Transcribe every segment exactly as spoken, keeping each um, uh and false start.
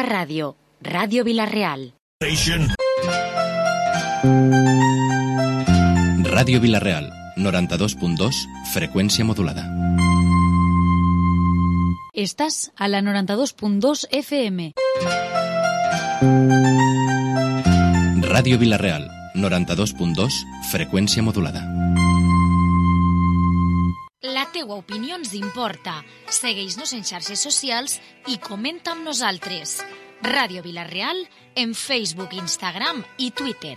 Ràdio, Ràdio Vila-real. Ràdio Vila-real, noranta-dos punt dos, freqüència modulada. Estàs a la noranta-dos punt dos F M. Ràdio Vila-real, noranta-dos punt dos, freqüència modulada. La teua opinió ens importa. Segueix-nos en xarxes socials i comenta amb nosaltres. Ràdio Vila-real en Facebook, Instagram i Twitter.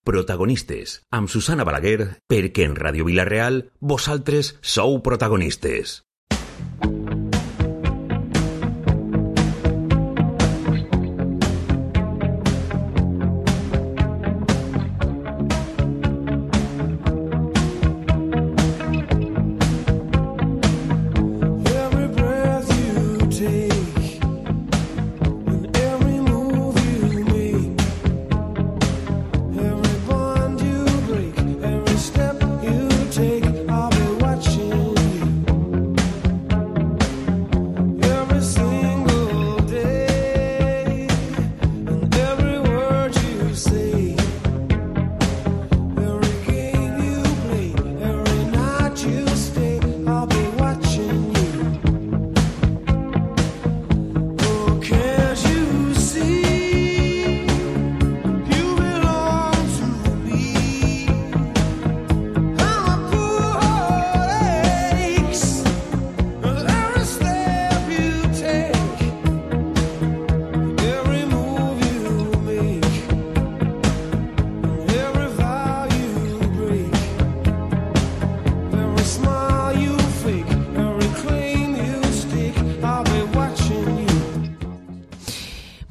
Protagonistes, amb Susana Balaguer, perquè en Ràdio Vila-real vosaltres sou protagonistes.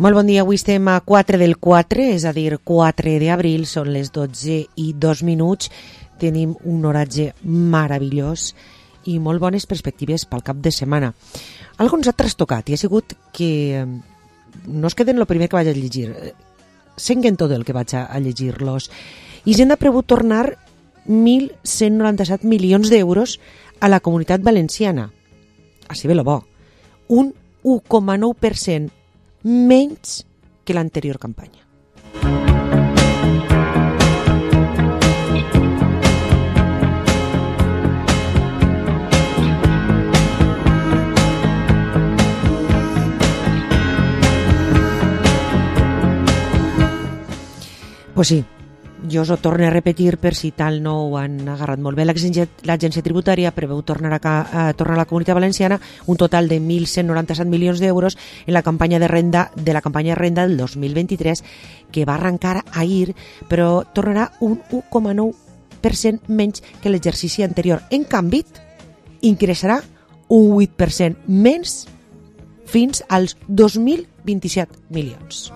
Molt bon dia, avui estem a quatre del quatre, és a dir, quatre d'abril, són les dotze i dos minuts, tenim un oratge meravellós i molt bones perspectives pel cap de setmana. Algo ens ha trastocat i ha sigut que no es queden el primer que vaig a llegir, senguen tot el que vaig a llegir-los. Hisenda ha prevut tornar mil cent noranta-set milions d'euros a la Comunitat Valenciana. Així ve lo bo, un u coma nou per cent menys que l'anterior campanya. Pues sí, jo us ho torno a repetir per si tal no ho han agarrat molt bé. L'Agència Tributària preveu tornar a, a tornar a la Comunitat Valenciana un total de mil cent noranta-set milions d'euros en la campanya de renda de la campanya de renda del dos mil vint-i-tres, que va arrencar ahir, però tornarà un u coma nou per cent menys que l'exercici anterior. En canvi, ingressarà un vuit per cent menys fins als dos mil vint-i-set milions.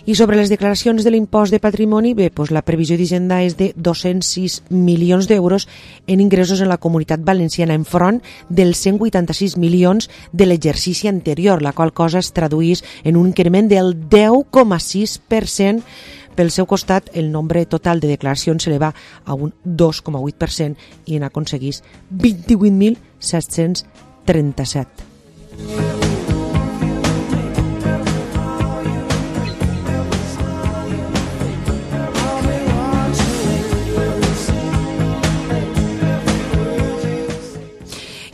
I sobre les declaracions de l'impost de patrimoni, bé, doncs la previsió d'Hisenda és de dos-cents sis milions d'euros en ingressos en la Comunitat Valenciana, enfront dels cent vuitanta-sis milions de l'exercici anterior, la qual cosa es traduís en un increment del deu coma sis per cent. Pel seu costat, el nombre total de declaracions s'eleva a un dos coma vuit per cent i n'aconseguís vint-i-vuit mil set-cents trenta-set.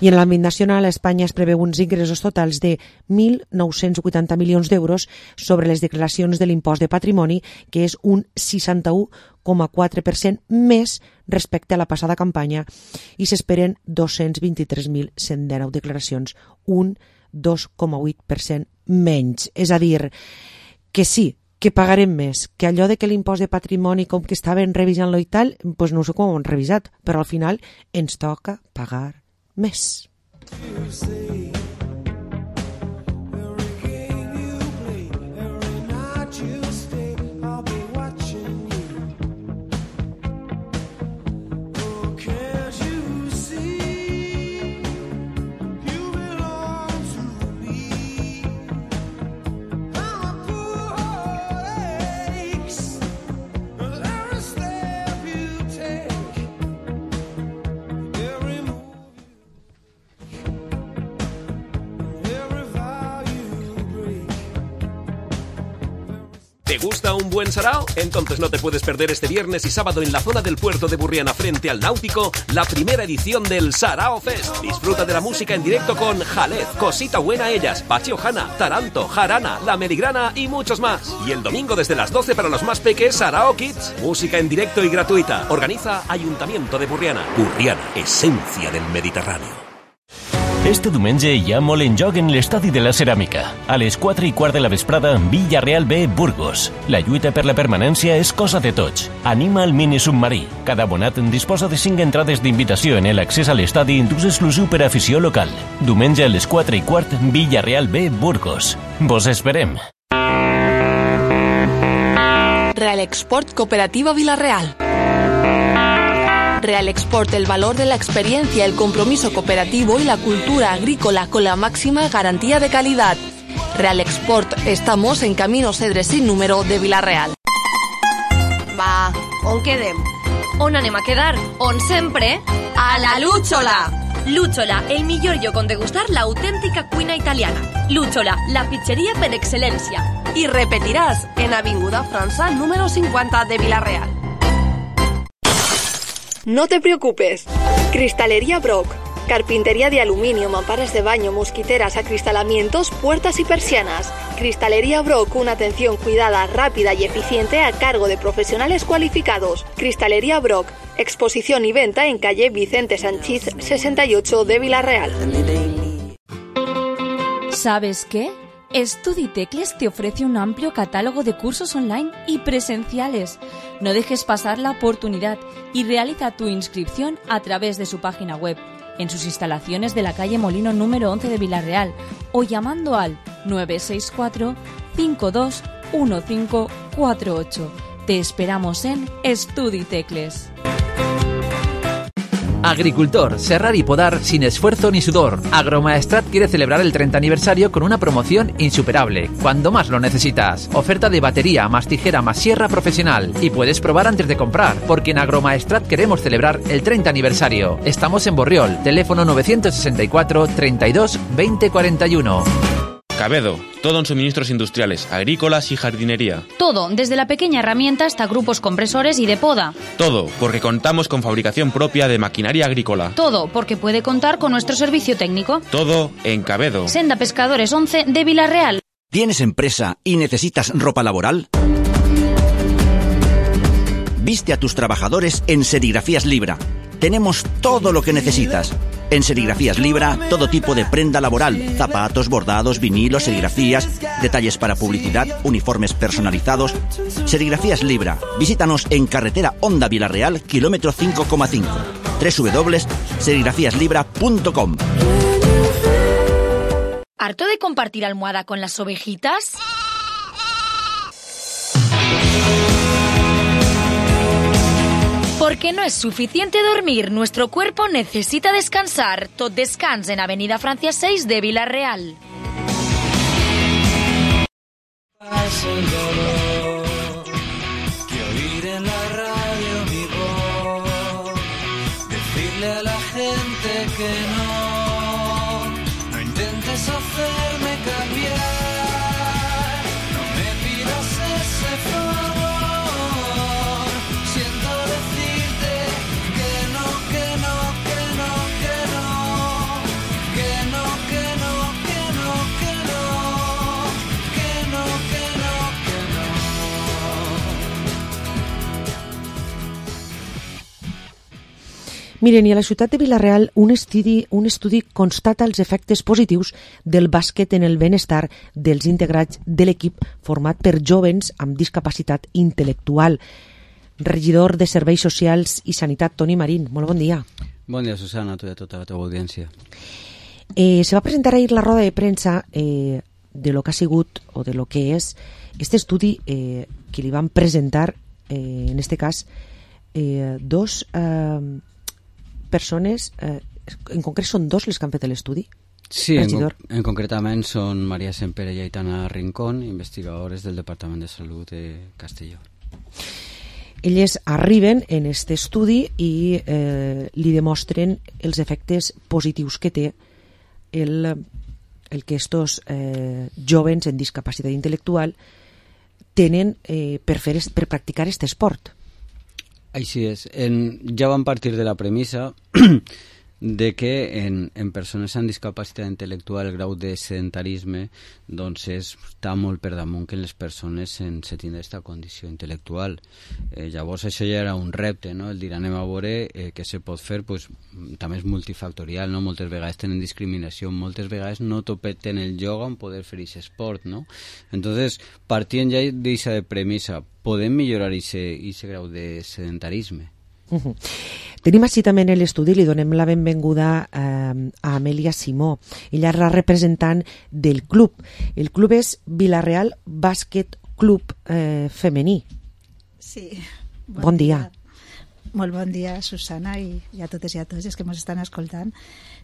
I en l'àmbit nacional, a Espanya es preveu uns ingressos totals de mil nou-cents vuitanta milions d'euros sobre les declaracions de l'impost de patrimoni, que és un seixanta-u coma quatre per cent més respecte a la passada campanya, i s'esperen dos-cents vint-i-tres mil cent dinou declaracions, un dos coma vuit per cent menys. És a dir, que sí, que pagarem més, que allò de que l'impost de patrimoni com que estaven revisant-lo i tal, doncs no sé com ho han revisat, però al final ens toca pagar més. gusta un buen sarao? Entonces no te puedes perder este viernes y sábado en la zona del puerto de Burriana frente al Náutico la primera edición del Sarao Fest. Disfruta de la música en directo con Jalez, Cosita Buena Ellas, Pachi Ojana, Taranto, Jarana, La Merigrana y muchos más. Y el domingo desde las doce para los más peques, Sarao Kids. Música en directo y gratuita. Organiza Ayuntamiento de Burriana. Burriana, esencia del Mediterráneo. Este diumenge hi ha molt en joc en l'Estadi de la Ceràmica. A les quatre i quart de la vesprada, Villarreal B, Burgos. La lluita per la permanència és cosa de tots. Anima el mini submarí. Cada abonat disposa de cinc entrades d'invitació en l'accés a l'estadi d'ús exclusiu per a afició local. Diumenge a les quatre i quart, Villarreal B, Burgos. Vos esperem. Real Export Cooperativa Vilarreal. Real Export, el valor de la experiencia, el compromiso cooperativo y la cultura agrícola con la máxima garantía de calidad. Real Export, estamos en Camino Cedres sin número de Vilarreal. Va, on quedem? On anem a quedar? On sempre? A la Lúchola! Lúchola, el millor lloc on degustar l'autèntica cuina italiana. Lúchola, la pizzeria per excel·lència. Y repetirás en Avinguda França número cincuenta de Vilarreal. No te preocupes. Cristalería Brock. Carpintería de aluminio, mamparas de baño, mosquiteras, acristalamientos, puertas y persianas. Cristalería Brock, una atención cuidada, rápida y eficiente a cargo de profesionales cualificados. Cristalería Brock. Exposición y venta en calle Vicente Sanchís sesenta y ocho de Vilarreal. ¿Sabes qué? StudiTecles te ofrece un amplio catálogo de cursos online y presenciales. No dejes pasar la oportunidad y realiza tu inscripción a través de su página web, en sus instalaciones de la calle Molino número once de Vilarreal o llamando al nueve seis cuatro, cinco dos uno cinco cuatro ocho. Te esperamos en StudiTecles. Agricultor, serrar y podar sin esfuerzo ni sudor. Agromaestrat quiere celebrar el treinta aniversario con una promoción insuperable, cuando más lo necesitas. Oferta de batería más tijera más sierra profesional. Y puedes probar antes de comprar, porque en Agromaestrat queremos celebrar el treinta aniversario. Estamos en Borriol, teléfono novecientos sesenta y cuatro, treinta y dos, veinte cuarenta y uno. Cabedo, todo en suministros industriales, agrícolas y jardinería. Todo, desde la pequeña herramienta hasta grupos compresores y de poda. Todo, porque contamos con fabricación propia de maquinaria agrícola. Todo, porque puede contar con nuestro servicio técnico. Todo en Cabedo. Senda Pescadores once de Vilarreal. ¿Tienes empresa y necesitas ropa laboral? Viste a tus trabajadores en Serigrafías Libra. Tenemos todo lo que necesitas. En Serigrafías Libra, todo tipo de prenda laboral, zapatos, bordados, vinilos, serigrafías, detalles para publicidad, uniformes personalizados. Serigrafías Libra. Visítanos en carretera Honda Vilarreal, kilómetro cinco coma cinco. doble u doble u doble u punto serigrafías libra punto com. ¿Harto de compartir almohada con las ovejitas? Porque no es suficiente dormir, nuestro cuerpo necesita descansar. Tot Descans en Avenida Francia seis de Vilarreal. Que oír en la radio mi voz, decirle a la gente que no, no intentes hacerme cambiar, no me pidas ese favor. Miren, i a la ciutat de Vilarreal un estudi, un estudi constata els efectes positius del bàsquet en el benestar dels integrats de l'equip format per jovens amb discapacitat intel·lectual. Regidor de Serveis Socials i Sanitat, Toni Marín, molt bon dia. Bon dia, Susana, a tu i a tota la teva audiència. Eh, se va presentar ahir la roda de premsa eh, de lo que ha sigut o de lo que és este estudi eh, que li van presentar, eh, en este cas, eh, dos... Eh, persones, eh, en concret són dos les que han fet l'estudi? Sí, en, en concretament són Maria Sempere i Aitana Rincón, investigadores del Departament de Salut de Castelló. Elles arriben en aquest estudi i eh, li demostren els efectes positius que té el, el que estos eh, jovens en discapacitat intel·lectual tenen eh, per, fer, per practicar aquest esport. Així és. En, ja vam partir de la premissa de que en, en persones amb discapacitat intel·lectual el grau de sedentarisme doncs és, està molt per damunt que les persones sense tindre aquesta condició intel·lectual. Eh, llavors això ja era un repte, no? El dir anem a veure eh, què se pot fer, pues, també és multifactorial, no? Moltes vegades tenen discriminació, moltes vegades no topeten el yoga en poder fer aquest esport, no? Entonces, partint ja d'aquesta premissa, podem millorar aquest grau de sedentarisme? Uh-huh. Tenim així també en l'estudi, li donem la benvinguda eh, a Amèlia Simó. Ella és la representant del club. El club és Vila-real Bàsquet Club eh, Femení. Sí. Bon, bon dia. dia. Molt bon dia, Susana, i, i a totes i a tots els que ens estan escoltant.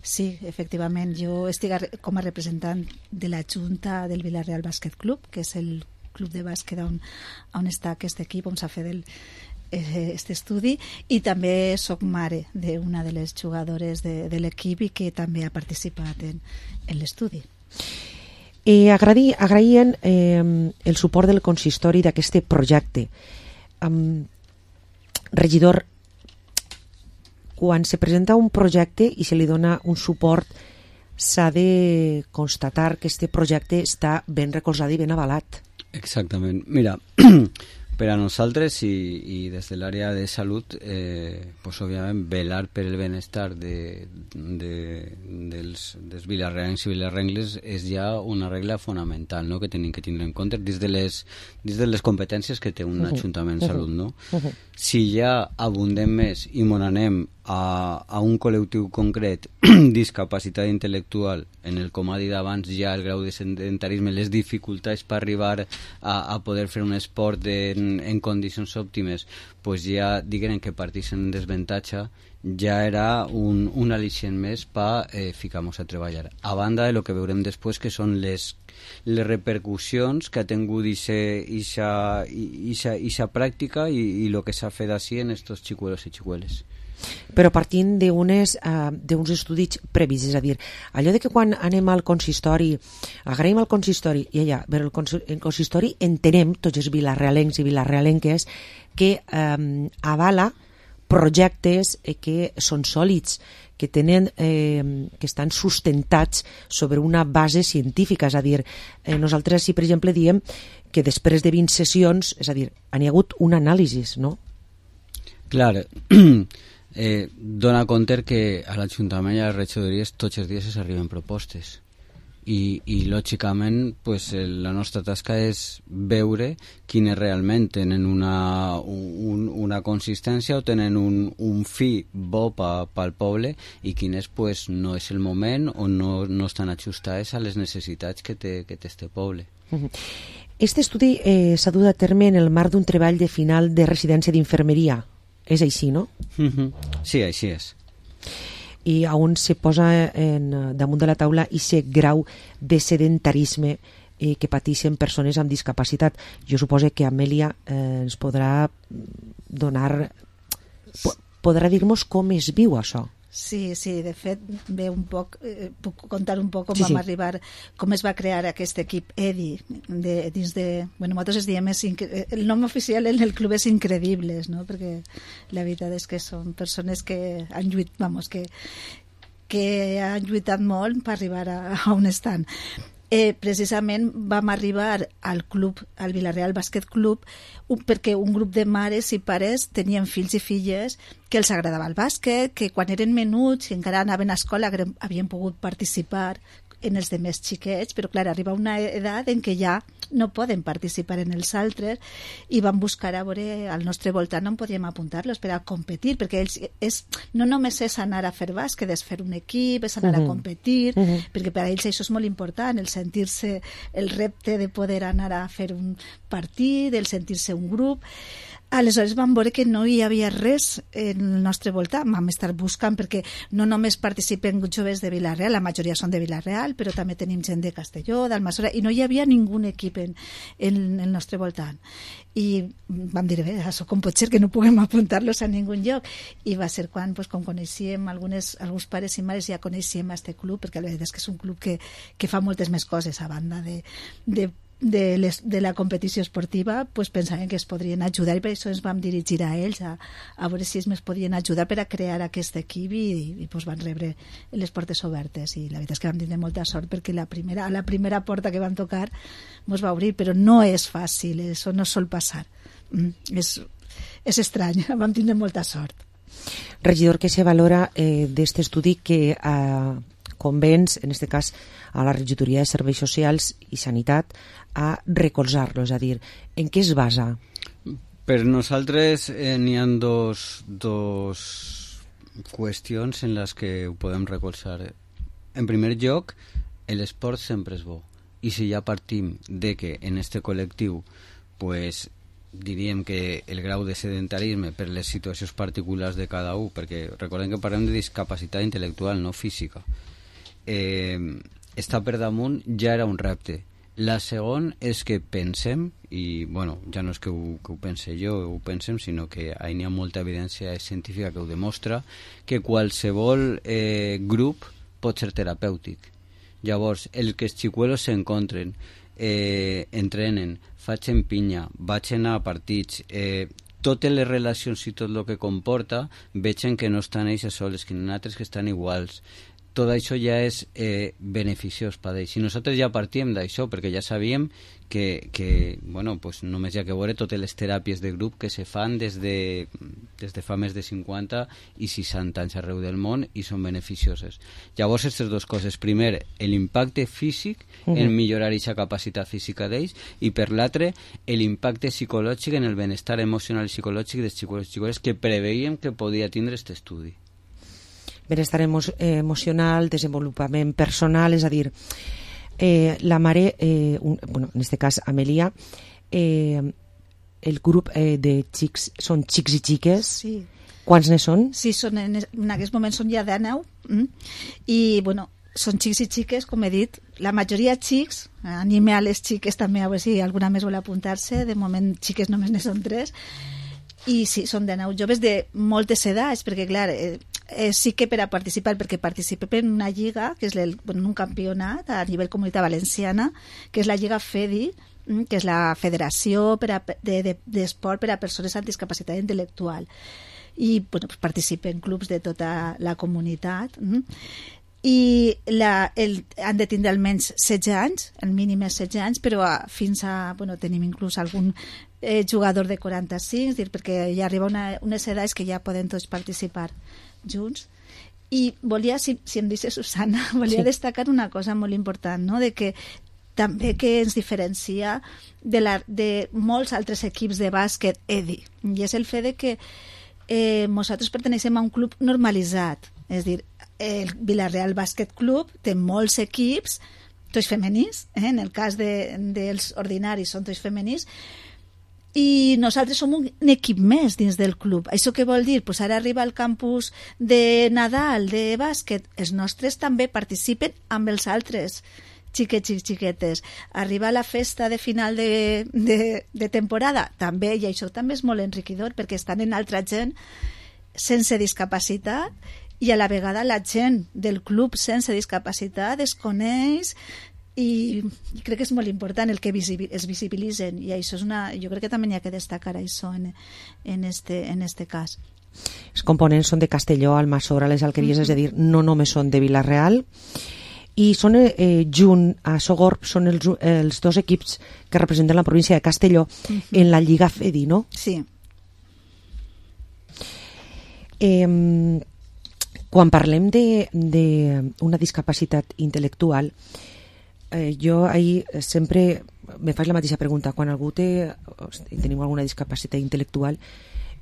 Sí, efectivament, jo estic com a representant de la Junta del Vila-real Bàsquet Club, que és el club de bàsquet on, on està aquest equip, on s'ha fet el aquest estudi, i també soc mare d'una de les jugadores de, de l'equip i que també ha participat en, en l'estudi. Eh, agradi, agraïen eh, el suport del consistori d'aquest projecte. Um, regidor, quan se presenta un projecte i se li dona un suport, s'ha de constatar que aquest projecte està ben recolzat i ben avalat. Exactament. Mira, per a nosaltres i, i des de l'àrea de salut, eh, pues, òbviament, velar per el benestar de, de, dels, dels vilarreans i vilarrengles és ja una regla fonamental, no?, que tenim que tindre en compte dins de les, dins de les competències que té un uh-huh. ajuntament de uh-huh. salut, no? Uh-huh. Si ja abundem més i mon anem a, a un col·lectiu concret, discapacitat intel·lectual, en el, com ha dit abans, ja el grau de sedentarisme, les dificultats per arribar a, a poder fer un esport de, en, en condicions òptimes, pues ja diguem que partís en desventatge, ja era un, un al·licient més per eh, ficar-nos a treballar. A banda de lo que veurem després, que són les, les repercussions que ha tingut aquesta pràctica i, i el que s'ha fet així en estos xicuelos i xicueles. Però partint d'uns uh, estudis previs, és a dir, allò de que quan anem al consistori, agraïm al consistori, i allà, però el, cons el consistori entenem, tots els vilarrealencs i vilarrealenques, que um, avala projectes eh, que són sòlids, que tenen, eh, que estan sustentats sobre una base científica, és a dir, eh, nosaltres si per exemple diem que després de vint sessions, és a dir, han hi hagut un anàlisi, no? Clar, eh, dona compte que a l'Ajuntament i a les regidories tots els dies s'arriben propostes i, i lògicament pues, la nostra tasca és veure quines realment tenen una, un, una consistència o tenen un, un fi bo pa, pel poble i quines pues, no és el moment o no, no estan ajustades a les necessitats que té, que té este poble. Este estudi eh, s'ha dut a terme en el marc d'un treball de final de residència d'infermeria. És així, no? Sí, així és. I on se posa en, damunt de la taula aquest grau de sedentarisme eh, que pateixen persones amb discapacitat. Jo suposo que Amèlia eh, ens podrà donar... Po podrà dir-nos com es viu això. Sí, sí, de fet, ve un poc, eh, puc contar un poc com sí, vam sí. arribar, com es va crear aquest equip E D I, de, dins de... Bueno, nosaltres es diem, és el nom oficial en el club és Incredibles, no?, perquè la veritat és que són persones que han lluitat, vamos, que, que han lluitat molt per arribar a, a on estan. Eh, precisament vam arribar al club, al Vila-real Bàsquet Club, un, perquè un grup de mares i pares tenien fills i filles que els agradava el bàsquet, que quan eren menuts i encara anaven a escola havien pogut participar en els de més xiquets, però clar, arriba una edat en què ja no poden participar en els altres i van buscar a veure al nostre voltant on podíem apuntar-los per a competir, perquè ells és, no només és anar a fer bàsquet, és fer un equip, és anar uh-huh. a competir, uh-huh. perquè per a ells això és molt important, el sentir-se, el repte de poder anar a fer un partit, el sentir-se un grup. Aleshores vam veure que no hi havia res en el nostre voltant, vam estar buscant perquè no només participen joves de Vila-real, la majoria són de Vila-real, però també tenim gent de Castelló, d'Almassora, i no hi havia ningú equip en, en el nostre voltant. I vam dir, bé, això com pot ser que no puguem apuntar-los a ningun lloc? I va ser quan, pues, com coneixíem algunes, alguns pares i mares, ja coneixíem aquest club, perquè la veritat és que és un club que, que fa moltes més coses a banda de, de de, les, de la competició esportiva pues, pensaven que es podrien ajudar i per això ens vam dirigir a ells a, a veure si ens podien ajudar per a crear aquest equip i, i pues, van rebre les portes obertes i la veritat és que vam tindre molta sort perquè la primera, a la primera porta que vam tocar ens va obrir, però no és fàcil, això no sol passar, mm, és, és estrany, vam tindre molta sort. Regidor, què se valora eh, d'aquest estudi que eh, convenç, en aquest cas, a la Regidoria de Serveis Socials i Sanitat a recolzar-lo, és a dir, en què es basa? Per nosaltres eh, n'hi ha dos, dos qüestions en les que ho podem recolzar. En primer lloc, l'esport sempre és bo, i si ja partim de que en este col·lectiu pues, diríem que el grau de sedentarisme per les situacions particulars de cada un, perquè recordem que parlem de discapacitat intel·lectual, no física, eh, està per damunt, ja era un repte. La segon és que pensem, i bueno, ja no és que ho, que ho pense jo, ho pensem, sinó que hi ha molta evidència científica que ho demostra, que qualsevol eh, grup pot ser terapèutic. Llavors, el que els xicuelos s'encontren, eh, entrenen, facin pinya, vagin a partits, eh, totes les relacions i tot el que comporta, vegin que no estan ells sols, que n'hi ha altres que estan iguals. Tot això ja és eh, beneficiós per ells. I nosaltres ja partíem d'això, perquè ja sabíem que, que bueno, pues només hi ha que veure totes les teràpies de grup que se fan des de, des de fa més de cinquanta i seixanta anys arreu del món i són beneficioses. Llavors, aquestes dues coses. Primer, l'impacte físic uh-huh. en millorar aquesta capacitat física d'ells, i per l'altre, l'impacte psicològic en el benestar emocional i psicològic dels xicots i xicotes que preveiem que podia tindre aquest estudi. Benestar emo emocional, desenvolupament personal, és a dir, eh, la mare, eh, un, bueno, en aquest cas Amelia, eh, el grup eh, de xics són xics i xiques. Sí. Quants ne són? Sí, són en, en aquest moment són ja deu, mm? I bueno, són xics i xiques, com he dit, la majoria xics, anime a les xiques també, a veure si alguna més vol apuntar-se, de moment xiques només ne són tres, i sí, són deu joves de moltes edats, perquè clar, eh, eh, sí que per a participar, perquè participem en una lliga, que és el, bueno, un campionat a nivell comunitat valenciana, que és la Lliga FEDI, que és la Federació per a, de, de, d'Esport per a Persones amb Discapacitat Intel·lectual. I bueno, pues participen clubs de tota la comunitat. I la, el, han de tindre almenys setze anys, el mínim és setze anys, però a, fins a, bueno, tenim inclús algun eh, jugador de quaranta-cinc, dir, perquè ja arriba una, unes edats que ja poden tots participar junts. I volia, si, si em deixa Susana, volia sí. destacar una cosa molt important, no? De que també que ens diferencia de, la, de molts altres equips de bàsquet E D I, i és el fet de que eh, nosaltres pertenecem a un club normalitzat, és a dir, el Vila-real Bàsquet Club té molts equips, tots femenins, eh? En el cas de, dels ordinaris són tots femenins, i nosaltres som un equip més dins del club. Això què vol dir? Pues ara arriba al campus de Nadal, de bàsquet, els nostres també participen amb els altres xiquets i xiquetes. Arriba la festa de final de, de, de temporada, també, i això també és molt enriquidor, perquè estan en altra gent sense discapacitat, i a la vegada la gent del club sense discapacitat es coneix, i crec que és molt important el que es visibilitzen, i això és una, jo crec que també hi ha que destacar això en, en, este, en este cas. Els components són de Castelló, Almassora, les Alqueries, mm-hmm. és a dir, no només són de Vila-real, i són eh, junt a Sogorb són els, els dos equips que representen la província de Castelló mm-hmm. en la Lliga FEDI, no? Sí. Eh, quan parlem d'una discapacitat intel·lectual, eh, jo ahir sempre me faig la mateixa pregunta. Quan algú té, tenim alguna discapacitat intel·lectual,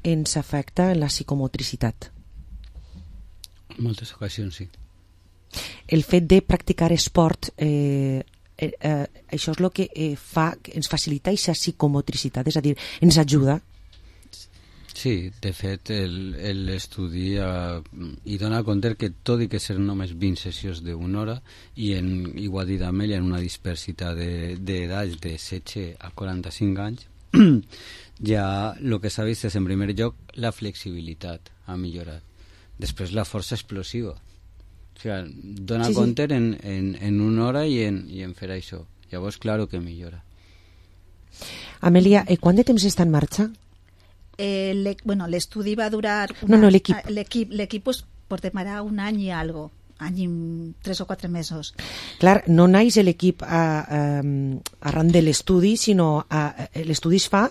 ens afecta en la psicomotricitat? En moltes ocasions, sí. El fet de practicar esport, eh, eh, eh, això és el que eh, fa, ens facilita aquesta psicomotricitat, és a dir, ens ajuda. Sí, de fet, l'estudi eh, hi dona compte que tot i que ser només vint sessions d'una hora, i en, igual dit Amèlia, en una dispersitat d'edats de, de setze a quaranta-cinc anys, ja el que s'ha vist és, en primer lloc, la flexibilitat ha millorat. Després, la força explosiva. O sigui, dona sí, compte sí. En, en, en una hora i en, i en fer això. Llavors, clar que millora. Amèlia, eh, quant de temps està en marxa? Eh, le, bueno, l'estudi va durar... Una, no, no, l'equip. L'equip, l'equip pues, portarà un any i algo, any i tres o quatre mesos. Clar, no naix l'equip a, a, arran de l'estudi, sinó a, a, l'estudi es fa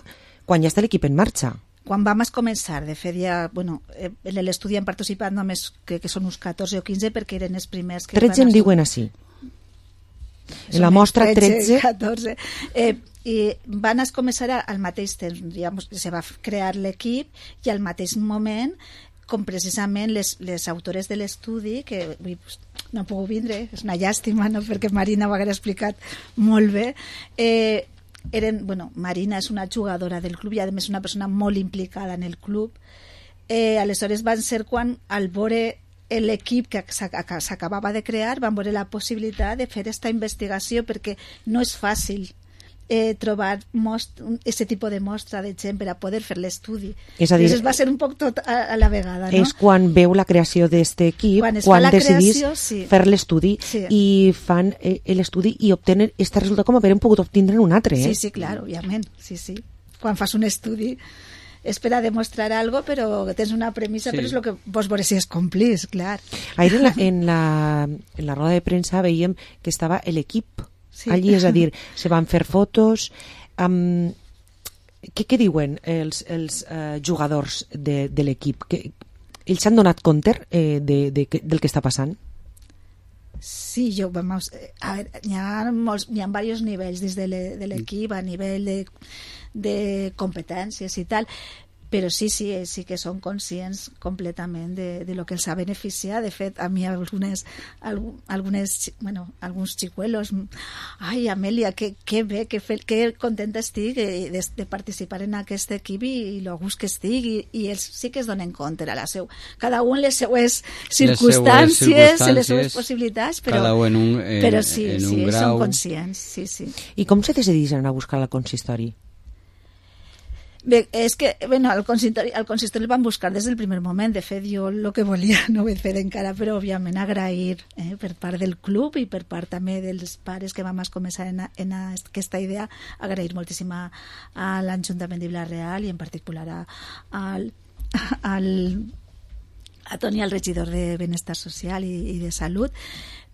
quan ja està l'equip en marxa. Quan vam començar, de fet, ja, bueno, en l'estudi han participat només, crec que són uns catorze o quinze, perquè eren els primers que... tretze em diuen així. En la mostra tretze... catorze. Eh, I van començar al mateix temps, digamos, se va crear l'equip i al mateix moment, com precisament les, les autores de l'estudi, que ui, pues, no han pogut vindre, és una llàstima, no? Perquè Marina ho hagués explicat molt bé, eh, eren, bueno, Marina és una jugadora del club i a més una persona molt implicada en el club. Eh, aleshores van ser quan al veure l'equip que s'acabava de crear van veure la possibilitat de fer aquesta investigació, perquè no és fàcil eh, trobar aquest tipus de mostra de gent per a poder fer l'estudi. És a dir, va ser un poc tot a, a la vegada, no? És quan veu la creació d'aquest equip, quan, quan decidís creació, sí. fer l'estudi, sí. i fan eh, l'estudi i obtenen aquest resultat com haver pogut obtindre un altre. Eh? Sí, sí, clar, òbviament. Sí, sí. Quan fas un estudi és per a demostrar algo, però tens una premissa, sí. però és el que vos veure si es complís, clar. Ahir en la, en la, en la roda de premsa veiem que estava l'equip sí. allí, és a dir, se van fer fotos. Um, què, què diuen els, els uh, jugadors de, de l'equip? Que, ells s'han donat compte eh, de, de, de, del que està passant? Sí, jo, vamos, a ver, hi ha, molts, hi ha diversos nivells dins de l'equip, a nivell de, de competències i tal, però sí, sí, sí que són conscients completament de, de lo que els ha beneficiat. De fet, a mi algunes, algunes bueno, alguns xicuelos, ai, Amèlia, que, que bé, que, fe, que contenta estic de, de, de participar en aquest equip i, i lo gust que estic, i, i ells sí que es donen compte a la seu, cada un les seues circumstàncies, les seues, les seues possibilitats, però, cada un en un, en, però sí, en sí, un grau. Són conscients, sí, sí. I com se decidís anar a buscar al consistori? Bé, és que, bueno, al consistori, al consistori el van buscar des del primer moment. De fet, jo el que volia no ho he fet encara, però òbviament agrair eh, per part del club i per part també dels pares que vam començar en, a, en a aquesta idea, agrair moltíssim a, a l'Ajuntament de Vila-real i en particular a, al, al, a Toni, el regidor de Benestar Social i, i de Salut,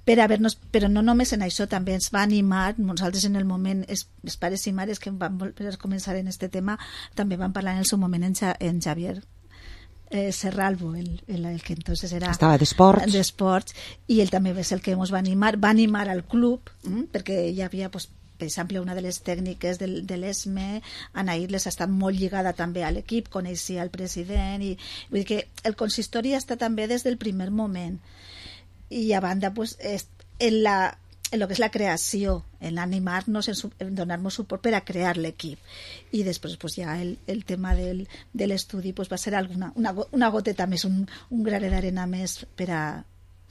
per haver-nos, però no només en això, també ens va animar, nosaltres en el moment, els, els pares i mares que van voler començar en este tema, també van parlar en el seu moment en, ja, en Javier eh, Serralvo, el, el, el que entonces era... Estava d'esports. D'esports, i ell també va ser el que ens va animar, va animar al club, hm, perquè hi havia, pues, per exemple, una de les tècniques del, de l'E S M E, Anaïr, les ha estat molt lligada també a l'equip, coneixia el president, i vull dir que el consistori està també des del primer moment. I a banda, pues, en, la, en lo que és la creació, en animar-nos, en, en donar-nos suport per a crear l'equip. I després, pues, ja el, el tema del, de l'estudi, pues, va ser alguna, una, una goteta més, un, un graner d'arena més per a,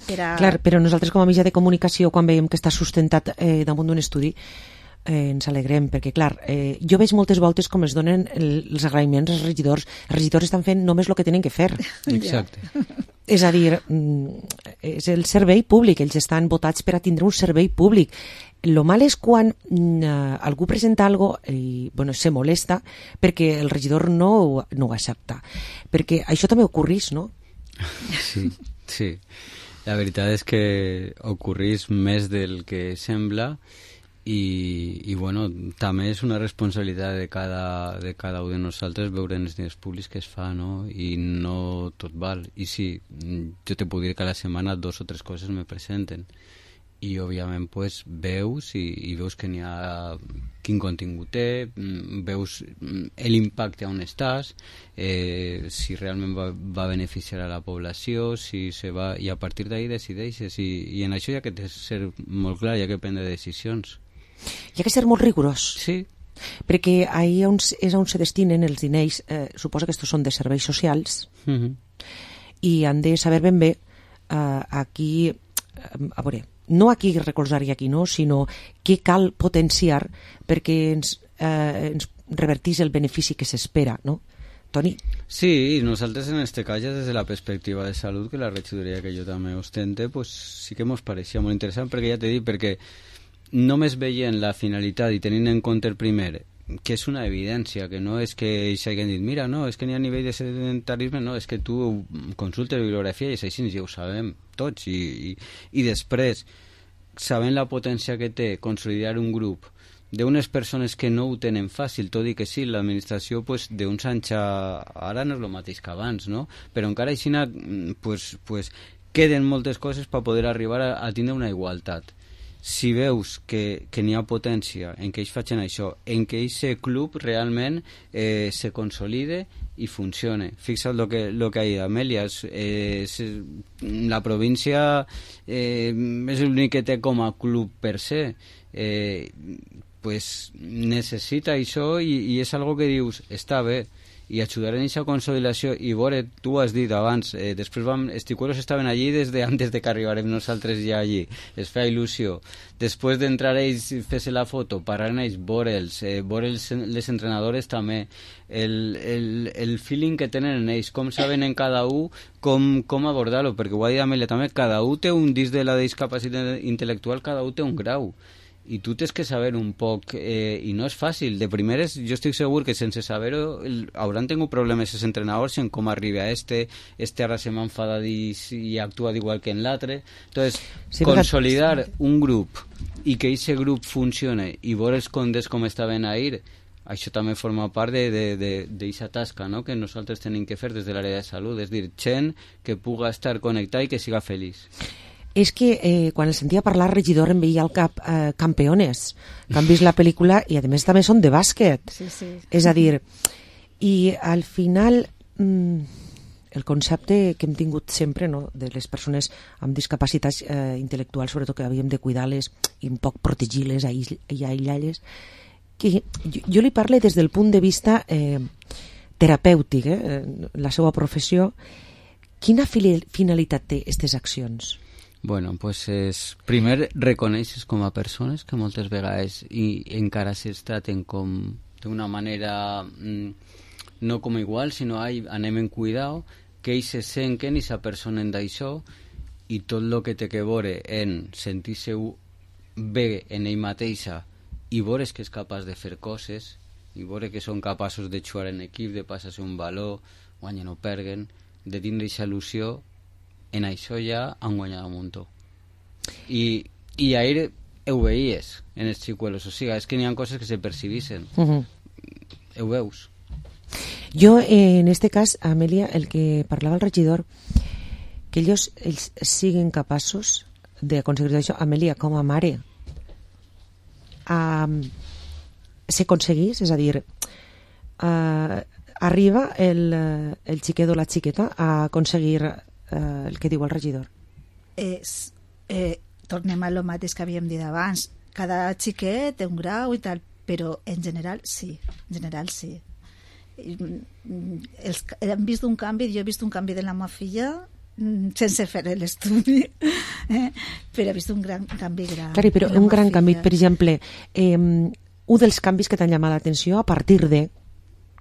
per a... Clar, però nosaltres com a mitjà de comunicació, quan veiem que està sustentat eh, damunt d'un estudi, eh, ens alegrem, perquè clar, eh, jo veig moltes voltes com es donen el, els agraïments als regidors. Els regidors estan fent només el que tenen que fer. Exacte. És a dir, és el servei públic, ells estan votats per a tindre un servei públic. Lo mal és quan uh, algú presenta algo i bueno, se molesta perquè el regidor no, no ho accepta. Perquè això també ocorrís, no? Sí, sí. La veritat és que ocorrís més del que sembla. I, i bueno, també és una responsabilitat de cada, de cada un de nosaltres veure els diners públics que es fa, no? I no tot val. I sí, jo te puc dir que a la setmana dos o tres coses me presenten i òbviament pues, veus i, i veus que n'hi ha quin contingut té, veus l'impacte on estàs, eh, si realment va, va beneficiar a la població, si se va, i a partir d'ahí decideixes, i, i en això hi ha que ser molt clar, hi ha que prendre decisions. Hi ha que ser molt rigorós. Sí. Perquè ahí on, és on se destinen els diners, eh, suposa que estos són de serveis socials, uh-huh. i han de saber ben bé eh, aquí, eh, a veure, no aquí recolzar i aquí no, sinó què cal potenciar perquè ens, eh, ens revertís el benefici que s'espera, no? Toni? Sí, i nosaltres en este cas, ja des de la perspectiva de salut, que la regidoria que jo també ostente, pues sí que ens pareixia molt interessant, perquè ja t'he dit, perquè només veient la finalitat i tenint en compte el primer que és una evidència, que no és que ells hagin dit, mira, no, és que n'hi ha nivell de sedentarisme, no, és que tu consultes bibliografia i és així, ja ho sabem tots, i, i, i després, sabent la potència que té consolidar un grup d'unes persones que no ho tenen fàcil, tot i que sí, l'administració pues, d'uns anys a... ara no és el mateix que abans, no? Però encara així pues, pues, queden moltes coses per poder arribar a, a tindre una igualtat. Si veus que, que n'hi ha potència en què ells facin això, en què aquest club realment eh, se consolide i funcione. Fixa't lo que, lo que ha dit Amèlia, eh, la província eh, és l'únic que té com a club per se, eh, pues necessita això i, i és algo que dius, està bé, i ajudar en aquesta consolidació. I veure, tu has dit abans, eh, després vam, els ticueros estaven allí des de antes de que arribarem nosaltres ja allí, es feia il·lusió. Després d'entrar ells, fer-se la foto, parlar amb ells, veure'ls, eh, veure els, les entrenadores també, el, el, el feeling que tenen en ells, com saben en cada un com, com abordar-lo, perquè ho ha dit Amèlia també, cada un té un disc de la discapacitat intel·lectual, cada un té un grau. I tu tens que saber un poc, eh, i no és fàcil. De primeres, jo estic segur que sense saber-ho hauran tingut problemes els entrenadors en com arriba a este, este ara se m'ha enfadat i, i actua igual que en l'altre. Entonces, sí, consolidar sí. un grup i que aquest grup funcione i veure els contes com estaven ahir, això també forma part d'aquesta tasca, no?, que nosaltres tenim que fer des de l'àrea de salut, és dir, gent que puga estar connectada i que siga feliç. És que eh, quan el sentia parlar, regidor, em veia al cap eh, Campeones, que han vist la pel·lícula i a més també són de bàsquet. Sí, sí. És a dir, i al final mmm, el concepte que hem tingut sempre, no?, de les persones amb discapacitats eh, intel·lectuals, sobretot que havíem de cuidar-les i un poc protegir-les i aïllar-les, que jo, jo li parlo des del punt de vista eh, terapèutic, eh, la seva professió. Quina finalitat té aquestes accions? Bueno, pues és, primer reconeixes com a persones que moltes vegades i encara es traten com d'una manera mm, no com igual, sinó ai, anem en cuidao, que ells se senten i s'apersonen d'això i tot el que té que veure en sentir-se bé en ell mateixa i veure que és capaç de fer coses i veure que són capaços de jugar en equip, de passar-se un valor, guanyen o perguen, de tindre aquesta il·lusió, en això ja han guanyat un muntó. I, i ahir ho veies en els xicuelos, o sigui, és que n'hi ha coses que se percibixen. Uh-huh. Ho veus. Jo, eh, en este cas, Amèlia, el que parlava el regidor, que ells, ells siguin capaços d'aconseguir això. Amèlia, com a mare, um, s'aconseguís, és a dir, uh, arriba el, el xiquet o la xiqueta a aconseguir Uh, el que diu el regidor. És, eh, tornem a lo mateix que havíem dit abans, cada xiquet té un grau i tal, però en general sí, en general sí. Els, hem vist un canvi, jo he vist un canvi de la meva filla sense fer l'estudi, eh? però he vist un gran canvi gran. Claro, però un gran canvi, per exemple, eh, un dels canvis que t'han llamat l'atenció a partir de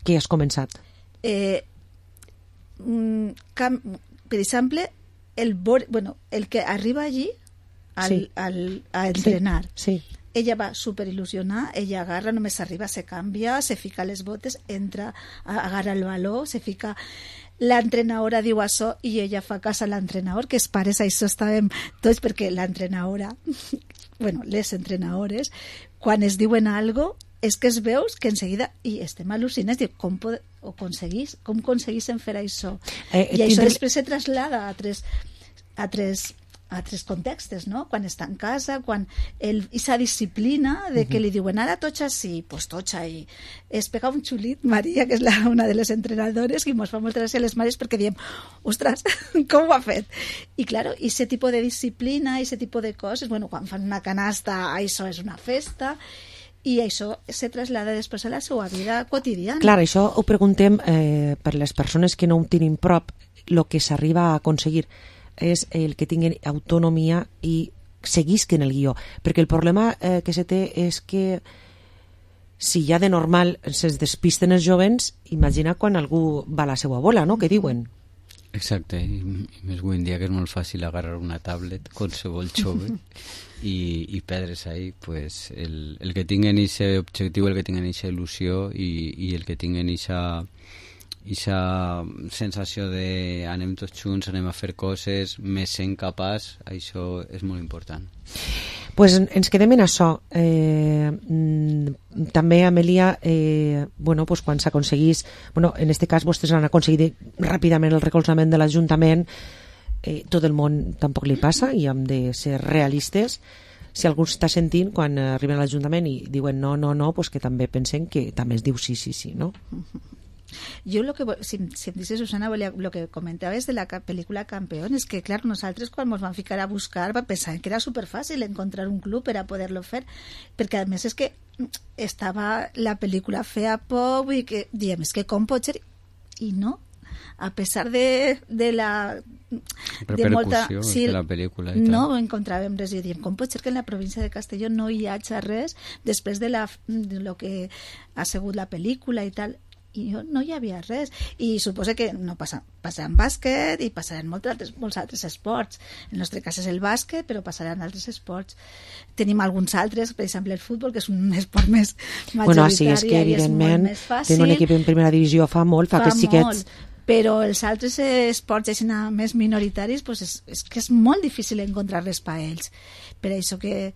què has començat? Eh, un cam per exemple, el, bueno, el que arriba allí al, sí. al, a entrenar, sí, sí. Ella va super il·lusionar, ella agarra, només arriba, se canvia, se fica les botes, entra, agarra el valor, se fica... L'entrenadora diu això i ella fa cas a l'entrenador, que els pares això estàvem tots, perquè l'entrenadora, bueno, les entrenadores, quan es diuen algo, és que es veus que enseguida, i estem al·lucinats, diu, com pod o aconseguís, com aconseguissin fer això? Eh, I això després se traslada a tres, a tres, a tres contextes, no? Quan està en casa, quan aquesta disciplina de que uh-huh. li diuen ara tots així, pues tots ahí. Es pega un xulit, Maria, que és la, una de les entrenadores, i ens fa molta gràcia a les mares perquè diem, ostres, com ho ha fet? I claro, aquest tipus de disciplina, aquest tipus de coses, bueno, quan fan una canasta, això és una festa, i això se trasllada després a la seva vida quotidiana. Clar, això ho preguntem eh, per les persones que no ho tenen prop. El que s'arriba a aconseguir és el que tinguin autonomia i seguisquen el guió, perquè el problema eh, que se té és que si ja de normal se'ls despisten els jovens, imagina quan algú va a la seva bola, no?, que diuen. Exacte, i, i més avui en dia que és molt fàcil agarrar una tablet, qualsevol jove, i, i perdre's ahí, pues, el, el que tinguen aquest objectiu, el que tinguen aquesta il·lusió i, i el que tinguen aquesta sensació de anem tots junts, anem a fer coses, més sent capaç, això és molt important. Pues ens quedem en això. Eh, també, Amèlia, eh, bueno, pues quan s'aconseguís, bueno, en este cas vostès han aconseguit ràpidament el recolzament de l'Ajuntament, eh, tot el món tampoc li passa i hem de ser realistes. Si algú està sentint quan arriben a l'Ajuntament i diuen no, no, no, pues que també pensen que també es diu sí, sí, sí, no? Yo lo que, si, si em dice Susana, lo que comentabas de la película Campeón es que, claro, nosotros cuando nos van a ficar a buscar pensaban que era súper fácil encontrar un club para poderlo hacer, porque además es que estaba la película fea pop y que, diem, es que com pot ser, y no, a pesar de, de la de molta, sí, de la pel·lícula i no tal. encontràvem res i diem, com pot ser que en la província de Castelló no hi hagi res després de, la, de lo que ha sigut la pel·lícula i tal, i jo no hi havia res, i suposo que no passa, passaran bàsquet i passaran molts altres, molts altres esports. En el nostre cas és el bàsquet, però passaran altres esports. Tenim alguns altres, per exemple el futbol, que és un esport més majoritari, bueno, sí, és que evidentment tenir un equip en primera divisió fa molt, fa, fa que xiquets molt. Però els altres esports així més minoritaris pues és, és que és molt difícil encontrar res per ells. Per això que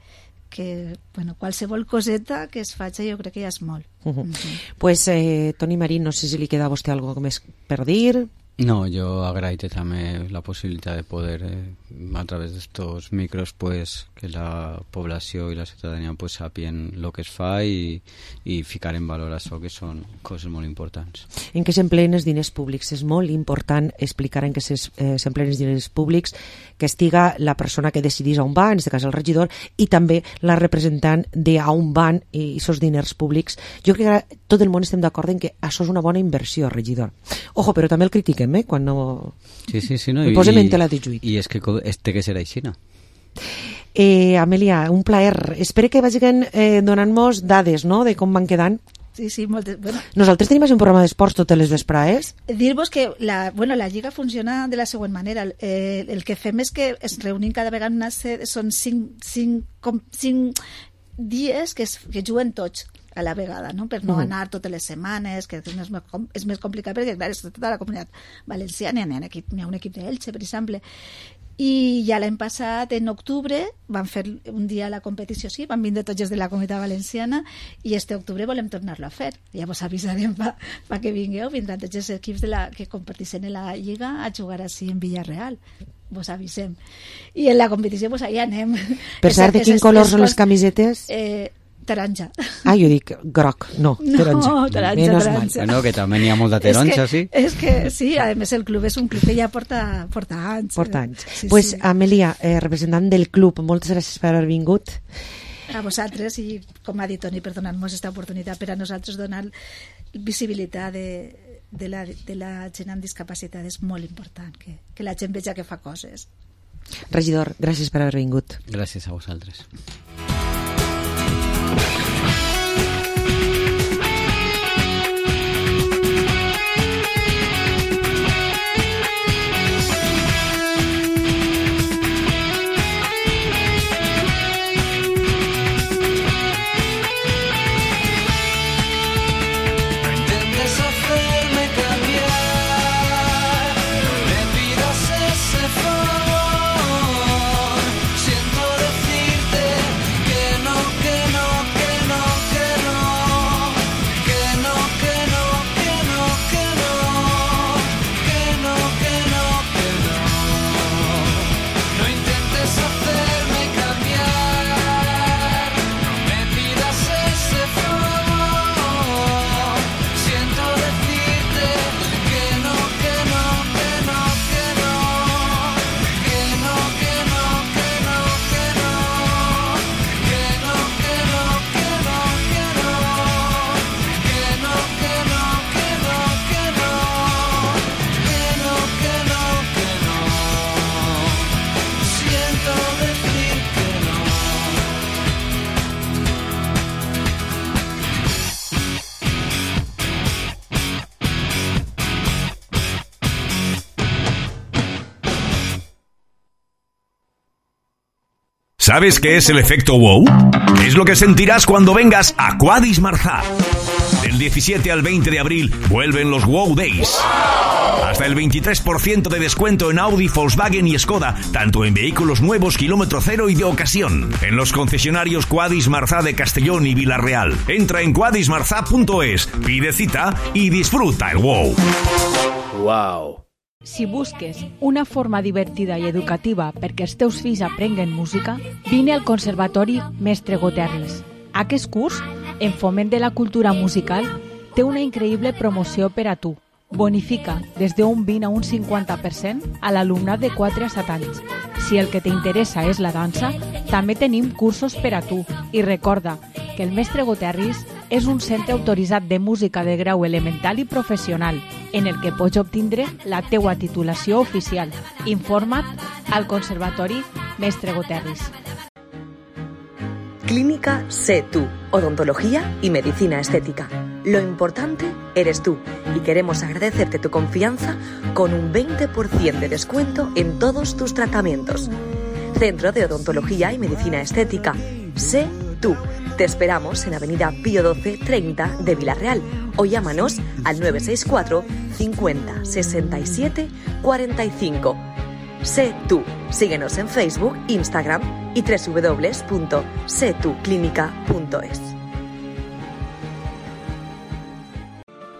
que, bueno, qualsevol coseta que es faci jo crec que ja és molt. Uh -huh. Uh-huh. Pues, eh, Toni Marín, no sé si li queda a vostè algo més per dir. No, yo agradezco también la posibilidad de poder eh, a través de estos micros pues que la población y la ciudadanía pues sapien lo que es fa y, y ficar en valor això que són coses molt importants. En què s'empleen els diners públics? És molt important explicar en què s'empleen els diners públics, que estiga la persona que decidís a on va, en aquest cas el regidor, i també la representant de a on van i aquests diners públics. Jo crec que tot el món estem d'acord en que això és una bona inversió, regidor. Ojo, però també el critiquem, eh? Quan no... Sí, sí, sí, no? I, posem en tela de juit. I és que este que serà així, no? Eh, Amèlia, un plaer. Espero que vagin eh, donant-nos dades, no?, de com van quedant. Sí, sí, moltes. Bueno. Nosaltres tenim un programa d'esports totes les vesprades. Dir-vos que la, bueno, la Lliga funciona de la següent manera. Eh, el que fem és que es reunim cada vegada una sèrie, són cinc, cinc, com, cinc dies que, es, que juguen tots a la vegada, no? Per no uh -huh. anar totes les setmanes, que és més, és més complicat perquè, clar, és tota la comunitat valenciana, n'hi ha, equip, n'hi ha un equip d'Elche, per exemple. I ja l'any passat, en octubre, van fer un dia la competició, sí, van vindre tots els de la comunitat valenciana, i este octubre volem tornar-lo a fer. Ja vos avisarem pa, pa que vingueu, vindran tots els equips de la, que competeixen en la Lliga a jugar així en Villarreal. Vos avisem. I en la competició, pues allà anem. Per cert, de quin color són les camisetes? Eh, taronja. Ah, jo dic groc, no, taronja. No, taronja, Menos taronja. Bueno, que també n'hi ha molta taronja, sí. És que sí, a més el club és un club que ja porta, porta anys. Porta anys. Sí, pues, sí. Amèlia, eh, representant del club, moltes gràcies per haver vingut. A vosaltres, i com ha dit Toni, per donar-nos aquesta oportunitat per a nosaltres donar visibilitat de, de, la, de la gent amb discapacitat és molt important, que, que la gent veja que fa coses. Regidor, gràcies per haver vingut. Gràcies a vosaltres. ¿Sabes qué es el efecto wow? Es lo que sentirás cuando vengas a Quadis Marzá. Del diecisiete al veinte de abril vuelven los Wow Days. Hasta el veintitrés por ciento de descuento en Audi, Volkswagen y Skoda, tanto en vehículos nuevos, kilómetro cero y de ocasión. En los concesionarios Quadis Marzá de Castellón y Vila-real. Entra en quadis marzá punto es, pide cita y disfruta el wow. Wow. Si busques una forma divertida i educativa perquè els teus fills aprenguen música, vine al Conservatori Mestre Goterris. Aquest curs, en foment de la cultura musical, té una increïble promoció per a tu. Bonifica des d'un vint a un cinquanta per cent a l'alumnat de quatre a set anys. Si el que t'interessa és la dansa, també tenim cursos per a tu. I recorda que el Mestre Goterris és un centre autoritzat de música de grau elemental i professional, en el que pots obtindre la teua titulació oficial. Informa't al Conservatori Mestre Goterris. Clínica Sé Tú, odontología y medicina estética. Lo importante eres tú y queremos agradecerte tu confianza con un veinte por ciento de descuento en todos tus tratamientos. Centro de Odontología y Medicina Estética. Sé Tú. Te esperamos en Avenida Pío doce treinta de Vila-real o llámanos al nueve seis cuatro cincuenta sesenta y siete cuarenta y cinco. Sé Tú. Síguenos en Facebook, Instagram y doble u doble u doble u punto sé tú clínica punto es.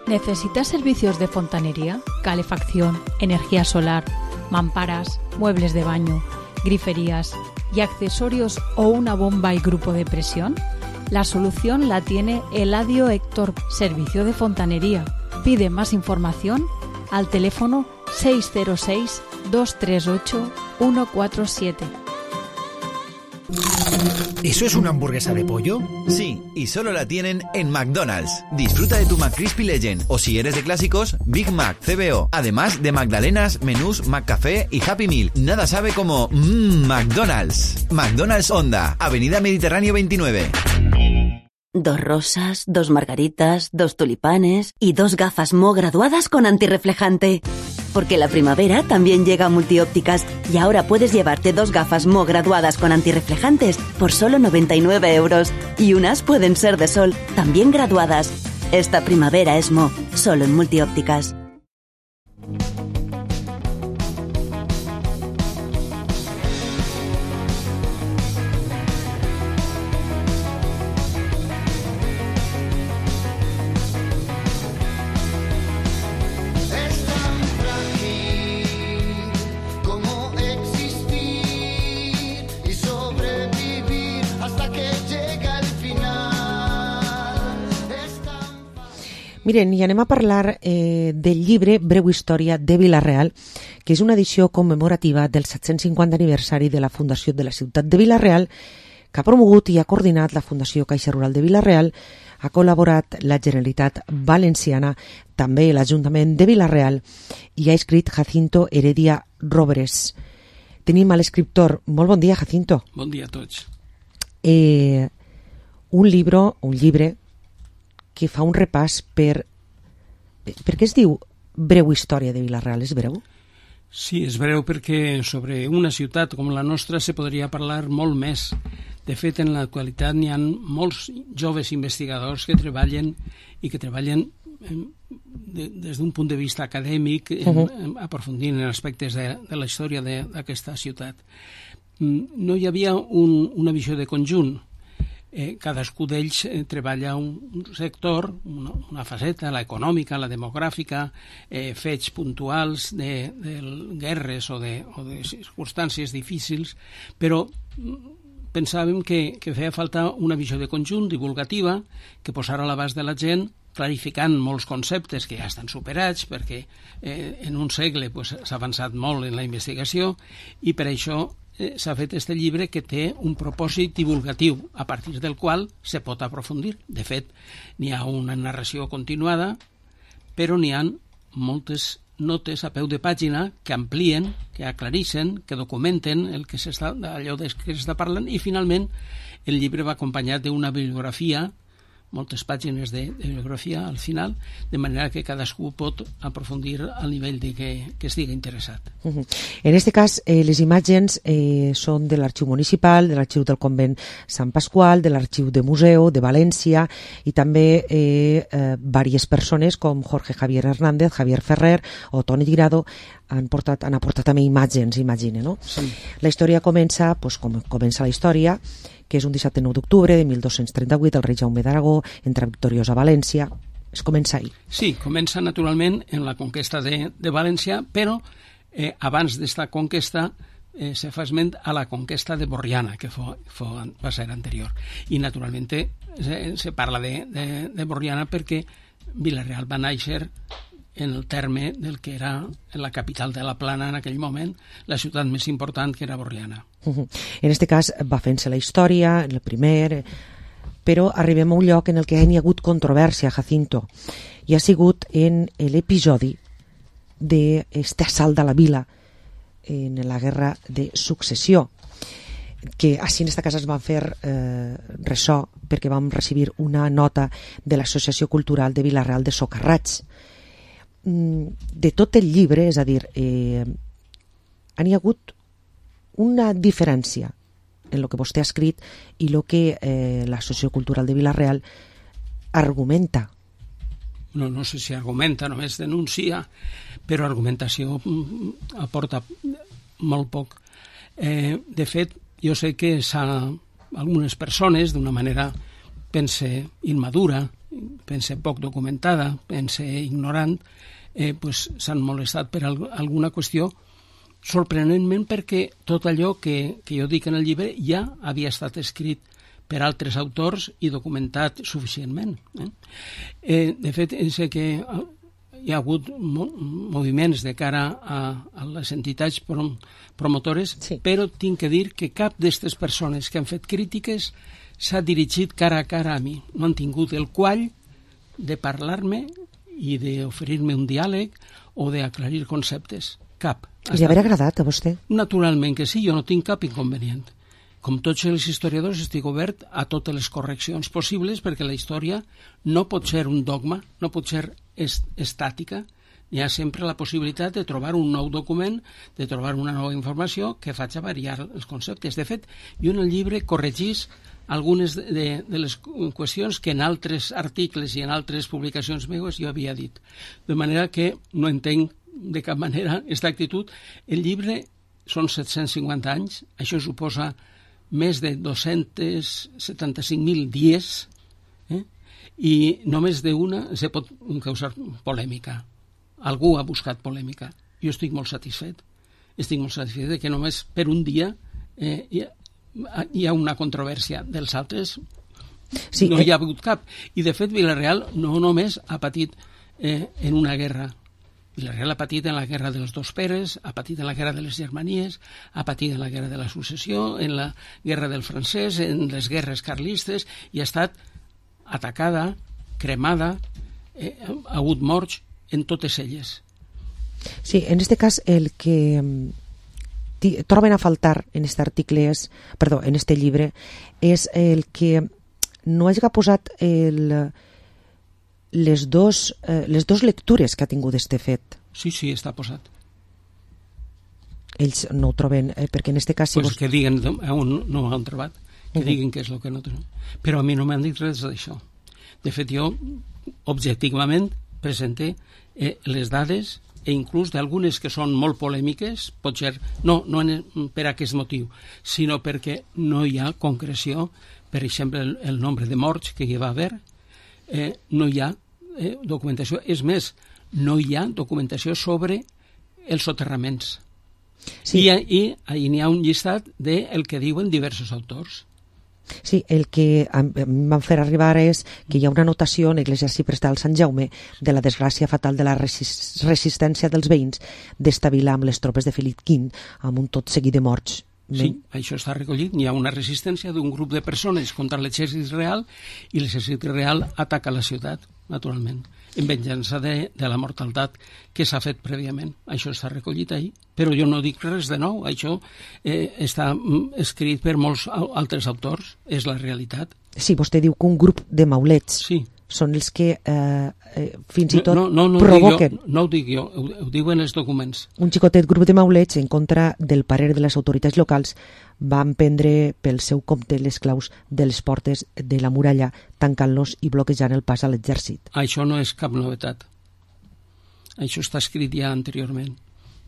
¿Necesitas servicios de fontanería, calefacción, energía solar, mamparas, muebles de baño, griferías y accesorios o una bomba y grupo de presión? La solución la tiene Eladio Héctor, Servicio de Fontanería. Pide más información al teléfono seis cero seis, dos tres ocho, uno cuatro siete. ¿Eso es una hamburguesa de pollo? Sí, y solo la tienen en McDonald's. Disfruta de tu McCrispy Legend, o si eres de clásicos, Big Mac, C B O, además de magdalenas, menús, McCafé y Happy Meal. Nada sabe como mmm, McDonald's. McDonald's Honda, Avenida Mediterráneo veintinueve. Dos rosas, dos margaritas, dos tulipanes y dos gafas Mo graduadas con antirreflejante. Porque la primavera también llega a Multiópticas y ahora puedes llevarte dos gafas Mo graduadas con antirreflejantes por solo noventa y nueve euros. Y unas pueden ser de sol, también graduadas. Esta primavera es Mo, solo en Multiópticas. Miren, i anem a parlar eh, del llibre Breu història de Vila-real, que és una edició commemorativa del set-cents cinquanta aniversari de la fundació de la ciutat de Vila-real, que ha promogut i ha coordinat la Fundació Caixa Rural de Vila-real, ha col·laborat la Generalitat Valenciana, també l'Ajuntament de Vila-real, i ha escrit Jacinto Heredia Robres. Tenim a l'escriptor. Molt bon dia, Jacinto. Bon dia a tots. Eh, un libro, un llibre, que fa un repàs per... Per què es diu Breu història de Vila-real? És breu? Sí, és breu perquè sobre una ciutat com la nostra se podria parlar molt més. De fet, en l'actualitat n'hi ha molts joves investigadors que treballen i que treballen de, des d'un punt de vista acadèmic, en, uh-huh. en, aprofundint en aspectes de, de la història d'aquesta ciutat. No hi havia un, una visió de conjunt. Eh, cadascú d'ells eh, treballa un, un sector, una, una faceta, la econòmica, la demogràfica, eh, fets puntuals de, de guerres o de, o de circumstàncies difícils, però pensàvem que, que feia falta una visió de conjunt divulgativa que posara a l'abast de la gent, clarificant molts conceptes que ja estan superats perquè eh, en un segle pues, s'ha avançat molt en la investigació i per això Eh, s'ha fet este llibre que té un propòsit divulgatiu a partir del qual se pot aprofundir. De fet, n'hi ha una narració continuada, però n'hi ha moltes notes a peu de pàgina que amplien, que aclareixen, que documenten el que s'està, allò de que s'està parlant, i finalment el llibre va acompanyat d'una bibliografia moltes pàgines de, de bibliografia al final, de manera que cadascú pot aprofundir al nivell de que, que estigui interessat. Uh-huh. En aquest cas, eh, les imatges eh, són de l'Arxiu Municipal, de l'Arxiu del Convent Sant Pasqual, de l'Arxiu de Museu, de València, i també eh, eh, diverses persones com Jorge Javier Hernández, Javier Ferrer o Toni Tirado han, portat, han aportat també imatges, imagine, no? Sí. La història comença, pues, com comença la història, que és un dissabte nou d'octubre de mil dos-cents trenta-vuit, el rei Jaume d'Aragó entra victoriós a València. Es comença ahir. Sí, comença naturalment en la conquesta de, de València, però eh, abans d'esta conquesta eh, se fa esment a la conquesta de Borriana, que fo, fo, va ser anterior. I naturalment se, se parla de, de, de Borriana perquè Vila-real va néixer en el terme del que era la capital de la Plana en aquell moment, la ciutat més important, que era Borriana. Uh-huh. En aquest cas va fent-se la història, el primer, però arribem a un lloc en el que hi ha hagut controvèrsia, Jacinto, i ha sigut en l'episodi d'aquest assalt de la vila en la guerra de successió, que així en aquesta casa es van fer eh, ressò perquè vam recibir una nota de l'Associació Cultural de Vila-real de Socarrats. De tot el llibre, és a dir, eh, han hi hagut una diferència en el que vostè ha escrit i el que eh, l'Associació Cultural de Vila-real argumenta. No, no sé si argumenta, només denuncia, però argumentació aporta molt poc. Eh, de fet, jo sé que algunes persones, d'una manera, pense immadura, pense poc documentada, pense ignorant, eh, pues, s'han molestat per al alguna qüestió, sorprenentment perquè tot allò que, que jo dic en el llibre ja havia estat escrit per altres autors i documentat suficientment. Eh? Eh, de fet, sé que hi ha hagut mo moviments de cara a, a les entitats prom promotores, sí. Però tinc que dir que cap d'aquestes persones que han fet crítiques s'ha dirigit cara a cara a mi. No han tingut el quall de parlar-me i d'oferir-me un diàleg o d'aclarir conceptes. Cap. Li haver agradat a vostè? Naturalment que sí, jo no tinc cap inconvenient. Com tots els historiadors estic obert a totes les correccions possibles perquè la història no pot ser un dogma, no pot ser est estàtica. Hi ha sempre la possibilitat de trobar un nou document, de trobar una nova informació que faci variar els conceptes. De fet, jo en el llibre corregís algunes de, de, de les qüestions que en altres articles i en altres publicacions meves jo havia dit. De manera que no entenc de cap manera aquesta actitud. El llibre són set-cents cinquanta anys, això suposa més de dos-cents setanta-cinc mil dies, eh? I només d'una se pot causar polèmica. Algú ha buscat polèmica. Jo estic molt satisfet. Estic molt satisfet de que només per un dia eh, hi, ha, hi ha una controvèrsia. Dels altres sí, no hi ha hagut cap. I de fet Vila-real no només ha patit eh, en una guerra. Vila-real ha patit en la guerra dels dos Peres, ha patit en la guerra de les Germanies, ha patit en la guerra de la successió, en la guerra del francès, en les guerres carlistes, i ha estat atacada, cremada, eh, ha hagut morts en totes elles. Sí, en este cas el que troben a faltar en este article és, perdó, en este llibre, és el que no hagi posat el... les dos, eh, les dos lectures que ha tingut este fet. Sí, sí, està posat. Ells no ho troben, eh, perquè en este cas... Si pues vos... que diguen on no ho han trobat, que uh-huh. diguin què és el que no troben. Però a mi no m'han dit res d'això. De fet, jo, objectivament, presenté eh, les dades e inclús d'algunes que són molt polèmiques, pot ser, no, no en, per aquest motiu, sinó perquè no hi ha concreció, per exemple, el, el nombre de morts que hi va haver, eh, no hi ha Eh, documentació. És més, no hi ha documentació sobre els soterraments. Sí. I, i ahí n'hi ha un llistat del que diuen diversos autors. Sí, el que em van fer arribar és que hi ha una anotació en l'Església Prestal Sant Jaume de la desgràcia fatal de la resistència dels veïns d'esta vila amb les tropes de Felip quint, amb un tot seguit de morts. Sí, això està recollit. Hi ha una resistència d'un grup de persones contra l'exèrcit real i l'exèrcit real ataca la ciutat, naturalment, en venjança de, de la mortalitat que s'ha fet prèviament. Això està recollit ahí, però jo no dic res de nou. Això eh, està escrit per molts altres autors, és la realitat. Sí, vostè diu que un grup de maulets sí. són els que eh, eh, fins i tot no, no, no, provoquen... No, no ho dic jo, ho, ho diuen els documents. Un xicotet grup de maulets, en contra del parer de les autoritats locals, van prendre pel seu compte les claus de les portes de la muralla, tancant-los i bloquejant el pas a l'exèrcit. Això no és cap novetat. Això està escrit ja anteriorment.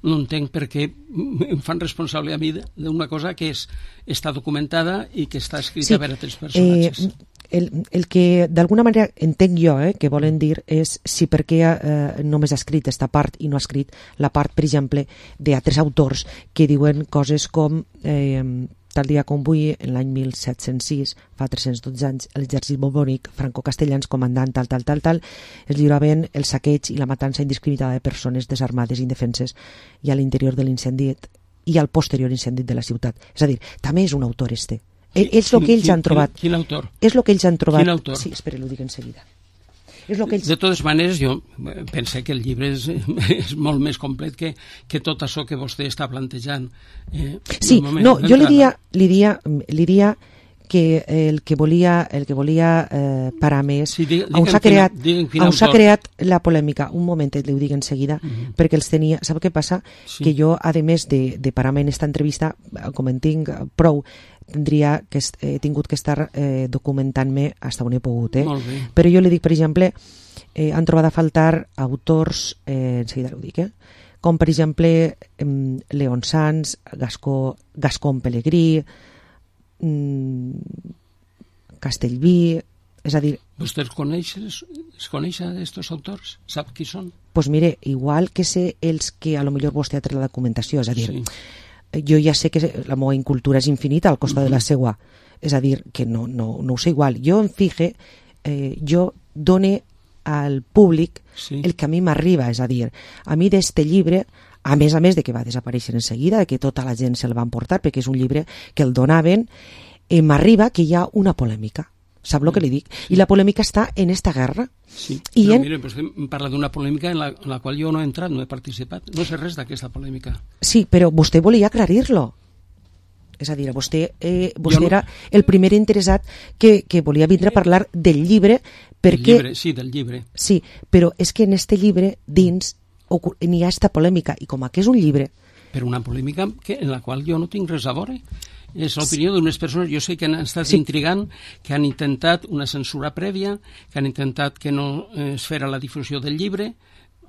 No entenc per què em fan responsable a mi d'una cosa que és, està documentada i que està escrita sí, per altres personatges. Eh, el, el que d'alguna manera entenc jo eh, que volen dir és si per què eh, només ha escrit aquesta part i no ha escrit la part, per exemple, d'altres autors que diuen coses com... Eh, tal dia com avui, en l'any mil set-cents sis, fa tres-cents dotze anys, l'exèrcit borbònic, Franco Castellans, comandant tal, tal, tal, tal, es lliuraven el saqueig i la matança indiscriminada de persones desarmades i indefenses i a l'interior de l'incendi i al posterior incendi de la ciutat. És a dir, també és un autor este. És el que ells han trobat. Quin, quin autor? És el que ells han trobat. Quin autor? Sí, espera, ho dic en seguida. És lo que ells... De totes maneres, jo penso que el llibre és, és molt més complet que, que tot això que vostè està plantejant. Eh, sí, no, jo li diria, li diria, li diria que el que volia, el que volia eh, parar més, sí, digue, on s'ha creat, quina, on s'ha creat la polèmica, un momentet, li ho dic en seguida, uh -huh. perquè els tenia... Sap què passa? Sí. Que jo, a més de, de parar-me en esta entrevista, com en tinc prou, tindria que he tingut que estar eh, documentant-me fins on he pogut. Eh? Però jo li dic, per exemple, eh, han trobat a faltar autors, eh, en seguida ho dic, eh? com per exemple eh, Leon Sanz, Gascó, Gascón Pelegrí, mm, Castellví, és a dir... Vostè els coneix, es coneix aquests autors? Sap qui són? Doncs pues mire, igual que sé els que a lo millor vostè ha tret la documentació, és a dir... Sí. Jo ja sé que la meva incultura és infinita al costat uh -huh. de la seua, és a dir, que no, no, no ho sé igual. Jo em fije, eh, jo done al públic sí. el que a mi m'arriba, és a dir, a mi d'este llibre, a més a més de que va desaparèixer en seguida, de que tota la gent se'l va emportar, perquè és un llibre que el donaven, eh, m'arriba que hi ha una polèmica. Sap el que li dic? I la polèmica està en esta guerra. Sí, I però en... mire, vostè em parla d'una polèmica en la, en la qual jo no he entrat, no he participat. No sé res d'aquesta polèmica. Sí, però vostè volia aclarir-lo. És a dir, vostè, eh, vostè no... era el primer interessat que, que volia vindre a parlar del llibre perquè... Del llibre, sí, del llibre. Sí, però és que en este llibre dins n'hi ha esta polèmica i com que és un llibre... Però una polèmica que, en la qual jo no tinc res a veure. És l'opinió d'unes persones, jo sé que han estat sí. intrigant, que han intentat una censura prèvia, que han intentat que no es fera la difusió del llibre,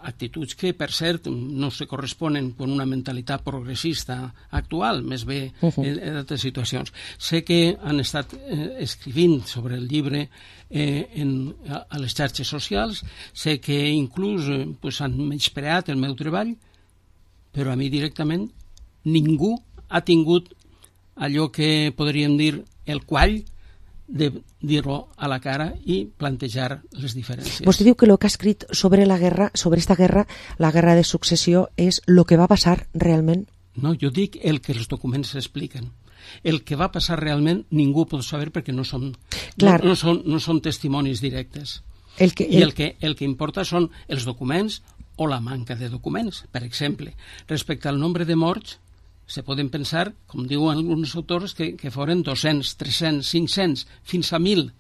actituds que, per cert, no se corresponen amb una mentalitat progressista actual, més bé uh -huh. en, en altres situacions. Sé que han estat eh, escrivint sobre el llibre eh, en, a, a les xarxes socials, sé que inclús eh, pues, han menyspreat el meu treball, però a mi directament ningú ha tingut allò que podríem dir el quall de dir-ho a la cara i plantejar les diferències. Vostè diu que el que ha escrit sobre la guerra, sobre esta guerra, la guerra de successió, és el que va passar realment? No, jo dic el que els documents expliquen. El que va passar realment ningú pot saber perquè no són, no, no són, no són testimonis directes. El que, el... I el que, el que importa són els documents o la manca de documents. Per exemple, respecte al nombre de morts, se poden pensar, com diuen alguns autors, que, que foren dos-cents, tres-cents, cinc-cents, fins a mil,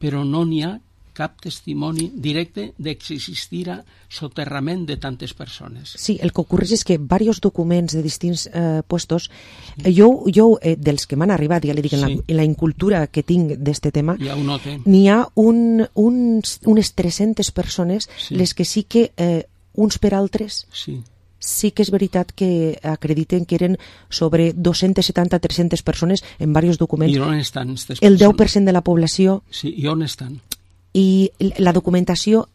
però no n'hi ha cap testimoni directe de que existira soterrament de tantes persones. Sí, el que ocorre és que diversos documents de distints eh, puestos, eh, jo, jo eh, dels que m'han arribat, ja li dic, en, sí. la, en la incultura que tinc d'este tema, ja n'hi ha un, un, unes tres-centes persones, sí. les que sí que eh, uns per altres... Sí. Sí que és veritat que acrediten que eren sobre dos-cents setanta a tres-centes persones en diversos documents. I on estan? El deu per cent de la població. Sí, i on estan? I la documentació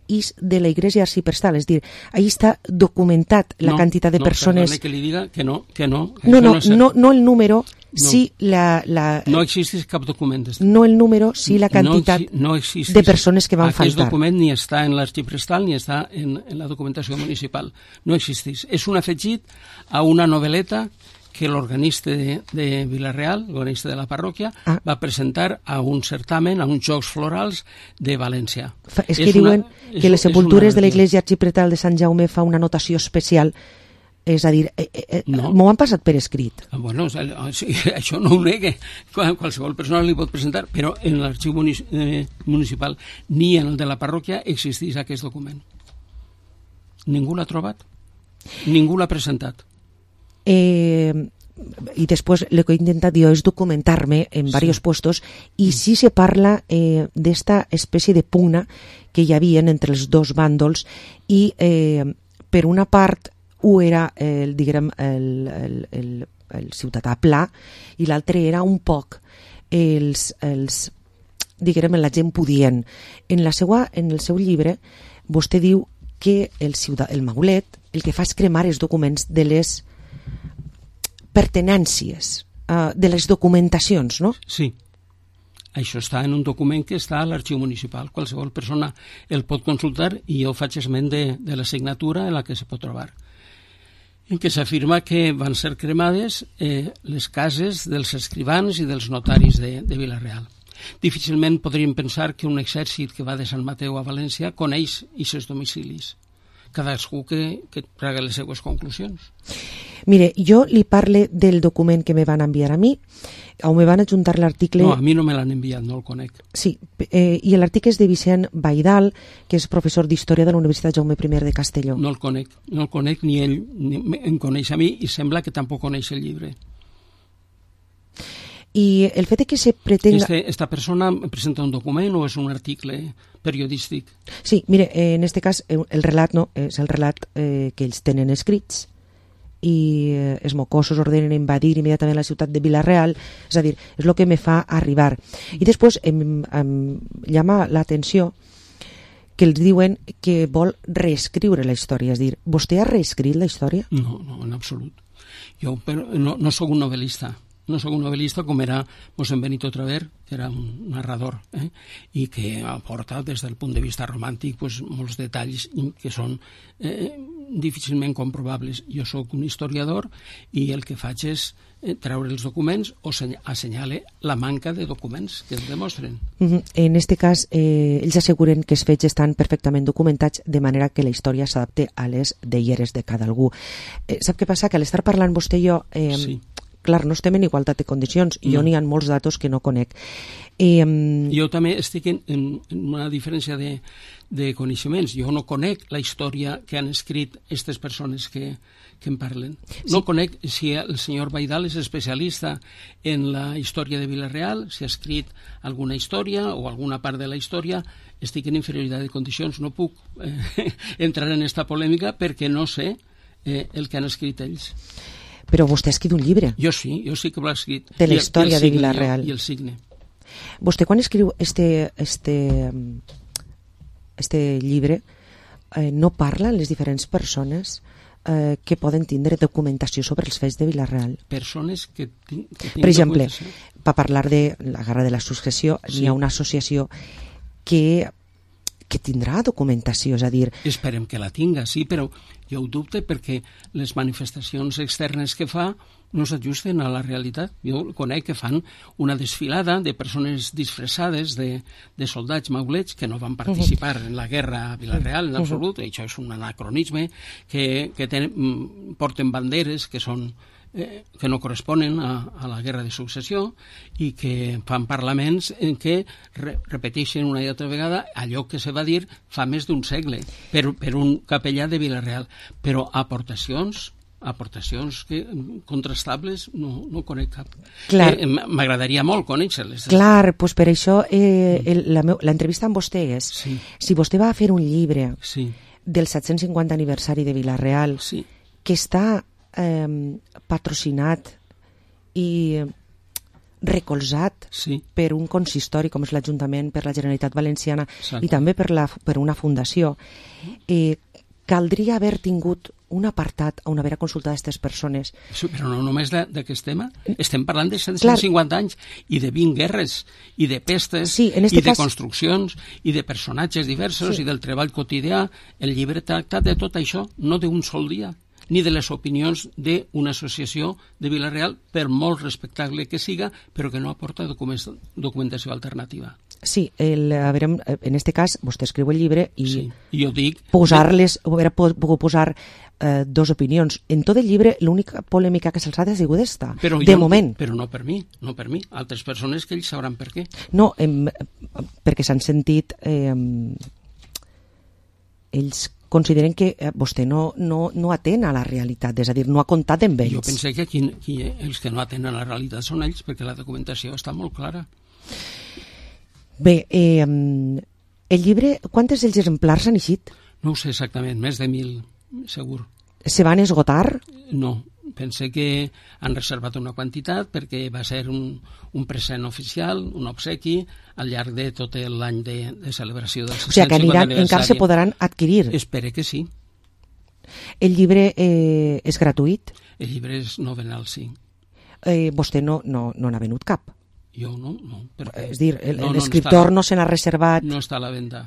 és de la Iglesia Arciprestal, és dir, ahí està documentat la no, quantitat de no, persones... No, que li diga que no, que no. No, no, no, no, no el número, no. sí la, la... No existeix cap document. No el número, sí la quantitat no, no de persones que van Aquest faltar. Aquest document ni està en l'Arxiprestal ni està en, en la documentació municipal. No existeix. És un afegit a una novel·leta que l'organista de, de Vila-real, l'organista de la parròquia, ah. va presentar a un certamen, a uns Jocs Florals de València. Fa, és que és diuen una, que és, les sepultures de l'Església Arxiprestal de Sant Jaume fa una notació especial És a dir, eh, eh, No. m'ho han passat per escrit. Ah, Bueno, o sigui, o sigui, això no ho negue. Qual- Qualsevol persona li pot presentar, però en l'arxiu munici- eh, municipal ni en el de la parròquia existeix aquest document. Ningú l'ha trobat. Ningú l'ha presentat. Eh, y después lo que he intentado yo es documentarme en Sí. varios puestos y sí se parla eh, de esta especie de pugna que hi havia entre els dos bàndols i eh, per una part un era el, diguem, el, el, el, el ciutadà pla i l'altre era un poc els, els diguem, la gent pudient. En, la seua, en el seu llibre vostè diu que el, ciutadà, el maulet el que fa és cremar els documents de les pertenències, uh, de les documentacions, no? Sí. Això està en un document que està a l'arxiu municipal. Qualsevol persona el pot consultar i jo faig esment de, de la signatura en la que se pot trobar. En què s'afirma que van ser cremades eh, les cases dels escrivans i dels notaris de, de Vila-real. Difícilment podríem pensar que un exèrcit que va de Sant Mateu a València coneix aquests domicilis. Cadascú que, que traga les seues conclusions. Mire, jo li parle del document que me van enviar a mi, on me van adjuntar l'article... No, a mi no me l'han enviat, no el conec. Sí, eh, i l'article és de Vicent Baidal, que és professor d'Història de la Universitat Jaume I de Castelló. No el conec, no el conec ni ell ni em coneix a mi i sembla que tampoc coneix el llibre. I el fet de que se pretenga... Este, esta persona presenta un document o és un article periodístic? Sí, mire, eh, en este cas eh, el relat no, és el relat eh, que ells tenen escrits i eh, els mocosos ordenen invadir immediatament la ciutat de Vila-real, és a dir, és el que me fa arribar. I després em, em llama l'atenció que els diuen que vol reescriure la història, és a dir, vostè ha reescrit la història? No, no, en absolut. Jo però, no, no sóc un novel·lista. No sóc un novel·lista com era Mossèn Benito Traver, que era un narrador, eh? i que aporta des del punt de vista romàntic pues, molts detalls que són eh, difícilment comprobables. Jo sóc un historiador i el que faig és eh, treure els documents o assenyale la manca de documents que els demostren. Uh-huh. En este cas, eh, ells asseguren que els fets estan perfectament documentats de manera que la història s'adapte a les deieres de cada algú. Eh, sap què passa? Que a l'estar parlant vostè i jo... Eh, sí. Clar, no estem en igualtat de condicions i No. jo n'hi ha molts datos que no conec. Eh, Jo també estic en, en, en una diferència de, de coneixements. Jo no conec la història que han escrit aquestes persones que, que en parlen. No sí. conec si el senyor Baidal és especialista en la història de Vila-real, si ha escrit alguna història o alguna part de la història. Estic en inferioritat de condicions, no puc eh, entrar en esta polèmica perquè no sé eh, el que han escrit ells. Però vostè ha escrit un llibre. Jo sí, jo sí que l'he escrit. De la història de Vila-real. I el signe. Vostè quan escriu este, este, este llibre eh, no parla les diferents persones eh, que poden tindre documentació sobre els fets de Vila-real? Persones que, que per exemple, per parlar de la Guerra de la Successió, sí. Hi ha una associació que que tindrà documentació, és a dir... Esperem que la tinga, sí, però jo ho dubte perquè les manifestacions externes que fa no s'ajusten a la realitat. Jo conec que fan una desfilada de persones disfressades de, de soldats maulets que no van participar en la guerra a Vila-real en absolut. Això és un anacronisme, que, que tenen, porten banderes que són Eh, que no corresponen a, a la guerra de successió i que fan parlaments en què re, repeteixen una i altra vegada allò que se va dir fa més d'un segle per, per un capellà de Vila-real, però aportacions aportacions que, contrastables no, no conec cap. Eh, m'agradaria molt conèixer-les. Clar, doncs per això eh, el, la meu, l'entrevista amb vostè és sí. Si vostè va fer un llibre sí. del set-cents cinquanta aniversari de Vila-real sí. que està Eh, patrocinat i recolzat sí. per un consistori com és l'Ajuntament, per la Generalitat Valenciana Exacte. I també per, la, per una fundació, eh, caldria haver tingut un apartat on haver consultat aquestes persones. Sí, però no només d'aquest tema, estem parlant de cent cinquanta anys i de vint guerres i de pestes sí, i de cas... construccions i de personatges diversos sí. i del treball quotidià. El llibre tracta de tot això, no d'un sol dia, ni de les opinions d'una associació de Vila-real, per molt respectable que siga, però que no aporta documentació alternativa. Sí, el, a veure, en este cas, vostè escriu el llibre i sí, jo dic... posar-les, haver pogut posar eh, dos opinions. En tot el llibre, l'única polèmica que se'ls ha sigut esta, però de jo, moment. Però no per mi, no per mi. Altres persones que ells sabran per què. No, em, perquè s'han sentit... Eh, ells consideren que vostè no, no, no atén a la realitat, és a dir, no ha comptat amb ells. Jo pensé que aquí, aquí els que no atenen a la realitat són ells, perquè la documentació està molt clara. Bé, eh, el llibre, quantes dels exemplars han eixit? No ho sé exactament, més de mil, segur. Se van esgotar? No, pensé que han reservat una quantitat perquè va ser un, un present oficial, un obsequi, al llarg de tot l'any de, de celebració del sis-cents cinquanta aniversari. O sigui que aniran, encara se podran adquirir? Espero que sí. El llibre eh, és gratuït? El llibre és novenal, sí. Eh, vostè no, no, no n'ha venut cap? Jo no, no. Perquè... És dir, l'escriptor no, no, no se n'ha reservat... No està a la venda.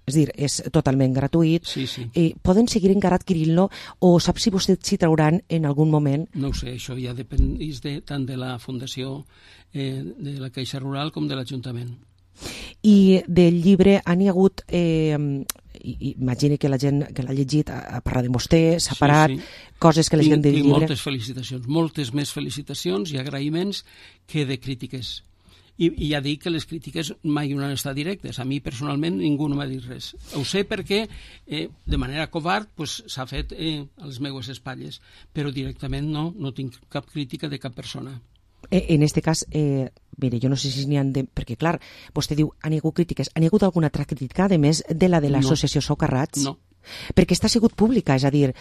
És dir, és totalment gratuït. Sí, sí. Eh, poden seguir encara adquirint-lo o sap si vostès s'hi trauran en algun moment? No ho sé, això ja depèn de, tant de la Fundació eh, de la Caixa Rural com de l'Ajuntament. I del llibre han hi hagut, eh, imagini que la gent que l'ha llegit ha parlat de vostè, s'ha parat, sí, sí. Coses que la gent del llibre... Moltes felicitacions, moltes més felicitacions i agraïments que de crítiques. I, i ja dic que les crítiques mai no han estat directes. A mi, personalment, ningú no m'ha dit res. Ho sé perquè, eh, de manera covard, pues, s'ha fet eh, a les meues espatlles, però directament no, no tinc cap crítica de cap persona. En este cas, eh, mire, jo no sé si n'hi ha de... Perquè, clar, vostè diu, han hi hagut crítiques. Han hi hagut alguna altra crítica, a més de la de l'associació no. Socarrats? No. Perquè està sigut pública, és a dir,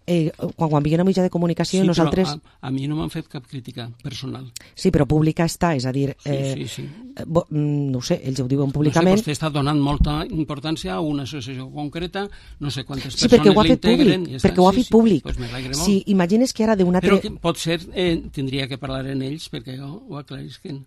eh, quan, quan vi una mitjà de comunicació sí, nosaltres... Sí, a, a mi no m'han fet cap crítica personal. Sí, però pública està, és a dir... Eh, sí, sí, sí. Eh, bo, no ho sé, ells ho diuen públicament... No sé, vostè està donant molta importància a una associació concreta, no sé quantes sí, persones Sí, l'integren... perquè ho ha fet públic, perquè ho ha fet sí, públic. Pues me n'alegre molt. Sí, imagines que ara d'una... Però que pot ser, eh, tindria que parlar en ells perquè ho, ho aclarisquen.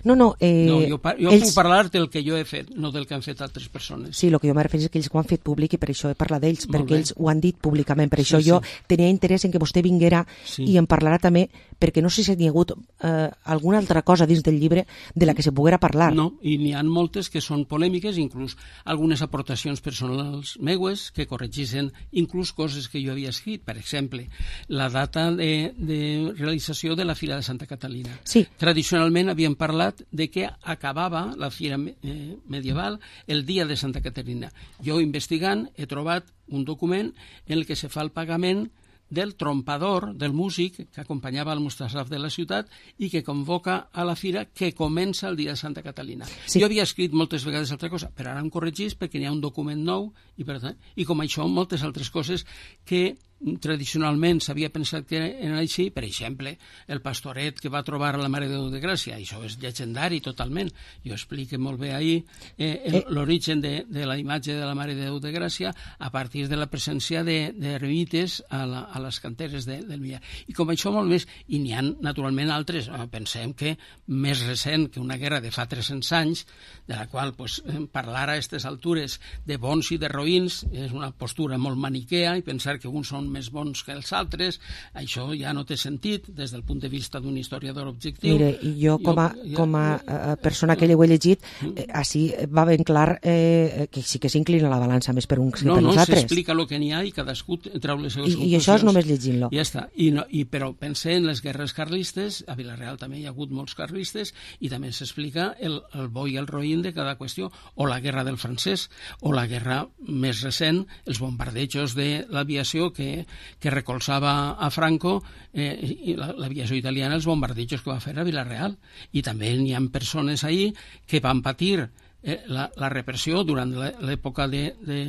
No, no, eh, no, jo, jo ells... puc parlar del que jo he fet, no del que han fet altres persones. Sí, el que jo me refereixo és que ells ho han fet públic i per això he parlat d'ells, Molt perquè bé. ells ho han dit públicament. Per sí, això jo sí. tenia interès en que vostè vinguera sí. i en parlarà també, perquè no sé si hi ha hagut eh, alguna altra cosa dins del llibre de la que se poguera parlar. No, i n'hi ha moltes que són polèmiques, inclús algunes aportacions personals meues que corregissin inclús coses que jo havia escrit. Per exemple, la data de, de realització de la Fira de Santa Catalina. Sí. Tradicionalment havíem parlat de que acabava la fira eh, medieval el dia de Santa Caterina. Jo, investigant, he trobat un document en el que se fa el pagament del trompador, del músic que acompanyava el Mustasaf de la ciutat i que convoca a la fira que comença el dia de Santa Catalina. Sí. Jo havia escrit moltes vegades altra cosa, però ara em corregís perquè n'hi ha un document nou i, per tant, i com això moltes altres coses que tradicionalment s'havia pensat que eren així, per exemple, el pastoret que va trobar la Mare de Déu de Gràcia, això és llegendari totalment. Jo explico molt bé ahir eh, l'origen de, de la imatge de la Mare de Déu de Gràcia a partir de la presència de, de eremites a, la, a les canteres de, del Millar. I com això molt més, i n'hi ha naturalment altres, pensem que més recent que una guerra de fa tres-cents anys, de la qual pues, parlar a aquestes altures de bons i de roïns és una postura molt maniquea i pensar que uns són més bons que els altres, això ja no té sentit des del punt de vista d'un historiador objectiu. Mire, jo com a, jo, com a ja, persona que ho he llegit, eh, així va ben clar eh, que sí que s'inclina la balança més per uns que no, per no, nosaltres. No, no, s'explica el que n'hi ha i cadascú treu les seves I, conclusions. I això és només llegint-lo. Ja està. I no, i, però pensé en les guerres carlistes, a Vila-real també hi ha hagut molts carlistes, i també s'explica el, el bo i el roïn de cada qüestió, o la guerra del francès, o la guerra més recent, els bombardejos de l'aviació que que recolzava a Franco eh, i l'aviació italiana, els bombardejos que va fer a Vila-real. I també n'hi ha persones ahí que van patir eh, la, la repressió durant l'època de, de,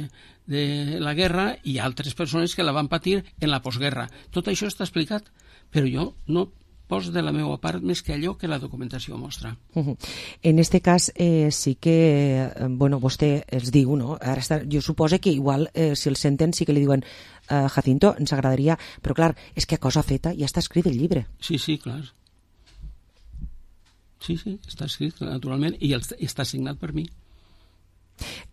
de la guerra i altres persones que la van patir en la postguerra. Tot això està explicat, però jo no pos de la meva part més que allò que la documentació mostra. Uh-huh. En este cas eh, sí que, eh, bueno, vostè els diu, no? Ara està, jo suposo que igual eh, si el senten sí que li diuen eh, Jacinto, ens agradaria, però clar, és que a cosa feta ja està escrit el llibre. Sí, sí, clar. Sí, sí, està escrit naturalment i el, està signat per mi.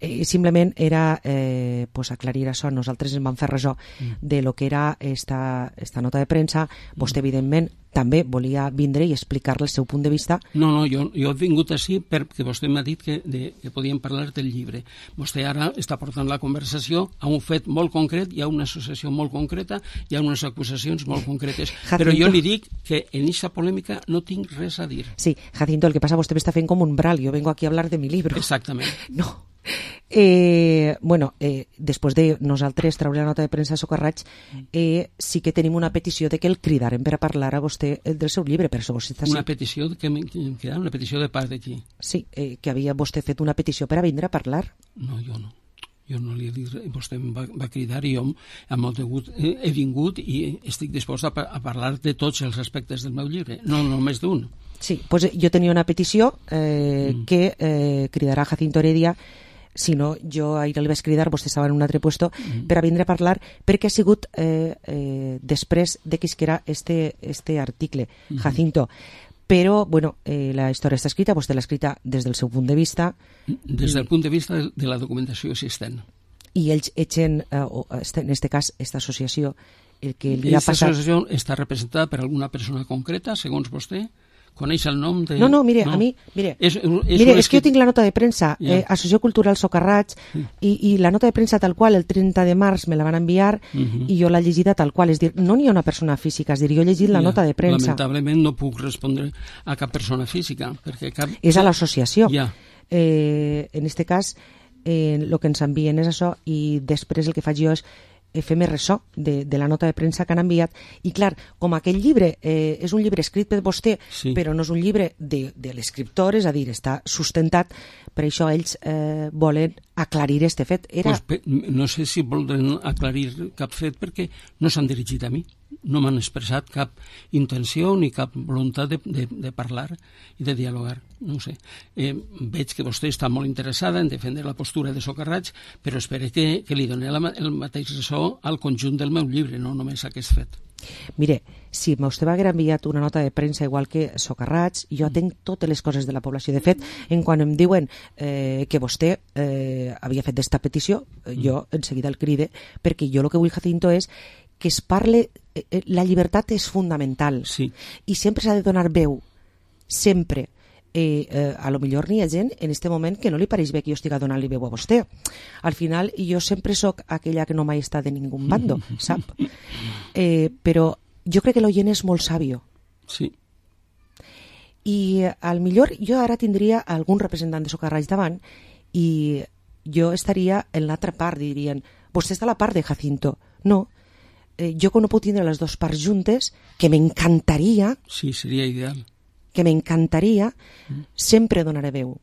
Eh, simplement era eh, pues aclarir això. Nosaltres ens vam fer ressò mm. de lo que era esta, esta nota de premsa. Vostè, evidentment, també volia vindre i explicar-le el seu punt de vista. No, no, jo, jo he vingut així perquè vostè m'ha dit que, de, que podíem parlar del llibre. Vostè ara està portant la conversació a un fet molt concret, hi ha una associació molt concreta, hi ha unes acusacions molt concretes. Jacinto. Però jo li dic que en aquesta polèmica no tinc res a dir. Sí, Jacinto, el que passa, vostè m'està fent com un bral, jo vengo aquí a hablar de mi libro. Exactament. No. Eh, bueno, eh, després de nosaltres treure la nota de premsa a Socarraig, eh, sí que tenim una petició de que el cridarem per a parlar a vostè del seu llibre, per això vostè està... Una petició que em queda, una petició de part d'aquí. Sí, eh, que havia vostè fet una petició per a vindre a parlar. No, jo no. Jo no li he dit res. Vostè em va, va cridar i jo amb molt de gust he, he vingut i estic dispost a, a parlar de tots els aspectes del meu llibre, no només d'un. Sí, pues jo tenia una petició eh, mm. que eh, cridarà Jacinto Heredia. Si no, jo ahir li vaig cridar, vostè estava en un altre puesto, mm. per a vindre a parlar, perquè ha sigut eh, eh, després de que isquera este, este article, mm. Jacinto. Però, bueno, eh, la història està escrita, vostè l'ha escrita des del seu punt de vista. Des del punt de vista de la documentació existent. I ells etxen, eh, o, en este cas, esta associació, el que li ha passat... Esta associació està representada per alguna persona concreta, segons vostè? Coneix el nom de... No, no, mire, no. a mi... Mire, és, és, mire, és que jo tinc la nota de premsa, yeah. eh, Associació Cultural Socarraig, sí. i, i la nota de premsa tal qual, el trenta de març me la van enviar, uh -huh. i jo l'he llegida tal qual. És dir, no n'hi ha una persona física, és dir, jo he llegit la yeah. nota de premsa. Lamentablement no puc respondre a cap persona física, perquè cap... És a l'associació. Yeah. Eh, en este cas, eh, el que ens envien és això, i després el que faig jo és fer més ressò de, de la nota de premsa que han enviat. I clar, com aquell llibre eh, és un llibre escrit per vostè, sí. però no és un llibre de, de l'escriptor, és a dir, està sustentat, per això ells eh, volen aclarir este fet. Era... Pues, no sé si volen aclarir cap fet perquè no s'han dirigit a mi. No m'han expressat cap intenció ni cap voluntat de, de, de parlar i de dialogar, no ho sé. Eh, veig que vostè està molt interessada en defendre la postura de Socarraig, però espero que, que li doni la, el mateix ressò al conjunt del meu llibre, no només aquest fet. Mire, si vostè m'hagués enviat una nota de premsa igual que Socarraig, jo tenc totes les coses de la població. De fet, en quan em diuen eh, que vostè eh, havia fet d'esta petició, jo en seguida el cride, perquè jo el que vull, Jacinto, és que es parle... Eh, la llibertat és fundamental. Sí. I sempre s'ha de donar veu. Sempre. Eh, eh, a lo millor n'hi ha gent en este moment que no li pareix bé que jo estigui donant-li veu a vostè. Al final, jo sempre sóc aquella que no mai està de ningú bando, sap? Eh, però jo crec que l'oient és molt sàvio. Sí. I al millor jo ara tindria algun representant de Socarraig davant i jo estaria en l'altra part, dirien, vostè està a la part de Jacinto. No, eh, jo que no puc tindre les dues parts juntes, que m'encantaria... Sí, seria ideal. Que m'encantaria, mm. sempre donaré veu.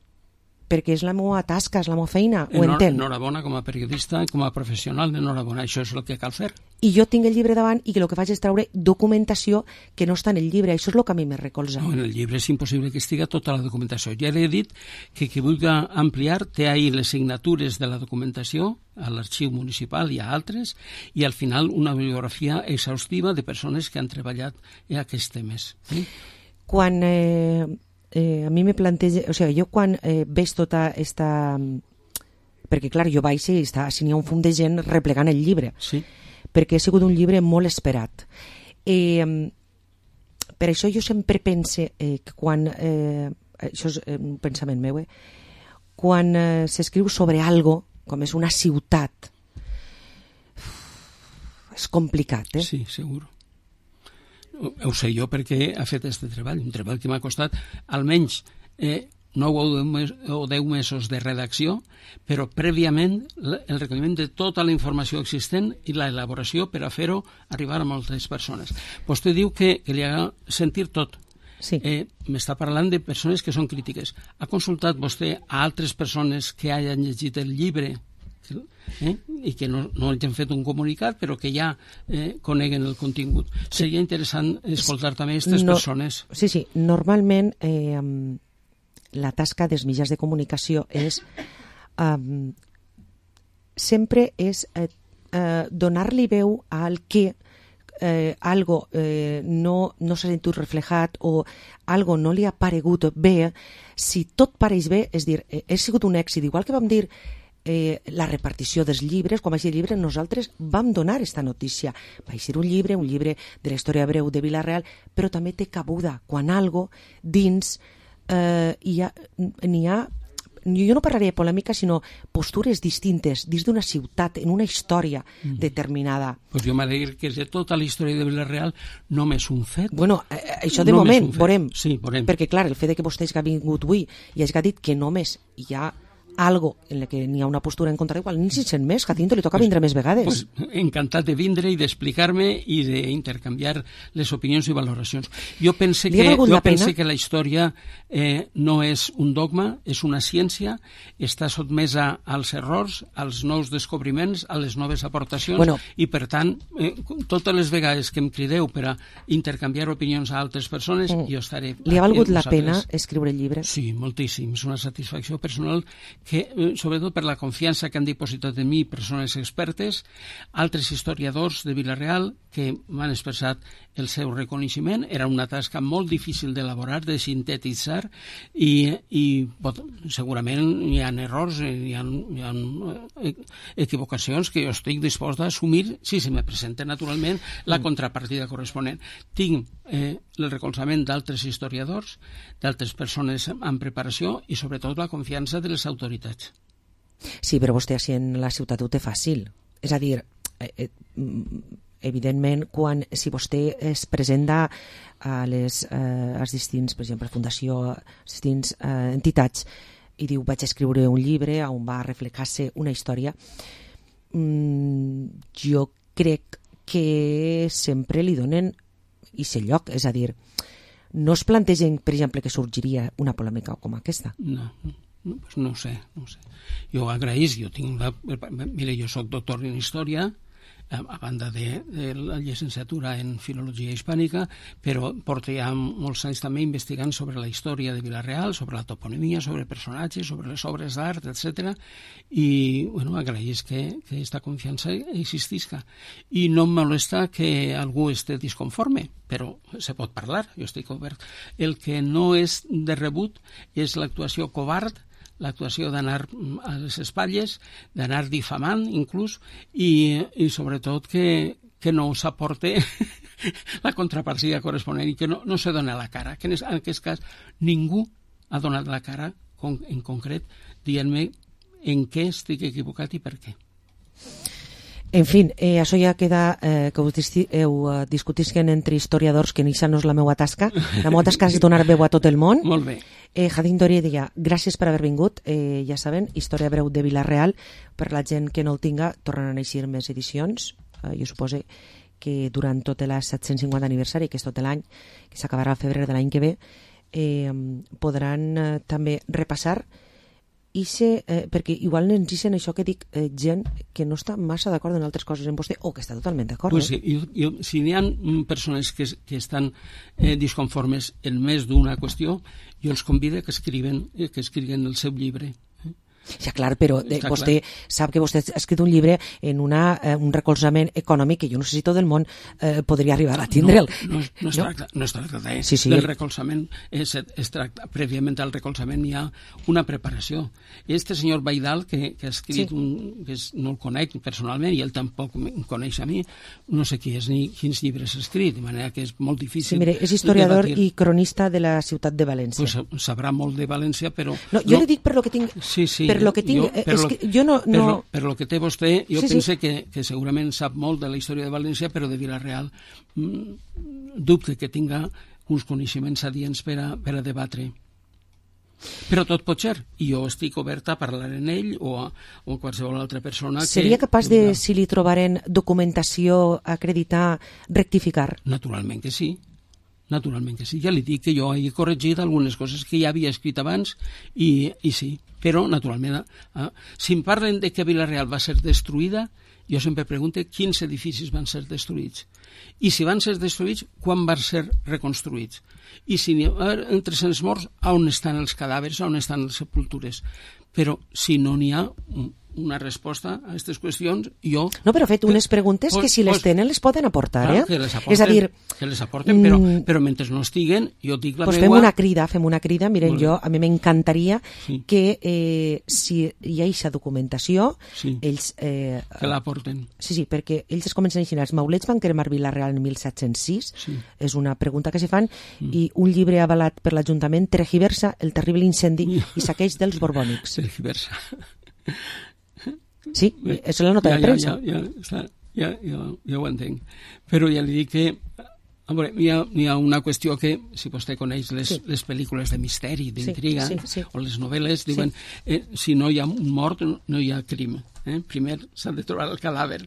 Perquè és la meva tasca, és la meva feina, ho Enhora, entenc. Enhorabona com a periodista, com a professional, enhorabona, això és el que cal fer. I jo tinc el llibre davant i que el que faig és treure documentació que no està en el llibre, això és el que a mi me recolza. No, en el llibre és impossible que estigui tota la documentació. Ja li he dit que qui vulgui ampliar té ahí les signatures de la documentació a l'arxiu municipal i a altres, i al final una bibliografia exhaustiva de persones que han treballat en aquests temes. Sí? Quan... Eh... Eh, a mi me planteja, o sigui, jo quan eh, veig tota esta... Perquè, clar, jo vaig i està, si n'hi ha un fum de gent replegant el llibre. Sí. Perquè ha sigut un llibre molt esperat. Eh, per això jo sempre pense eh, que quan... Eh, això és un pensament meu, eh? Quan eh, s'escriu sobre algo, com és una ciutat, és complicat, eh? Sí, segur. Ho sé jo perquè ha fet aquest treball, un treball que m'ha costat almenys eh, nou o deu mesos de redacció, però prèviament el recolliment de tota la informació existent i l'elaboració per a fer-ho arribar a moltes persones. Vostè diu que, que li ha sentit tot. Sí. Eh, m'està parlant de persones que són crítiques. Ha consultat vostè a altres persones que hagin llegit el llibre Eh? i que no, no hagin fet un comunicat però que ja eh, coneguen el contingut. Seria interessant escoltar també aquestes no, persones. Sí, sí, normalment eh, la tasca dels mitjans de comunicació és um, sempre és eh, eh, donar-li veu al que eh, algo eh, no, no s'ha sentit reflejat o algo no li ha paregut bé. Si tot pareix bé, és dir, eh, ha sigut un èxit, igual que vam dir eh, la repartició dels llibres. Quan va ser el llibre nosaltres vam donar aquesta notícia. Va ser un llibre, un llibre de la història breu de Vila-real, però també té cabuda quan algo dins eh, hi ha, n'hi ha, jo no parlaré de polèmica, sinó postures distintes dins d'una ciutat, en una història mm. determinada. Pues jo m'alegro que de tota la història de Vila-real només un fet. Bueno, eh, això de només moment, veurem. Sí, veurem. Perquè, clar, el fet de que vostè hagi vingut avui i hagi dit que només hi ha algo en la que n'hi ha una postura en contra, igual ni si sent més, Jacinto, li toca pues, vindre més vegades. Pues, encantat de vindre i d'explicar-me i d'intercanviar les opinions i valoracions. Jo pense que, jo pense que la història eh, no és un dogma, és una ciència, està sotmesa als errors, als nous descobriments, a les noves aportacions, bueno, i per tant, eh, totes les vegades que em crideu per a intercanviar opinions a altres persones, mm. jo estaré... Li ha valgut la pena escriure el llibre? Sí, moltíssim. És una satisfacció personal que, sobretot per la confiança que han dipositat en mi persones expertes, altres historiadors de Vila-real que m'han expressat el seu reconeixement. Era una tasca molt difícil d'elaborar, de sintetitzar, i, i pot, segurament hi ha errors, hi ha, hi ha equivocacions que jo estic dispost a assumir si se me presenta naturalment la contrapartida corresponent. Tinc eh, el recolzament d'altres historiadors, d'altres persones en preparació i sobretot la confiança de les autoritats. Sí, però vostè així en la ciutat ho té fàcil. És a dir, eh, eh, evidentment, quan, si vostè es presenta a les, eh, als distints, per exemple, fundació, a les distints eh, entitats, i diu, vaig escriure un llibre on va reflejar-se una història, mm, jo crec que sempre li donen aquest lloc, és a dir, no es plantegen, per exemple, que sorgiria una polèmica com aquesta. No, no, pues no ho sé, no ho sé. Jo agraïs, jo tinc la... Mira, jo soc doctor en història, a banda de, de la llicenciatura en filologia hispànica, però porto ja molts anys també investigant sobre la història de Vila-real, sobre la toponimia, sobre personatges, sobre les obres d'art, etcètera. I, bueno, agraïs que, que esta confiança existisca. I no em molesta que algú esté disconforme, però se pot parlar, jo estic obert. El que no és de rebut és l'actuació covard, l'actuació d'anar a les espatlles, d'anar difamant inclús, i, i sobretot que, que no s'aporte la contrapartida corresponent i que no, no se dona la cara, que en aquest cas ningú ha donat la cara con, en concret dient-me en què estic equivocat i per què. En fi, eh, això ja queda eh, que us heu eh, discutisquen entre historiadors, que això no és la meva tasca. La meva tasca és donar veu a tot el món. Molt bé. Eh, Jacinto Heredia, gràcies per haver vingut. Eh, ja saben, Història breu de Vila-real. Per la gent que no el tinga, tornen a eixir més edicions. Eh, jo suposo que durant tot el set-cents cinquanta aniversari, que és tot l'any, que s'acabarà al febrer de l'any que ve, eh, podran eh, també repassar i sé, eh, perquè igual ens dicen això que dic, eh, gent que no està massa d'acord en altres coses en vostè, o que està totalment d'acord. Pues eh? sí, jo, jo, si n'hi ha persones que, que estan eh, disconformes en més d'una qüestió, jo els convido que escriuen, eh, que escriuen el seu llibre. Ja, clar, però eh, vostè clar. Sap que vostè ha escrit un llibre en una, eh, un recolzament econòmic que jo no sé si tot el món eh, podria arribar a tindre'l. No, no, no, es, no? Tracta, no es tracta de, sí, sí. del recolzament, es, es tracta, prèviament al recolzament hi ha una preparació. Este senyor Baidal, que, que ha escrit, sí. un, que és, no el conec personalment, i ell tampoc em coneix a mi, no sé qui és ni quins llibres ha escrit, de manera que és molt difícil. Sí, mire, és historiador debatir. I cronista de la ciutat de València. Pues sabrà molt de València, però... No, jo no, li dic per lo que tinc... Sí, sí. Per lo que tinc, jo, per és lo, que jo no... no... Per, lo, per lo que té vostè, jo sí, pense sí. Que, que segurament sap molt de la història de València, però de Vila-real mm, dubte que tinga uns coneixements adients per a, per a debatre. Però tot pot ser, i jo estic oberta a parlar en ell o a, o a qualsevol altra persona. Seria que, capaç de, si li trobaren documentació, acreditar, rectificar? Naturalment que sí. Naturalment que sí, ja li dic que jo he corregit algunes coses que ja havia escrit abans i, i sí, però naturalment eh, si em parlen de que Vila-real va ser destruïda, jo sempre pregunto quins edificis van ser destruïts i si van ser destruïts, quan van ser reconstruïts i si n'hi ha entre morts, on estan els cadàvers, on estan les sepultures, però si no n'hi ha, una resposta a aquestes qüestions, jo... No, però fet unes preguntes pues, que si les pues, tenen les poden aportar, clar, eh? Que les aporten, és a dir... Que les aporten, però, però mentre no estiguen, jo dic la pues meua... Fem una crida, fem una crida. Miren, jo, a mi m'encantaria sí. que eh, si hi ha aquesta documentació, sí. ells... Eh, que l'aporten. Sí, sí, perquè ells es comencen a imaginar, els maulets van cremar Vila-real en mil set-cents sis, sí. és una pregunta que se fan, mm. i un llibre avalat per l'Ajuntament tergiversa el terrible incendi i saqueig dels borbònics. Tergiversa. Sí, Bé, és la nota ja, de premsa. Ja, ja, ja, ja, ja, ja ho entenc. Però ja li dic que a veure, hi, ha, hi ha una qüestió que, si vostè coneix les, sí. les pel·lícules de misteri, d'intriga, sí, sí, sí. o les novel·les, diuen, sí. eh, si no hi ha un mort, no hi ha crim. Eh? Primer s'ha de trobar el cadàver.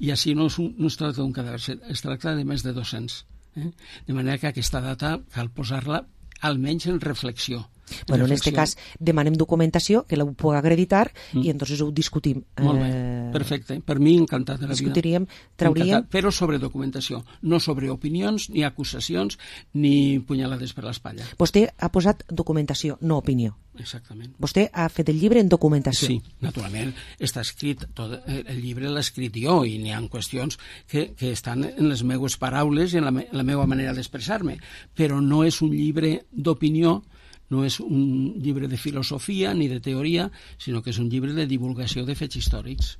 I així no es, un, no es tracta d'un cadàver, es tracta de més de dos-cents. Eh? De manera que aquesta data cal posar-la almenys en reflexió. Bueno, en aquest cas demanem documentació que la puc acreditar mm. i entonces ho discutim. Molt bé, perfecte. Per mi encantat de la discutiríem, vida. Trauríem... Encantat, però sobre documentació, no sobre opinions, ni acusacions, ni punyalades per l'espatlla. Vostè ha posat documentació, no opinió. Exactament. Vostè ha fet el llibre en documentació. Sí, naturalment. Està escrit, tot, el llibre l'he escrit jo i n'hi ha qüestions que, que estan en les meues paraules i en la, me, la meva manera d'expressar-me, però no és un llibre d'opinió, no és un llibre de filosofia ni de teoria, sinó que és un llibre de divulgació de fets històrics.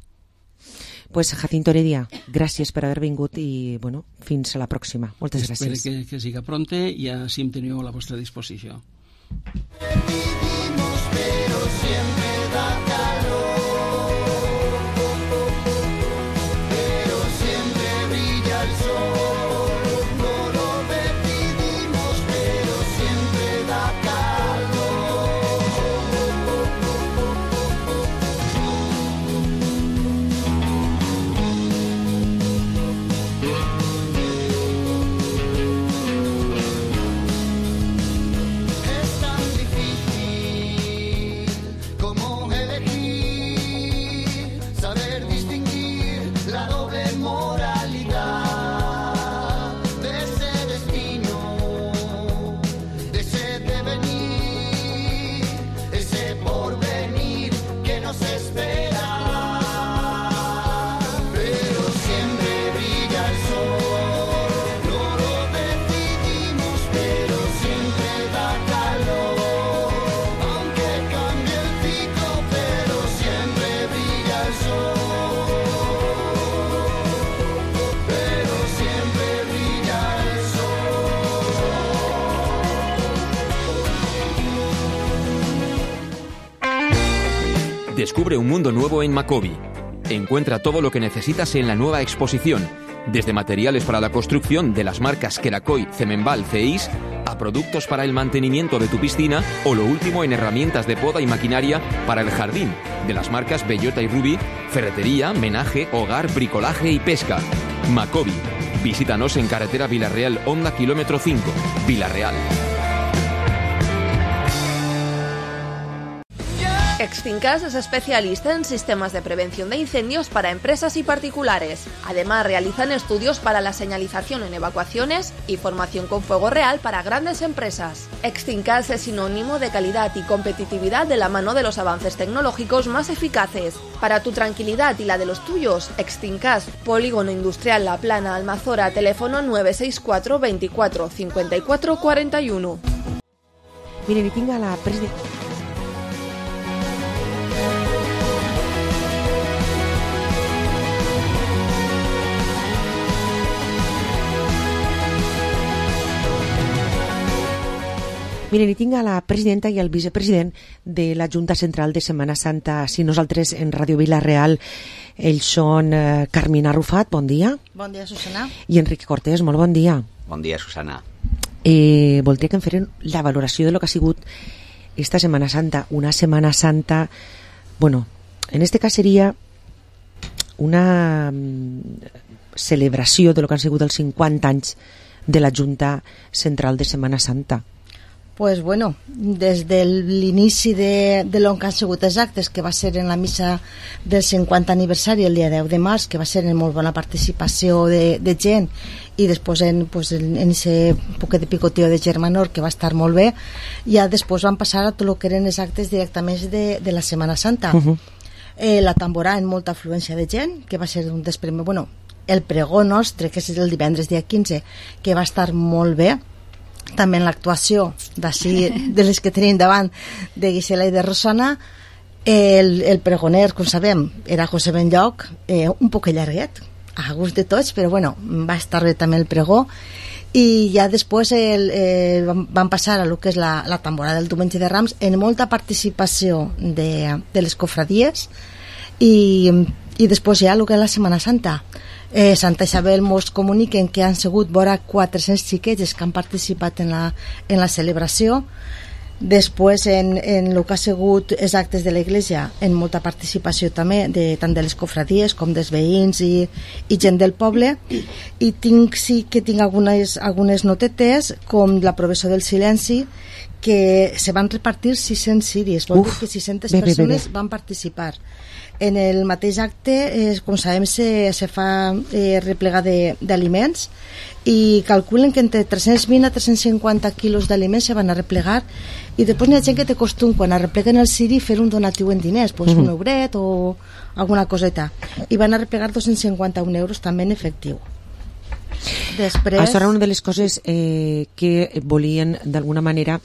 Pues Jacinto Heredia, gràcies per haver vingut i bueno, fins a la pròxima. Moltes Espero gràcies. Que, que siga pronte i així em teniu a la vostra disposició. Pero siempre da calor, pero siempre brilla el sol. No lo decidimos, pero siempre da Es tan difícil como elegir, saber distinguir la doble moralidad de ese destino, de ese devenir, ese porvenir que nos espera. Pero siempre brilla el sol, no lo decidimos, pero siempre da calor. Aunque cambie el ciclo, pero siempre brilla el sol. Pero siempre brilla el sol. Descubre un mundo nuevo en Macobi. Encuentra todo lo que necesitas en la nueva exposición, desde materiales para la construcción de las marcas Kerakoy, Cemenbal, Ceis, a productos para el mantenimiento de tu piscina o lo último en herramientas de poda y maquinaria para el jardín, de las marcas Bellota y Ruby, ferretería, menaje, hogar, bricolaje y pesca. Macobi. Visítanos en carretera Vila-real, Honda kilómetro cinco, Vila-real. Extincas es especialista en sistemas de prevención de incendios para empresas y particulares. Además, realizan estudios para la señalización en evacuaciones y formación con fuego real para grandes empresas. Extincas es sinónimo de calidad y competitividad de la mano de los avances tecnológicos más eficaces. Para tu tranquilidad y la de los tuyos, Extincas, Polígono Industrial La Plana, Almazora, teléfono nueve seis cuatro veinticuatro cincuenta y cuatro cuarenta y uno. Miren, y tinga la presidenta... Miren, hi tinc a la presidenta i el vicepresident de la Junta Central de Setmana Santa. Si nosaltres en Ràdio Vila-real, ells són eh, Carmina Rufat, bon dia. Bon dia, Susana. I Enrique Cortés, molt bon dia. Bon dia, Susana. Eh, voldria que em feren la valoració de lo que ha sigut esta Setmana Santa. Una Setmana Santa, bueno, en este cas seria una mm, celebració de lo que han sigut els cinquanta anys de la Junta Central de Setmana Santa. Pues bueno, des de l'inici de, de l'on que han sigut els actes, que va ser en la missa del cinquanta aniversari el dia deu de març, que va ser en molt bona participació de, de gent, i després en, pues, en, en ese poquet de picoteo de Germanor, que va estar molt bé, ja després van passar a tot el que eren els actes directament de, de la Setmana Santa. Uh-huh. eh, la tamborà en molta afluència de gent, que va ser un dels primers, bueno, el pregó nostre, que és el divendres dia quinze, que va estar molt bé, també en l'actuació d'ací, de les que tenim davant, de Gisela i de Rosana. El, el pregoner, com sabem, era José Benlloc, eh, un poc llarguet, a gust de tots, però bueno, va estar bé també el pregó. I ja després el, eh, van passar a lo que és la, la tamborada del diumenge de Rams, en molta participació de, de les cofradies, i, i després ja el que és la Setmana Santa. Eh, Santa Isabel mos comuniquen que han sigut vora quatre-cents xiquets que han participat en la, en la celebració. Després en, en el que ha sigut els actes de l'església, en molta participació també de, tant de les cofradies com dels veïns i, i gent del poble. I tinc, sí que tinc algunes, algunes notetes, com l'aprovació del silenci, que se van repartir sis-cents ciris, vol dir que sis-centes persones van participar. En el mateix acte, eh, com sabem, se, se fa eh, replegar d'aliments, i calculen que entre tres-cents vint a tres-cents cinquanta quilos d'aliments se van a replegar, i després hi ha gent que té costum, quan arrepleguen el ciri, fer un donatiu en diners, pues mm-hmm. un euret o alguna coseta, i van a replegar dos-cents cinquanta-un euros també en efectiu. Després... Això era una de les coses eh, que volien d'alguna manera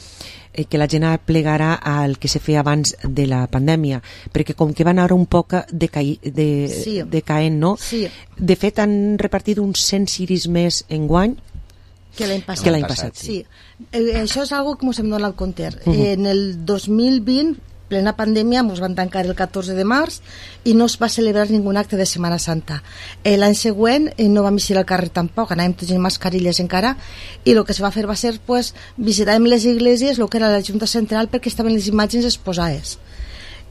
eh, que la gent plegara al que se feia abans de la pandèmia, perquè com que van ara un poc decaï, de, sí. decaent, no? Sí. De fet han repartit uns cent ciris més enguany que l'any passat. Que l'any passat, sí. sí. Eh, això és algo que ens hem donat al compte. Uh -huh. En el dos mil vint, plena pandèmia, ens van tancar el catorze de març i no es va celebrar ningun acte de Setmana Santa. Eh, L'any següent eh, no vam eixir al carrer tampoc, anàvem tots en mascarilles encara, i el que se va fer va ser pues, visitàvem les esglésies, el que era la Junta Central, perquè estaven les imatges exposades.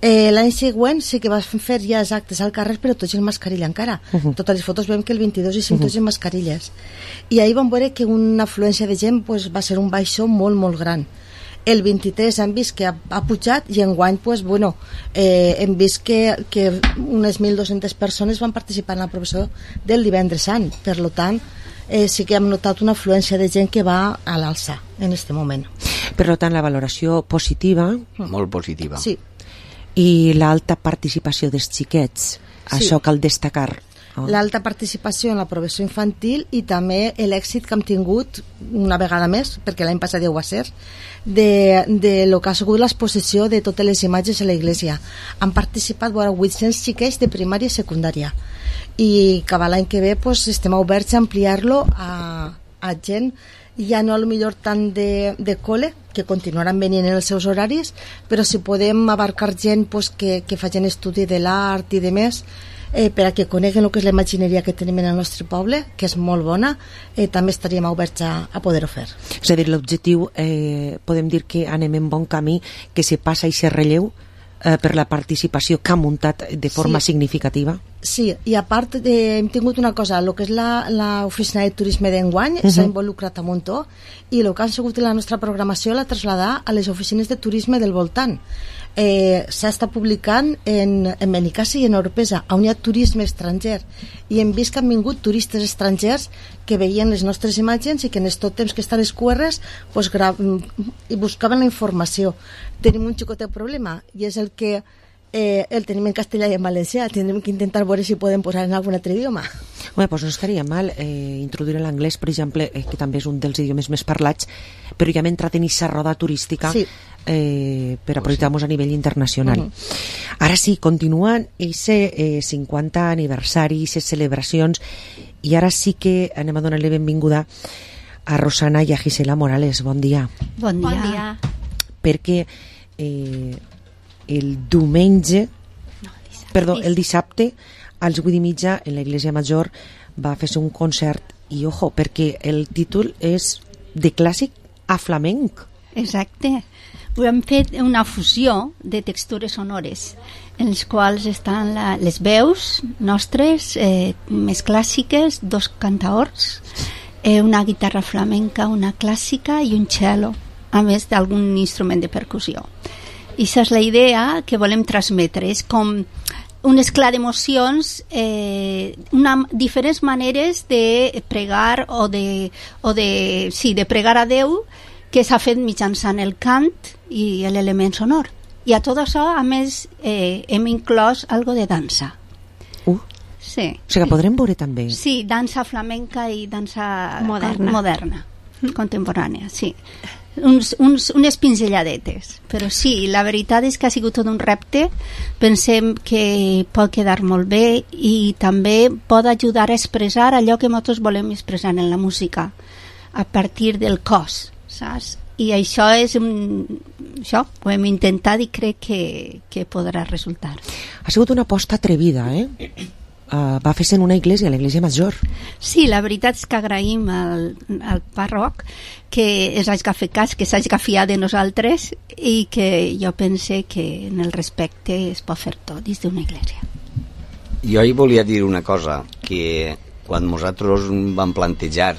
Eh, L'any següent sí que vas fer ja els actes al carrer, però tots en mascarilla encara. Uh -huh. Totes les fotos veiem que el vint-i-dos i cinc uh -huh. tots en mascarilles. I ahir vam veure que una afluència de gent pues, va ser un baixó molt, molt gran. El vint-i-tres hem vist que ha, ha pujat, i enguany pues, bueno, eh, hem vist que, que unes mil dues-centes persones van participar en la professó del divendres sant. Per tant, eh, sí que hem notat una afluència de gent que va a l'alça en aquest moment. Per tant, la valoració positiva, molt positiva. Sí. I l'alta participació dels xiquets, sí. Això cal destacar. Oh. L'alta participació en la professió infantil, i també l'èxit que hem tingut una vegada més, perquè l'any passat ja ho va ser, de, de lo que ha sigut l'exposició de totes les imatges a l'església. Han participat vora vuit-cents xiquets de primària i secundària, i que l'any que ve pues, estem oberts a ampliar-lo a, a gent ja no a lo millor tant de, de col·le, que continuaran venint en els seus horaris, però si podem abarcar gent pues, que, que facin estudi de l'art i de més, eh, per a que coneguen el que és la imagineria que tenim en el nostre poble, que és molt bona, eh, també estaríem oberts a, a poder-ho fer. És a dir, l'objectiu, eh, podem dir que anem en bon camí, que se passa i se relleu eh, per la participació que ha muntat de forma sí. significativa. Sí, i a part de, hem tingut una cosa, el que és l'oficina de turisme d'enguany uh -huh. s'ha involucrat a muntó, i el que ha sigut la nostra programació la traslladar a les oficines de turisme del voltant. Eh, s'ha estat publicant en, en Benicàssim i en Oropesa, on hi ha turisme estranger, i hem vist que han vingut turistes estrangers que veien les nostres imatges i que en aquest temps que estan les Q Rs pues, i buscaven la informació. Tenim un xicotet problema, i és el que Eh, el tenim en castellà i en valencià. Tindrem que intentar veure si podem posar en algun altre idioma. Bé, doncs no estaria mal eh, introduir l'anglès, per exemple, eh, que també és un dels idiomes més parlats, però ja hem entrat en aquesta roda turística sí. eh, per aprofitar-nos a nivell internacional. Uh-huh. Ara sí, continuen aquest eh, cinquanta aniversari, aquestes celebracions, i ara sí que anem a donar-li benvinguda a Rosana i a Gisela Morales. Bon dia. Bon dia. Bon dia. Perquè eh, el diumenge, no, dissabte. perdó, el dissabte, als vuit i mitja, en l'Església Major, va fer-se un concert, i ojo, perquè el títol és de clàssic a flamenc. Exacte. Hem fet una fusió de textures sonores, en les quals estan la, les veus nostres, eh, més clàssiques, dos cantaors, eh, una guitarra flamenca, una clàssica i un cello, a més d'algun instrument de percussió. I aquesta és la idea que volem transmetre, és com un esclat d'emocions, eh, una, diferents maneres de pregar o de, o de, sí, de pregar a Déu, que s'ha fet mitjançant el cant i l'element sonor. I a tot això, a més, eh, hem inclòs algo de dansa. Uh. Sí. O sigui que podrem veure també. Sí, dansa flamenca i dansa moderna, moderna contemporània, sí. Uns, uns, unes pinzelladetes, però sí, la veritat és que ha sigut tot un repte. Pensem que pot quedar molt bé i també pot ajudar a expressar allò que nosaltres volem expressar en la música a partir del cos, saps? I això és un... això ho hem intentat i crec que, que podrà resultar. Ha sigut una aposta atrevida, eh? Uh, va fer-se en una església, l'església major. Sí, la veritat és que agraïm al, al pàrroc que ens hagi fet cas, que s'hagi fiat de nosaltres i que jo pense que en el respecte es pot fer tot dins d'una església. Jo hi volia dir una cosa, que quan nosaltres vam plantejar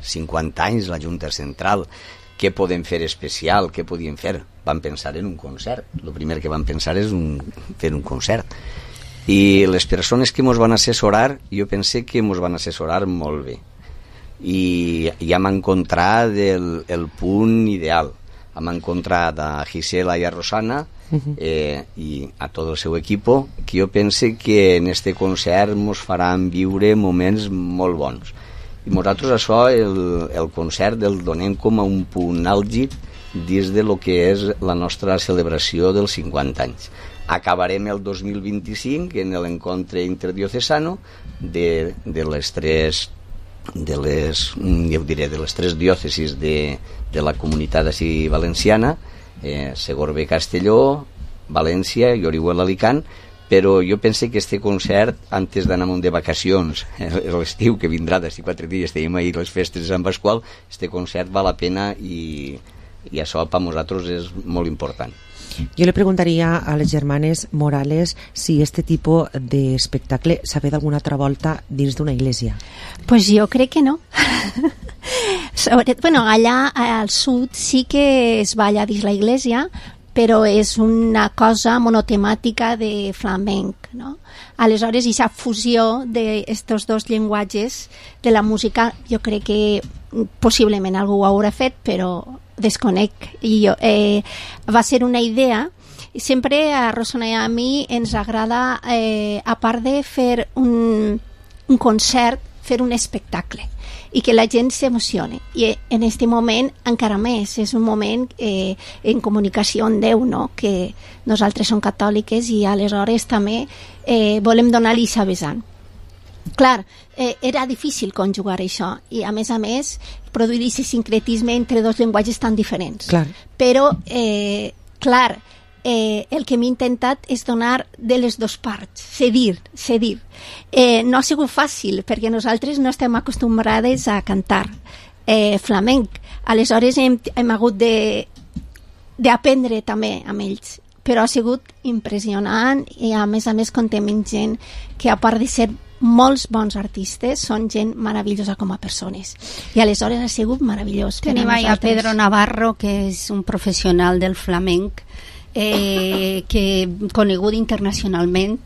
cinquanta anys la Junta Central, què podem fer especial, què podíem fer, vam pensar en un concert. El primer que vam pensar és un, fer un concert. I les persones que ens van assessorar, jo pensé que ens van assessorar molt bé. I ja hem encontrat el, el punt ideal. Hem encontrat a Gisela i a Rosana eh, i a tot el seu equip, que jo pense que en este concert ens faran viure moments molt bons. I nosaltres això, el, el concert, el donem com a un punt àlgid dins de lo que és la nostra celebració dels cinquanta anys. Acabarem el dos mil vint-i-cinc en l'encontre interdiocesano de, de les tres de les, jo diré, de les tres diòcesis de, de la comunitat així valenciana, eh, Segorbe, Castelló, València i Orihuela, Alicant, però jo pense que este concert, antes d'anar de vacacions, l'estiu que vindrà d'aquí quatre dies, tenim ahir les festes de Sant Pasqual, este concert val la pena i, i això per nosaltres és molt important. Jo le preguntaria a les germanes Morales si este tipus d'espectacle s'ha fet alguna altra volta dins d'una església. Pues jo crec que no. Sobre, bueno, allà al sud sí que es balla dins la església, però és una cosa monotemàtica de flamenc, no? Aleshores, aquesta fusió d'estos dos llenguatges de la música, jo crec que possiblement algú ho haurà fet, però desconec. I jo, eh, va ser una idea. Sempre a Rosana i a mi ens agrada, eh, a part de fer un, un concert, fer un espectacle i que la gent s'emocioni. I en aquest moment encara més, és un moment eh, en comunicació amb Déu, no? Que nosaltres som catòliques i aleshores també eh, volem donar-li sa vessant. Clar, eh, era difícil conjugar això i a més a més produir aquest sincretisme entre dos llenguatges tan diferents. Clar. Però, eh, clar, eh, el que m'he intentat és donar de les dues parts, cedir, cedir. Eh, no ha sigut fàcil perquè nosaltres no estem acostumbrades a cantar eh, flamenc. Aleshores hem, hem hagut de d'aprendre també amb ells, però ha sigut impressionant i a més a més contem amb gent que a part de ser molts bons artistes, són gent meravellosa com a persones. I aleshores ha sigut meravellós. Tenim a Pedro Navarro, que és un professional del flamenc, eh, que conegut internacionalment,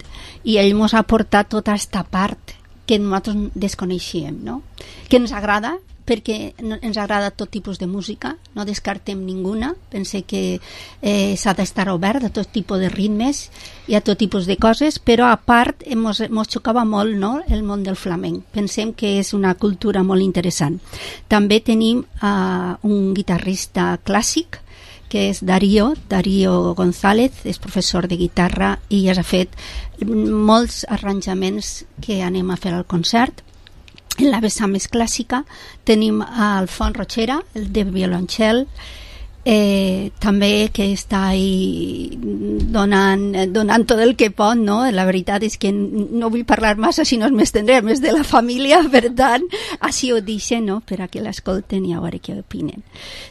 i ell ens ha portat tota aquesta part que nosaltres desconeixíem, no? Que ens agrada, perquè ens agrada tot tipus de música, no descartem ninguna, pense que eh, s'ha d'estar obert a tot tipus de ritmes i a tot tipus de coses, però a part ens xocava molt, no?, el món del flamenc. Pensem que és una cultura molt interessant. També tenim uh, un guitarrista clàssic, que és Darío, Darío González, és professor de guitarra i ja s'ha fet molts arranjaments que anem a fer al concert. En la vessant més clàssica tenim a Alfons Rochera, el de violoncel, eh, també que està ahí donant, donant tot el que pot, no? La veritat és que no vull parlar massa si no m'estendré més de la família, per tant, així ho deixo, no?, per a que l'escolten i a veure què opinen.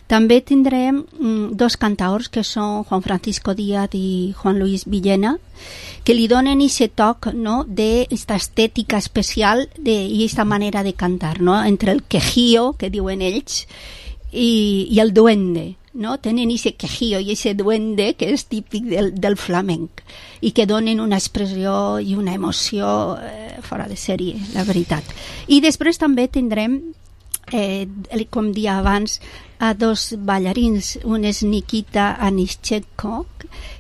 També tindrem mm, dos cantaors que són Juan Francisco Díaz i Juan Luis Villena, que li donen aquest toc, no?, d'esta estètica especial de, i aquesta manera de cantar, no?, entre el quejío, que diuen ells, i, i el duende, no? Tenen aquest quejío i aquest duende que és típic del, del flamenc i que donen una expressió i una emoció eh, fora de sèrie, la veritat. I després també tindrem eh, com dia abans, a dos ballarins. Un és Nikita Anischenko,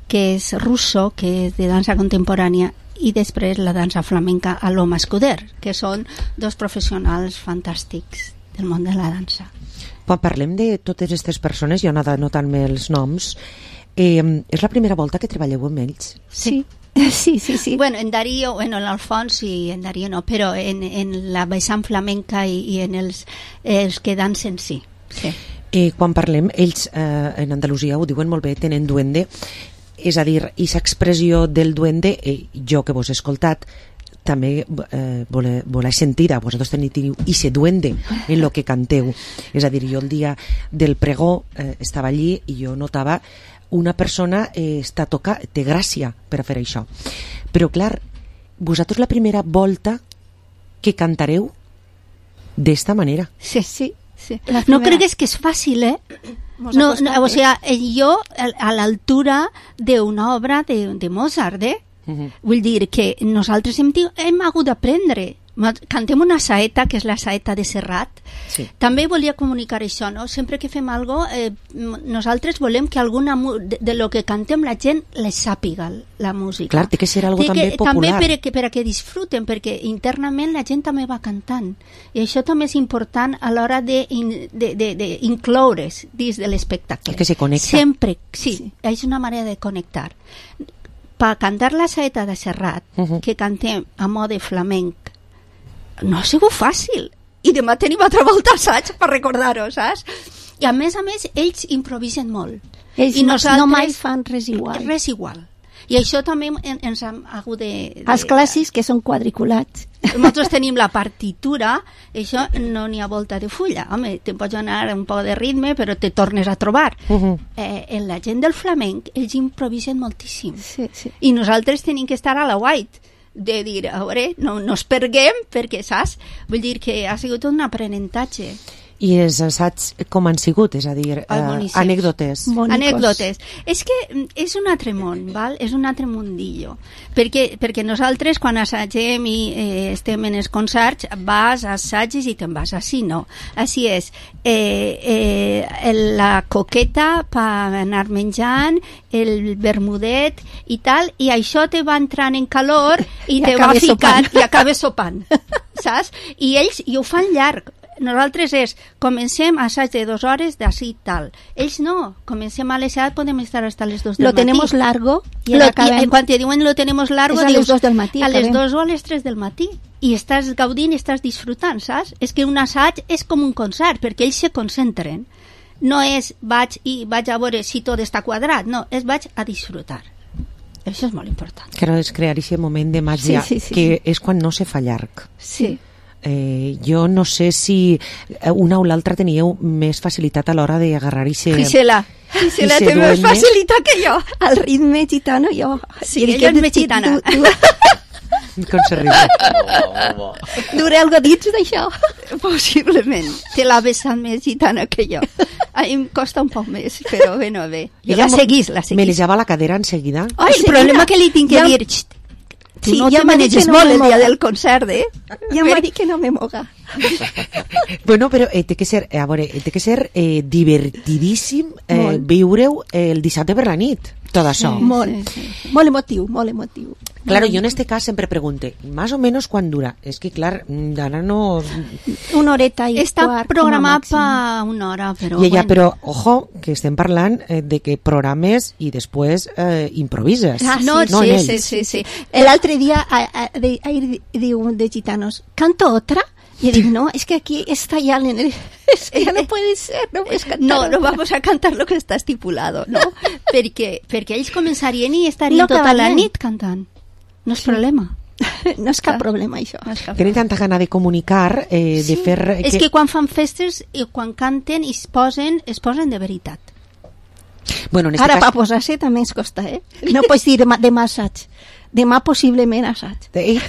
que és russo, que és de dansa contemporània, i després la dansa flamenca Aloma Escuder, que són dos professionals fantàstics del món de la dansa. Quan parlem de totes aquestes persones, jo he anat anotant-me els noms, eh, és la primera volta que treballeu amb ells? Sí. Sí, sí, sí. Bueno, en Darío, bueno, en Alfons i en Darío no, però en, en la vessant flamenca i, i en els, els que dansen sí. sí. Eh, quan parlem, ells eh, en Andalusia ho diuen molt bé, tenen duende, és a dir, aquesta expressió del duende, eh, jo que vos he escoltat, també eh, vole, voleu sentir-a, vosaltres teniu ese duende en lo que canteu. És a dir, jo el dia del pregó eh, estava allí i jo notava una persona eh, està toca, té gràcia per a fer això. Però clar, vosaltres la primera volta que cantareu d'esta manera. Sí, sí. sí. No cregues que és fàcil, eh? No, no, o sea, jo a l'altura d'una obra de, de Mozart, eh? Uh-huh. Vull dir que nosaltres hem, hem hagut d'aprendre. Cantem una saeta, que és la saeta de Serrat. Sí. També volia comunicar això, no? Sempre que fem alguna cosa, eh, nosaltres volem que alguna de, de lo que cantem la gent les sàpiga, la música. Clar, té que ser algo també que, popular. També per, que, per a que disfruten, perquè internament la gent també va cantant. I això també és important a l'hora d'incloure's dins de l'espectacle. Que se connecta. Sempre, sí, sí, és una manera de connectar. Per cantar la saeta de Serrat, uh-huh. que cantem a mode flamenc, no ha sigut fàcil. I demà tenim altra volta assaig per recordar-ho, saps? I a més a més, ells improvisen molt. Ells I nosaltres, no mai fan res igual. Res igual. I això també en, ens ha hagut de, de... Els clàssics, que són quadriculats. Nosaltres tenim la partitura, això no n'hi ha volta de fulla. Home, te pots anar un poc de ritme, però te tornes a trobar. Uh-huh. eh, en la gent del flamenc, ells improvisen moltíssim. Sí, sí. I nosaltres tenim que estar a la white, de dir, a veure, no, no es perguem, perquè, saps? Vull dir que ha sigut un aprenentatge. I els assaigs com han sigut? És a dir, eh, anècdotes. Anècdotes. És que és un altre món, val? És un altre mundillo. Perquè, perquè nosaltres, quan assagem i eh, estem en els concerts, vas a assagis i te'n vas així, no? Així és. Eh, eh, la coqueta per anar menjant, el bermudet i tal, i això te va entrant en calor i, I te va ficant i acabes sopant. Saps? I ells i ho fan llarg. Nosaltres és, comencem assaig de dues hores d'ací tal. Ells no, comencem a les set, podem estar hasta les dos del lo matí. Lo tenemos largo i lo, acabem... I, quan te diuen lo tenemos largo, és a dius, les dos del matí. A les dos o a les tres del matí. I estàs gaudint, estàs disfrutant, saps? És que un assaig és com un concert, perquè ells se concentren. No és vaig i vaig a veure si tot està quadrat, no, és vaig a disfrutar. Això és molt important. Que no és crear aquest moment de màgia, sí, sí, sí, que sí. És quan no se fa llarg. Sí. Eh, jo no sé si una o l'altra teníeu més facilitat a l'hora d'agarrar ixe... Gisela, Gisela té més facilitat que jo. El ritme gitano, jo... Sí, ella és més gitana. Com se riu. Duré algo dits d'això? Possiblement. Té la vessant més gitana que jo. A mi em costa un poc més, però bé, no bé. Jo la seguís, la seguís. Me li lleva la cadera en seguida. Ai, el problema que li tinc que dir... Tu sí, no te maneges no molt el dia del concert, eh? Ja m'ha dit que no me moga. Bueno, però eh, té que ser, a veure, té que ser eh, divertidíssim eh, viure-ho el dissabte per la nit, tot això. Sí, molt, sí, sí. Molt emotiu, molt emotiu. Claro, yo en este caso siempre pregunté, más o menos ¿cuán dura? Es que, claro, ahora no... Una horeta y Està quart, programat per una hora, però... I ja, bueno. però, ojo, que estem parlant eh, de que programes i després eh, improvises. Ah, no, sí, no sí, sí, sí, sí. L'altre dia ahir diu un de gitanos, ¿canto otra? Y digo, no, es que aquí está ya en el... Es que ya no puede ser, no puedes cantar. No, no vamos a cantar lo que está estipulado, no? perquè, perquè ells començarien i estarien no tota la nit cantant. No és sí. problema. No és cap problema, això. No cap Tenen tanta gana de comunicar, eh, sí. de fer... Que... És que quan fan festes i quan canten i es posen, es posen de veritat. Bueno, en este Ara, cas... per posar-se també es costa, eh? No pots dir demà, demà assaig. Demà possiblement assaig. Eh?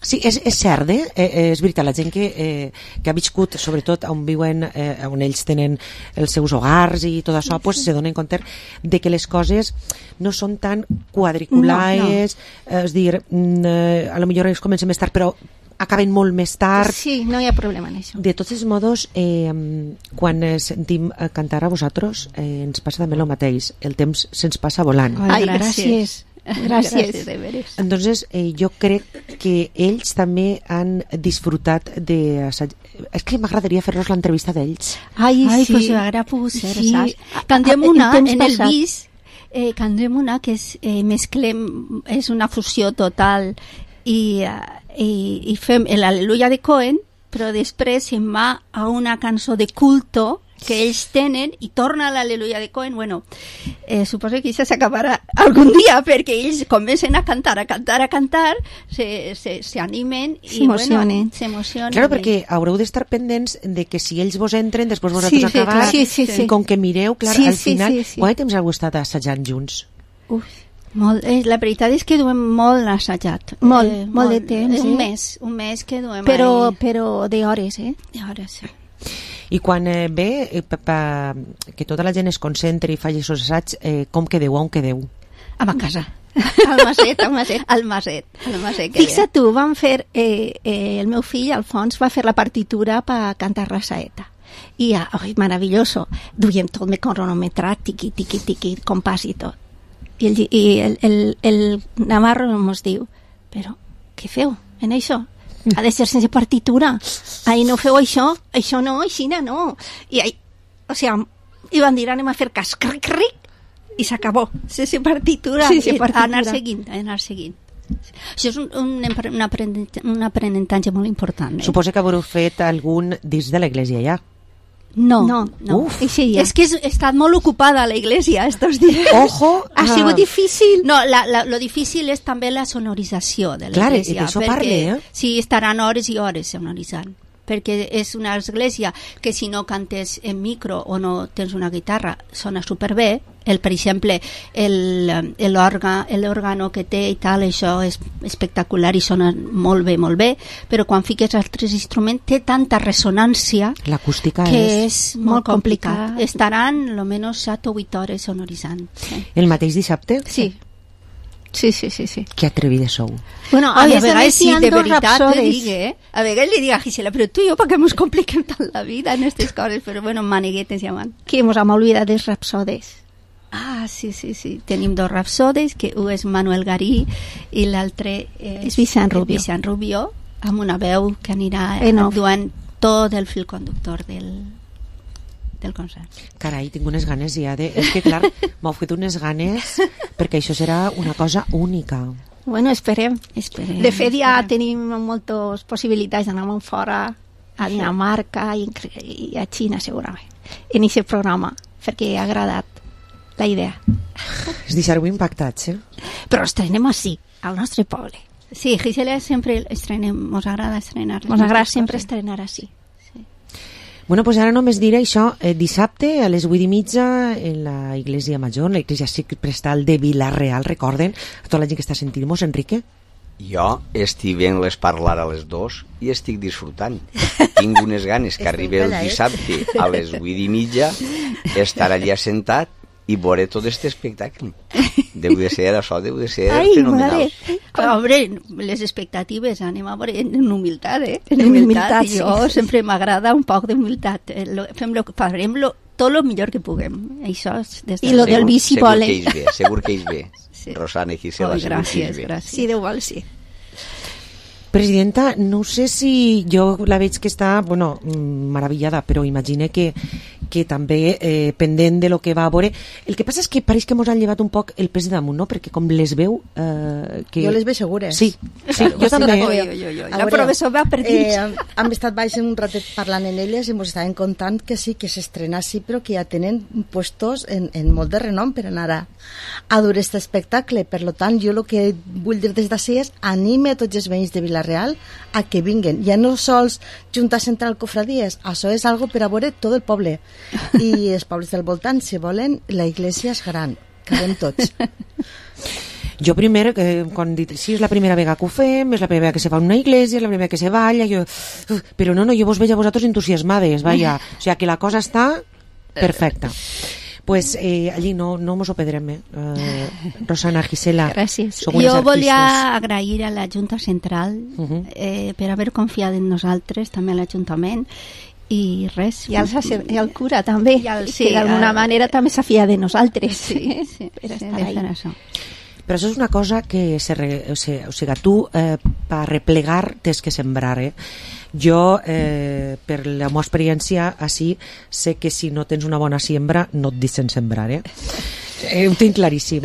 Sí, és, és cert, eh? eh? És veritat, la gent que, eh, que ha viscut, sobretot on viuen, eh, on ells tenen els seus hogars i tot això, pues, se donen compte de que les coses no són tan quadriculades, no, no. És dir, eh, a lo millor ells comencem més tard, però acaben molt més tard. Sí, no hi ha problema en això. De tots els modos, eh, quan sentim cantar a vosaltres, eh, ens passa també el mateix. El temps se'ns passa volant. Ai, gràcies. Gràcies. Gràcies, de veres. Entonces, eh, jo crec que ells també han disfrutat de... És que m'agradaria fer-los l'entrevista d'ells. Ai, Ai, sí. pues m'agradaria pogut ser, Sí. saps? Canviem Ah, una, temps en el passat. bis, eh, canviem una que és, eh, mesclem, és una fusió total i, eh, i, i fem l'Al·leluia de Cohen, però després se'n va a una cançó de culto que ells tenen i torna a l'Al·leluia de Cohen. Bueno, eh, suposo que això s'acabarà algun dia perquè ells comencen a cantar, a cantar, a cantar, se, se, se animen i S'emocionen. bueno, s'emocionen. Claro, perquè haureu d'estar pendents de que si ells vos entren, després vosaltres Sí, sí, acabar, clar. Sí, sí, sí. com que mireu, clar, Sí, al sí, final, sí, sí. quant de temps heu estat assajant junts? Uf, molt, eh, la veritat és que duem molt assajat. Molt, eh, molt de temps, Un eh? mes, un mes que duem Però, ahí. però de hores, eh? De hores, sí. I quan eh, ve eh, pa, pa, que tota la gent es concentri i faci aquests assaigs, eh, com quedeu, on quedeu? A ma casa. Al maset, al maset. Al maset. Al maset que Fixa't tu, van fer, eh, eh, el meu fill, Alfons, va fer la partitura per cantar la saeta. I, ai, maravilloso, duiem tot me cronometrat, tiqui, tiqui, tiqui, compàs i tot. I el, i el, el, el Navarro ens diu, però què feu en això? Ha de ser sense partitura. Ai, no feu això, això no, aixina no. I, ai, o sigui, i van dir, anem a fer cas, cric, cric, i s'acabó. Sense partitura. Sense I partitura. anar seguint, anar seguint. Això és un, un, un, aprenentatge, un aprenentatge molt important. Eh? Suposo que haureu fet algun dins de l'església ja. No, no, no. Uf. Sí, és que he estat molt ocupada la iglesia estos dies. Ojo. Ha ah. sigut difícil. No, la, la, lo difícil és també la sonorització de Clar, l'església. d'això perquè parle, eh? sí, estaran hores i hores sonoritzant. Perquè és una església que si no cantes en micro o no tens una guitarra sona superbé. El, per exemple, l'òrgano que té i tal, això és espectacular i sona molt bé, molt bé, però quan fiques altres instruments té tanta ressonància l'acústica que és... és molt complicat. Estaran almenys set o vuit hores sonoritzant. Sí. El mateix dissabte? Sí. Sí, sí, sí, sí. Que atrevides sou. Bueno, a, Ai, més, a vegades sí, de veritat te rapsodes. dic, eh? A vegades li dic a Gisela, però tu i jo, per què ens compliquem tant la vida en aquestes coses? Però bueno, maniguetes llaman. Que ens hem oblidat dels rapsodes. Ah, sí, sí, sí. Tenim dos rapsodes, que un és Manuel Garí i l'altre és, És Vicent Rubio. Vicent Rubio, amb una veu que anirà En off. actuant tot el fil conductor del, del concert. Carai, tinc unes ganes ja de... És que clar, m'heu fet unes ganes perquè això serà una cosa única. Bueno, esperem. Esperem. De fet, ja esperem. tenim moltes possibilitats d'anar fora, a Dinamarca i, i a Xina, segurament, en aquest programa, perquè ha agradat la idea. Es deixar-ho impactats, eh? Però estrenem així, al nostre poble. Sí, Gisela sempre estrenem, mos agrada estrenar. les Ens agrada nostres sempre coses. estrenar així. Bueno, pues ara només diré això, eh, dissabte a les vuit i mitja en la Iglesia Major, en la Iglesia Prestal de Vila-real, recorden, a tota la gent que està sentint-nos, Enrique. Jo estic veient-les parlar a les dos i estic disfrutant. Tinc unes ganes que arribi el dissabte a les vuit i mitja, estar allà sentat i veure tot aquest espectacle. Deu de ser això, deu de ser Ai, fenomenal. Però, hombre, les expectatives anem a veure en humilitat, eh? En En humilitat. humilitat, Jo sí. sempre m'agrada un poc d'humilitat. Eh, lo- Fem lo, farem lo, tot el millor que puguem. Això és des de... I lo del Segur- bici segur vole. que ells bé, segur que ells bé. Sí. Rosana i Gisela, Oi, segur que gràcies, ells bé. gràcies. Sí, Déu vol, sí. Presidenta, no sé si jo la veig que està, bueno, mm, meravellada, però imagine que, que també eh, pendent de lo que va a veure. El que passa és que pareix que mos han llevat un poc el pes de damunt, no? Perquè com les veu... Eh, que... Jo les veig segures. Sí, sí, jo també. Oi, oi, oi, oi. A La veure, professor va per dins. Eh, hem estat baix un ratet parlant en elles i ens estaven contant que sí, que s'estrena sí, però que ja tenen puestos en, en molt de renom per anar a, a dur aquest espectacle. Per lo tant, jo el que vull dir des d'ací és anime a tots els veïns de Vila-real a que vinguen. Ja no sols Junta Central Cofradies, això és algo per a veure tot el poble. I els pobles del voltant, si volen, la iglesia és gran, cabem tots. Jo primer, eh, quan dit, sí, és la primera vegada que ho fem, és la primera vegada que se fa en una iglesia, és la primera vegada que se balla, jo... Uf, però no, no, jo vos veig a vosaltres entusiasmades, vaja, o sigui que la cosa està perfecta. Pues eh, allí no, no mos ho perdrem, eh? Uh, Rosana, Gisela. Gràcies. Jo volia agrair a la Junta Central uh-huh. eh, per haver confiat en nosaltres, també a l'Ajuntament, i res. I al, i al cura també, I al, sí, que d'alguna el... manera també s'ha fiat de nosaltres. Sí, sí, per sí, estar ahí. Això. Però això és una cosa que se re, o sigui, o sigui, tu eh, per replegar tens que sembrar, eh? Jo, eh, per la meva experiència així, sé que si no tens una bona siembra no et deixen sembrar, eh? eh ho tinc claríssim.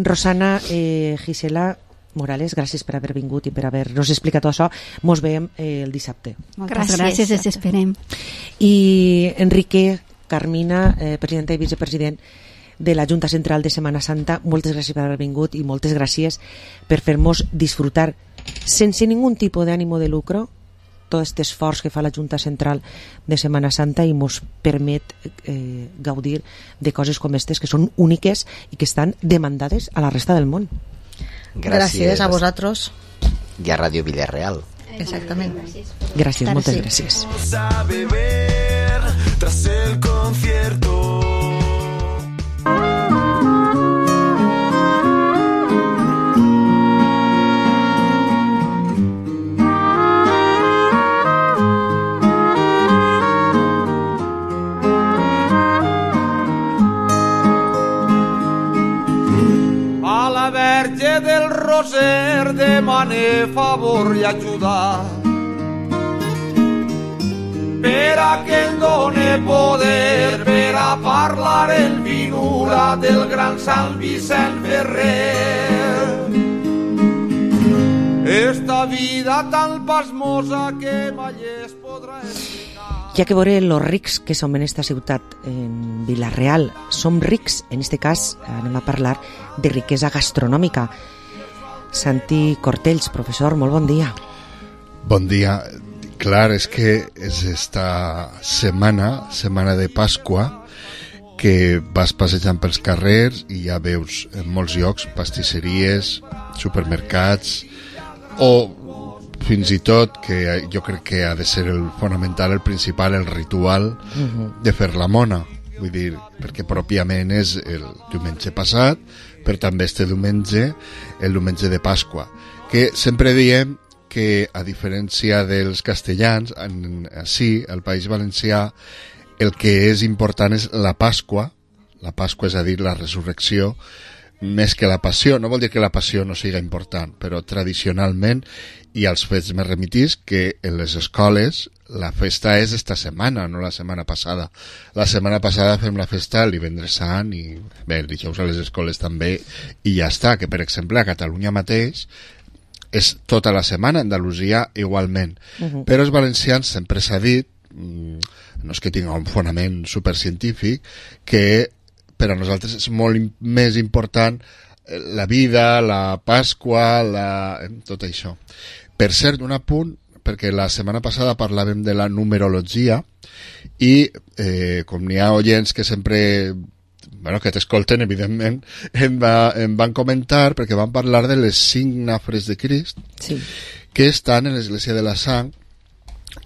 Rosana, eh, Gisela Morales, gràcies per haver vingut i per haver-nos explicat tot això. Mos veiem eh, el dissabte. Moltes gràcies, gràcies ens esperem. I Enrique, Carmina, eh, presidenta i vicepresident de la Junta Central de Setmana Santa, moltes gràcies per haver vingut i moltes gràcies per fer-nos disfrutar sense ningú tipus d'ànimo de lucro tot aquest esforç que fa la Junta Central de Setmana Santa i mos permet eh, gaudir de coses com aquestes que són úniques i que estan demandades a la resta del món. Gràcies, gràcies a vosaltres i a Ràdio Villarreal. Exactament. Gràcies, moltes gràcies. A beber tras el concierto. A la Verge del Roser demane favor i ajudar per a que em done poder per a parlar en finura del gran Sant Vicent Ferrer. Esta vida tan pasmosa que mai es podrà explicar. Ja que veure los rics que som en esta ciutat, en Vila-real, som rics, en este cas anem a parlar de riquesa gastronòmica. Santi Cortells, professor, molt bon dia. Bon dia. Clar, és que és esta setmana, setmana de Pasqua, que vas passejant pels carrers i ja veus en molts llocs pastisseries, supermercats, o fins i tot, que jo crec que ha de ser el fonamental, el principal, el ritual uh-huh. de fer la mona. Vull dir, perquè pròpiament és el diumenge passat, però també este diumenge, el diumenge de Pasqua. Que sempre diem que, a diferència dels castellans, en, així, al País Valencià, el que és important és la Pasqua, la Pasqua és a dir, la resurrecció, més que la passió. No vol dir que la passió no siga important, però tradicionalment i als fets més remitits que en les escoles la festa és esta setmana, no la setmana passada. La setmana passada fem la festa el divendres sant i bé, el dijous a les escoles també i ja està, que per exemple a Catalunya mateix és tota la setmana, Andalusia igualment. Uh-huh. Però els valencians sempre s'ha dit, no és que tinga un fonament supercientífic, que per a nosaltres és molt més important la vida, la Pasqua, la... tot això. Per cert, un apunt, perquè la setmana passada parlàvem de la numerologia i eh, com n'hi ha oients que sempre, bueno, que t'escolten, evidentment, em, va, em van comentar, perquè van parlar de les cinc nafres de Crist, sí. que estan en l'Església de la Sang.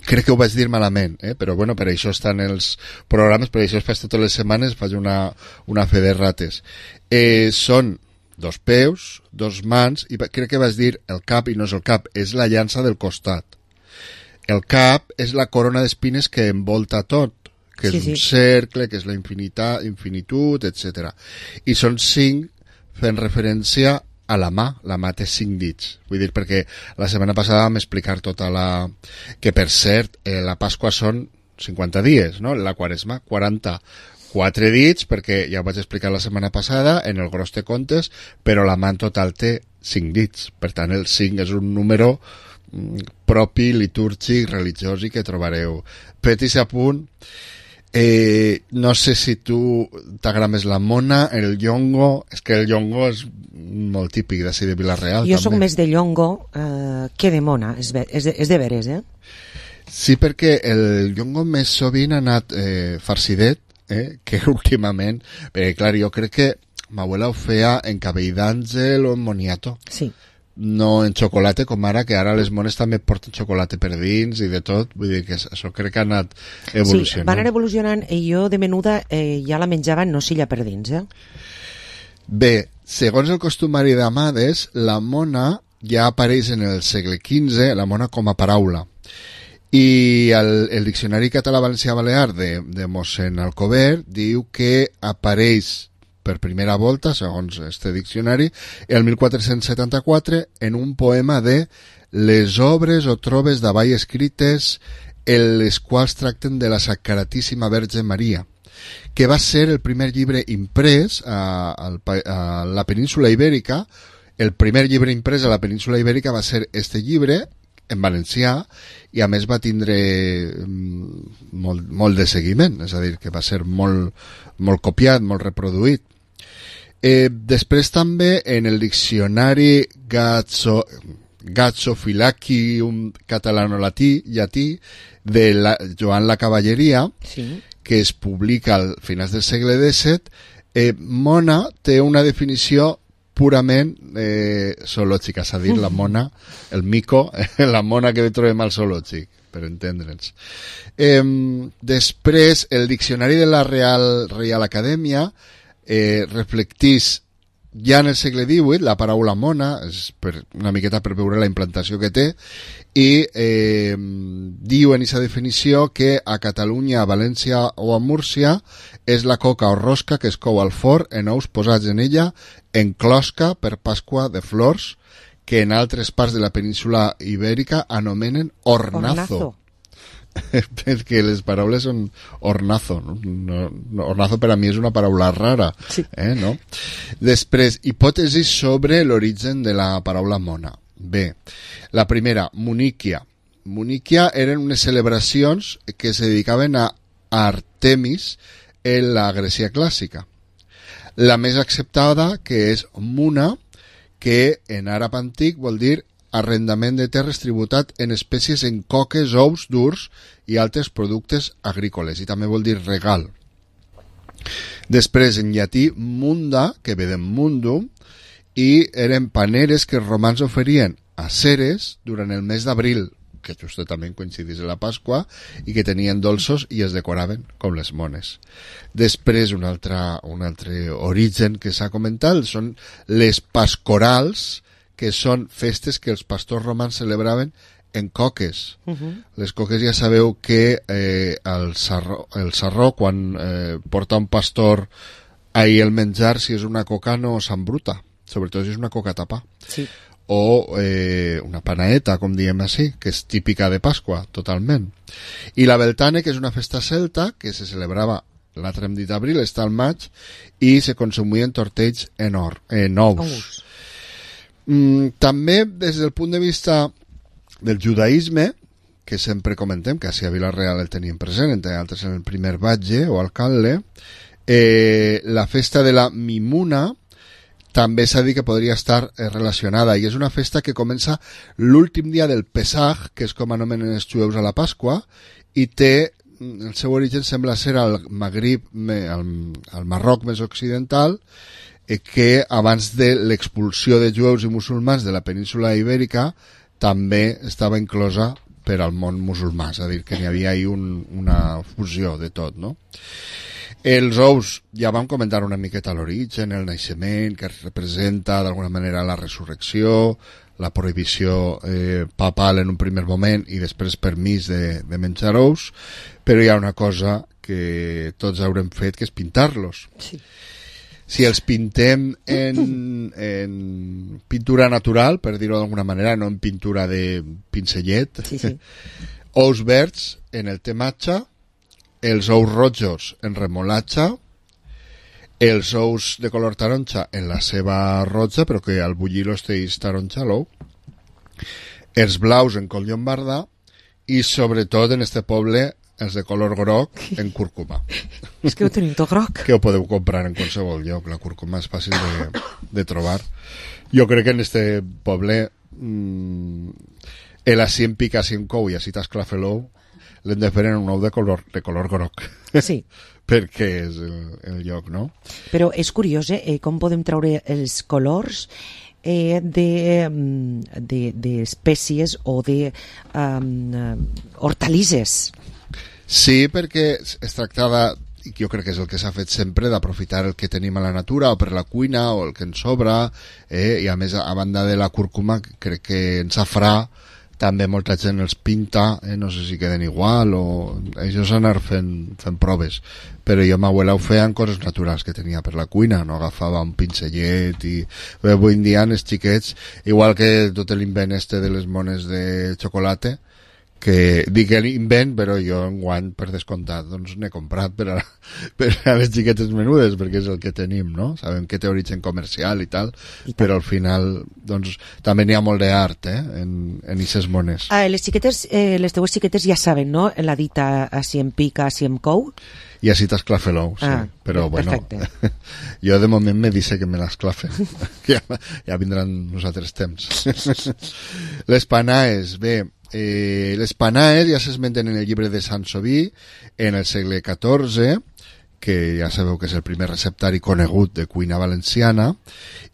Crec que ho vaig dir malament, eh? Però bueno, per això estan els programes, per això es faig totes les setmanes, faig una, una fe de rates. Eh, són dos peus, dos mans, i crec que vas dir el cap, i no és el cap, és la llança del costat. El cap és la corona d'espines que envolta tot, que és sí, un sí. cercle, que és la infinita, infinitud, etcètera. I són cinc fent referència a la mà, la mà té cinc dits. Vull dir, perquè la setmana passada vam explicar tota la... que per cert, eh, la Pasqua són cinquanta dies, no? La Quaresma, quaranta-quatre dits, perquè ja ho vaig explicar la setmana passada, en el gros de comptes, però la mà en total té cinc dits. Per tant, el cinc és un número mm, propi, litúrgic, religiós i que trobareu. Petit apunt, eh, no sé si tu t'agrada més la mona, el llongo, és que el llongo és molt típic d'ací de Vila-real. Jo també. Soc més de llongo eh, que de mona, és, ve, és, de, és de veres, eh? Sí, perquè el llongo més sovint ha anat eh, farcidet, eh, que últimament, perquè clar, jo crec que ma abuela ho feia en cabell d'àngel o en moniato. Sí. no en xocolata com ara, que ara les mones també porten xocolata per dins i de tot, vull dir que això crec que ha anat evolucionant. Sí, van anar evolucionant i jo de menuda eh, ja la menjava en nocilla per dins, eh? Bé, segons el costumari d'Amades, la mona ja apareix en el segle quinze, la mona com a paraula. I el, el Diccionari Català-Valencià-Balear de, de mossèn Alcover diu que apareix per primera volta, segons este diccionari, el mil quatre-cents setanta-quatre en un poema de les obres o trobes davall escrites en les quals tracten de la Sacratíssima Verge Maria, que va ser el primer llibre imprès a, a, a la península Ibèrica. El primer llibre imprès a la península Ibèrica va ser este llibre, en valencià, i a més va tindre molt, molt de seguiment, és a dir, que va ser molt, molt copiat, molt reproduït. Eh, després també en el diccionari Gazzo, Gazzophylacium catalano-latí llatí de la, Joan la Cavalleria, sí, que es publica al finals del segle disset, eh, mona té una definició purament eh, zoològica, és a dir, la mona, el mico, la mona que trobem al zoològic, per entendre'ns. Eh, després, el diccionari de la Real, Real Acadèmia eh, reflectís ja en el segle divuit la paraula mona, és per, una miqueta per veure la implantació que té, i eh, diu en aquesta definició que a Catalunya, a València o a Múrcia és la coca o rosca que es cou al forn en ous posats en ella en closca per Pasqua de flors, que en altres parts de la península Ibèrica anomenen ornazo. Ornazo. Perquè les paraules són ornazo, no? No, no, ornazo per a mi és una paraula rara, sí. eh, no? Després, hipòtesis sobre l'origen de la paraula mona. Bé, la primera, Muníquia. Muníquia eren unes celebracions que se dedicaven a Artemis en la Grècia clàssica. La més acceptada, que és Muna, que en àrab antic vol dir arrendament de terres tributat en espècies en coques, ous durs i altres productes agrícoles, i també vol dir regal. Després, en llatí, munda, que ve de mundum, i eren paneres que els romans oferien a Ceres durant el mes d'abril, que justament coincidís en la Pasqua, i que tenien dolços i es decoraven com les mones. Després, un altre, un altre origen que s'ha comentat són les pascorals, que són festes que els pastors romans celebraven en coques. Uh-huh. Les coques ja sabeu que eh, el, sarró, el sarró, quan eh, porta un pastor ahir el menjar, si és una coca no s'embruta, sobretot si és una coca tapa. Sí. O eh, una panaeta, com diem així, que és típica de Pasqua, totalment. I la Beltane, que és una festa celta, que se celebrava l'altre hem dit abril, està al maig, i se consumien tortells en, or, en ous. Ous. Mm, també des del punt de vista del judaïsme, que sempre comentem que a Vila-real el tenim present, entre altres en el primer batge o alcalde, eh, la festa de la Mimuna també s'ha dit que podria estar eh, relacionada, i és una festa que comença l'últim dia del Pesach, que és com anomenen els jueus a la Pasqua, i té, el seu origen sembla ser al Magrib, al, al Marroc més occidental, que abans de l'expulsió de jueus i musulmans de la península Ibèrica també estava inclosa per al món musulmà, és a dir, que n'hi havia ahí un, una fusió de tot, no? Els ous, ja vam comentar una miqueta l'origen, el naixement, que representa d'alguna manera la resurrecció, la prohibició eh, papal en un primer moment i després permís de, de menjar ous, però hi ha una cosa que tots haurem fet, que és pintar-los. Sí. Si els pintem en, en pintura natural, per dir-ho d'alguna manera, no en pintura de pincellet, sí, sí. Ous verds en el tematge, els ous rojos en remolatge, els ous de color taronja en la seva roja, però que al bullir-los teix taronja l'ou, els blaus en col llombarda i sobretot en este poble els de color groc en cúrcuma. És que ho tenim tot groc. Que ho podeu comprar en qualsevol lloc. La cúrcuma és fàcil de, de trobar. Jo crec que en este poble mmm, el així en pica, així en cou i així t'esclafa l'ou, l'hem de fer en un ou de color, de color groc. Sí. Perquè és el, el lloc, no? Però és curiós, eh? Com podem treure els colors eh, d'espècies de, de o de um, hortalisses. Sí, perquè es tractava, jo crec que és el que s'ha fet sempre, d'aprofitar el que tenim a la natura o per la cuina o el que ens sobra, eh? I a més, a banda de la cúrcuma, crec que en safrà també molta gent els pinta, eh? No sé si queden igual o això s'ha anar fent, fent proves, però jo m'abuela ho feia en coses naturals que tenia per la cuina, no agafava un pincellet i avui en dia els xiquets, igual que tot l'invent este de les mones de xocolata, que dic que invent, però jo enguany per descomptat doncs n'he comprat per a, per a les xiquetes menudes, perquè és el que tenim, no? Sabem que té origen comercial i tal, I però al final doncs també n'hi ha molt d'art, eh? en, en ixes mones. Ah, les xiquetes, eh, les teues xiquetes ja saben, no? La dita així em pica, així em cou. I així t'esclafe l'ou, sí. Ah, però perfecte. Bueno, jo de moment me dice que me l'esclafe. ja, ja vindran uns altres temps. Les panaes, bé, Eh, les panaes ja s'esmenten en el llibre de Sansoví en el segle catorze, que ja sabeu que és el primer receptari conegut de cuina valenciana,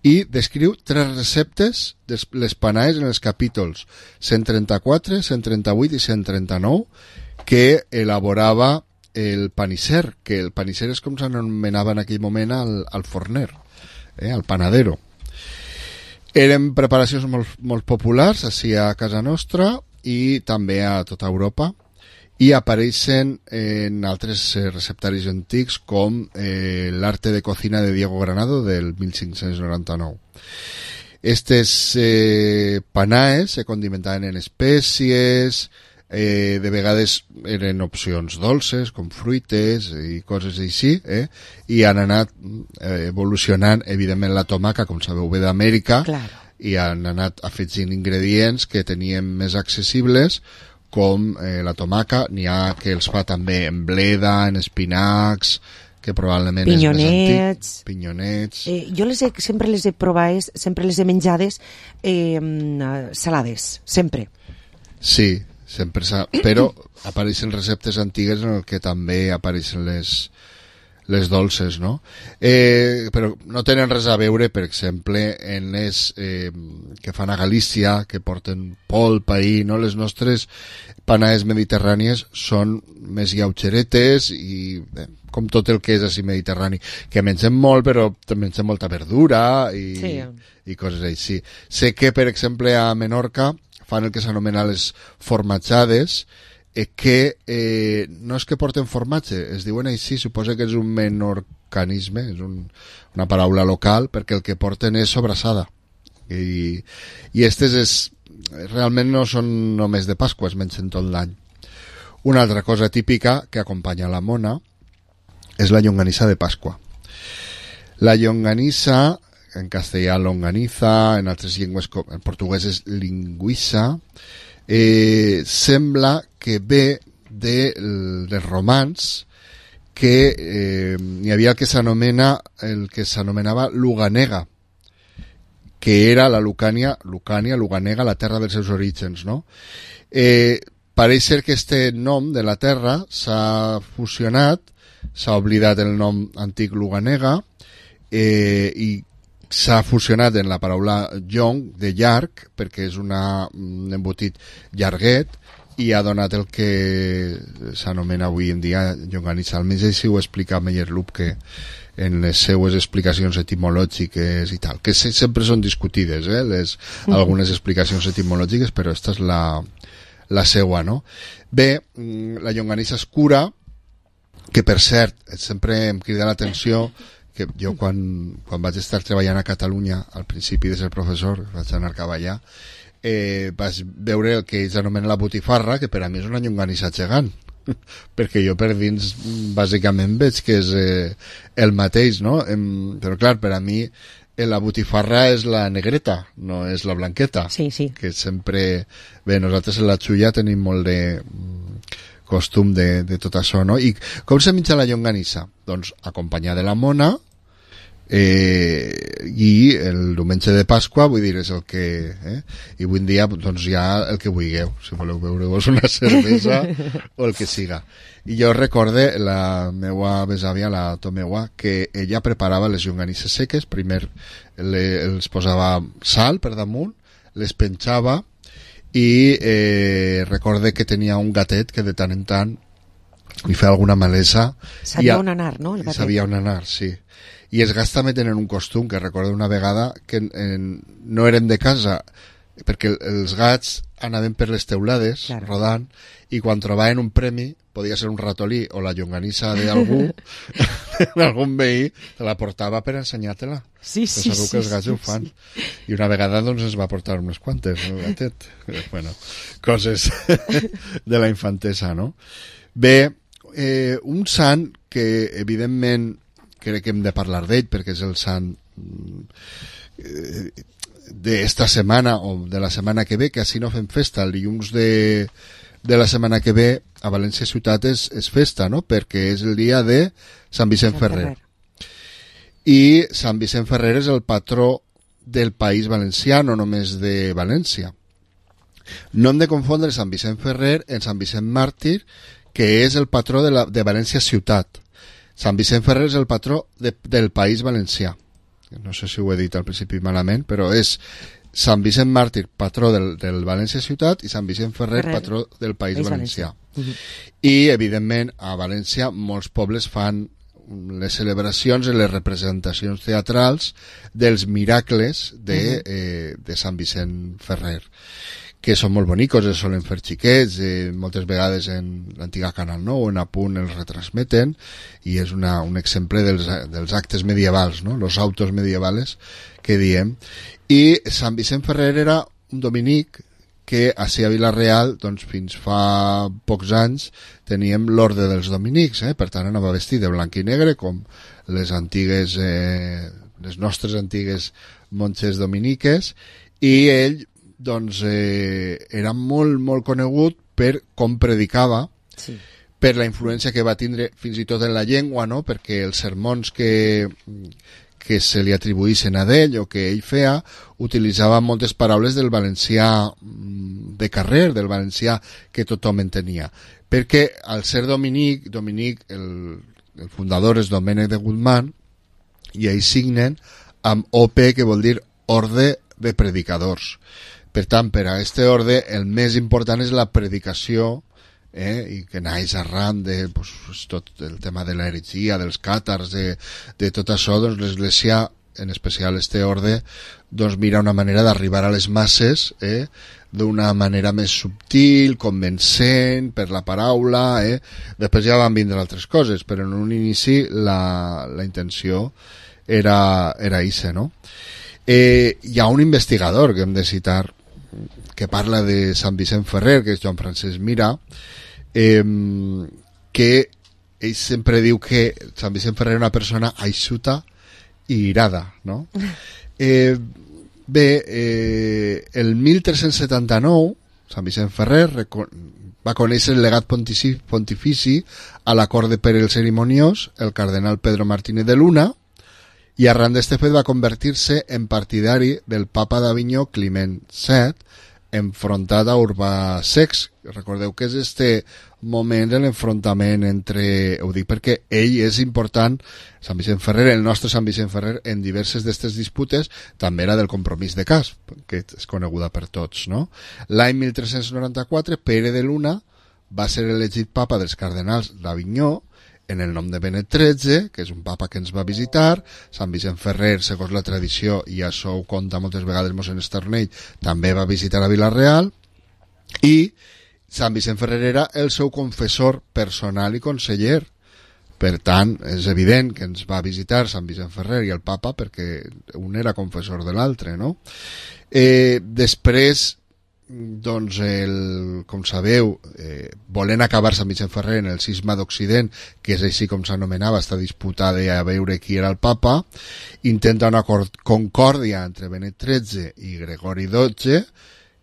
i descriu tres receptes de les panaes en els capítols cent trenta-quatre, cent trenta-vuit i cent trenta-nou que elaborava el panisser, que el panisser és com s'anomenava en aquell moment al, al forner, eh, al panadero. Eren preparacions molt, molt populars així a casa nostra i també a tota Europa, i apareixen en altres receptaris antics com eh, l'arte de cocina de Diego Granado del mil cinc-cents noranta-nou. Estes eh, panaes se condimentaven en espècies, eh, de vegades eren opcions dolces com fruites i coses així, eh? I han anat eh, evolucionant, evidentment la tomaca, com sabeu, ve d'Amèrica, claro, i han anat afegint ingredients que teníem més accessibles, com eh, la tomaca. N'hi ha que els fa també en bleda, en espinacs, que probablement pinyonets. És més antic. Pinyonets. Eh, jo les he, sempre les he provades, sempre les he menjades eh, salades, sempre. Sí, sempre s'ha... Però apareixen receptes antigues en el que també apareixen les... les dolces, no? Eh, però no tenen res a veure, per exemple, en les eh, que fan a Galícia, que porten polpa i, no? Les nostres panaes mediterrànies són més lleugeretes i eh, com tot el que és així mediterrani, que mengem molt, però també mengem molta verdura i, sí. i coses així. Sé que, per exemple, a Menorca fan el que s'anomena les formatjades, eh, que eh, no és que porten formatge, es diuen així, suposa que és un menorcanisme, és un, una paraula local, perquè el que porten és sobrassada. I, i estes és, realment no són només de Pasqua, es mengen tot l'any. Una altra cosa típica que acompanya la mona és la llonganissa de Pasqua. La llonganissa, en castellà longaniza, en altres llengües, en portuguès és linguissa, eh, sembla que ve de, dels romans, que eh, hi havia el que s'anomena el que s'anomenava Luganega, que era la Lucània, Lucània, Luganega, la terra dels seus orígens, no? Eh, pareix ser que este nom de la terra s'ha fusionat, s'ha oblidat el nom antic Luganega, eh, i s'ha fusionat en la paraula llong, de llarg, perquè és una, un embotit llarguet, i ha donat el que s'anomena avui en dia llonganissa. Almenys així ho explica Meyerloop, que en les seues explicacions etimològiques i tal, que sempre són discutides, eh, les, algunes explicacions etimològiques, però esta és la, la seua, no? Bé, la llonganissa escura, que per cert, sempre em crida l'atenció que jo quan, quan vaig estar treballant a Catalunya, al principi de ser professor, vaig anar cap allà, eh, vaig veure el que ells anomenen la botifarra, que per a mi és una llonganissa gegant, perquè jo per dins bàsicament veig que és eh, el mateix, no? Em, però clar, per a mi eh, la botifarra és la negreta, no és la blanqueta. Sí, sí. Que sempre... Bé, nosaltres en la Xulla tenim molt de costum de, de tot això, no? I com se menja la llonganissa? Doncs acompanyada de la mona, Eh, i el diumenge de Pasqua, vull dir, és el que eh? i avui en dia doncs ja el que vulgueu, si voleu beure-vos una cervesa o el que siga. I jo recorde la meua besàvia, la Tomeua, que ella preparava les llonganisses seques, primer le, els posava sal per damunt, les penjava i eh, recorde que tenia un gatet que de tant en tant li feia alguna malesa. Sabia on anar, no? El gatet. Sabia on anar, sí. I els gats també tenen un costum, que recordo una vegada que en, no érem de casa, perquè els gats anaven per les teulades, claro, rodant, i quan trobaven un premi, podia ser un ratolí o la llonganissa d'algú, d'algun veí, te la portava per ensenyar-te-la. Sí, sí, segur que els gats sí, ho fan. sí. I una vegada doncs ens va portar unes quantes, el gatet. Bueno, coses de la infantesa, no? Bé, eh, un sant que evidentment crec que hem de parlar d'ell perquè és el sant eh, d'esta setmana o de la setmana que ve, que així no fem festa. El dilluns de, de la setmana que ve a València Ciutat és, és festa, no? Perquè és el dia de Sant Vicent Ferrer. I Sant Vicent Ferrer és el patró del País Valencià, no només de València. No hem de confondre Sant Vicent Ferrer en Sant Vicent Màrtir, que és el patró de, la, de València Ciutat. Sant Vicent Ferrer és el patró de, del País Valencià. No sé si ho he dit al principi malament, però és Sant Vicent Màrtir, patró del, del València Ciutat, i Sant Vicent Ferrer, Ferrer. patró del País, País Valencià. Valencià. Uh-huh. I, evidentment, a València molts pobles fan les celebracions i les representacions teatrals dels miracles de, uh-huh. eh, de Sant Vicent Ferrer, que són molt bonicos, es solen fer xiquets, eh, moltes vegades en l'antiga Canal nou o en Apunt els retransmeten, i és una, un exemple dels, dels actes medievals, no? Los autos medievales que diem. I Sant Vicent Ferrer era un dominic que ací a Vila-real, doncs fins fa pocs anys teníem l'orde dels dominics, eh? Per tant anava vestit de blanc i negre com les antigues eh, les nostres antigues monges dominiques, i ell doncs eh, era molt, molt conegut per com predicava, sí, per la influència que va tindre fins i tot en la llengua, no? Perquè els sermons que, que se li atribuïssin a d'ell o que ell feia, utilitzava moltes paraules del valencià de carrer, del valencià que tothom entenia. Perquè al ser Dominic, Dominic el, el fundador és Domènec de Guzmán, i ells signen amb O P, que vol dir Orde de Predicadors. Per tant, per a este orde, el més important és la predicació, eh, i que naix arran de pues, tot el tema de l'heretgia, dels càtars, de, de tot això, doncs l'Església, en especial este orde, doncs mira una manera d'arribar a les masses, eh, d'una manera més subtil, convencent, per la paraula, eh. Després ja van vindre altres coses, però en un inici la, la intenció era, era ixe, no? Eh, hi ha un investigador que hem de citar que parla de Sant Vicent Ferrer, que és Joan Francesc Mira, eh, que ell sempre diu que Sant Vicent Ferrer és una persona aixuta i irada, no? Eh, bé, eh, el mil tres-cents setanta-nou Sant Vicent Ferrer va conèixer el legat pontifici a la cort de Pere el Cerimoniós, el cardenal Pedro Martínez de Luna, i arran d'este fet va convertir-se en partidari del papa d'Avinyó Climent set, enfrontat a Urbà sex. Recordeu que és este moment de l'enfrontament entre... Ho dic perquè ell és important, Sant Vicent Ferrer, el nostre Sant Vicent Ferrer, en diverses d'aquestes disputes, també era del Compromís de Cas, que és coneguda per tots, no? L'any mil tres-cents noranta-quatre, Pere de Luna va ser elegit papa dels cardenals d'Avinyó, en el nom de Benet tretze, que és un papa que ens va visitar. Sant Vicent Ferrer, segons la tradició, i això ho conta moltes vegades mossèn Estarnell, també va visitar a Vila-real, i Sant Vicent Ferrer era el seu confessor personal i conseller. Per tant, és evident que ens va visitar Sant Vicent Ferrer i el papa perquè un era confessor de l'altre, no? Eh, després, doncs, el, com sabeu, eh, volent acabar Sant Vicent Ferrer en el cisma d'Occident, que és així com s'anomenava esta disputa de a veure qui era el papa, intenta una concòrdia entre Benet tretze i Gregori dotze,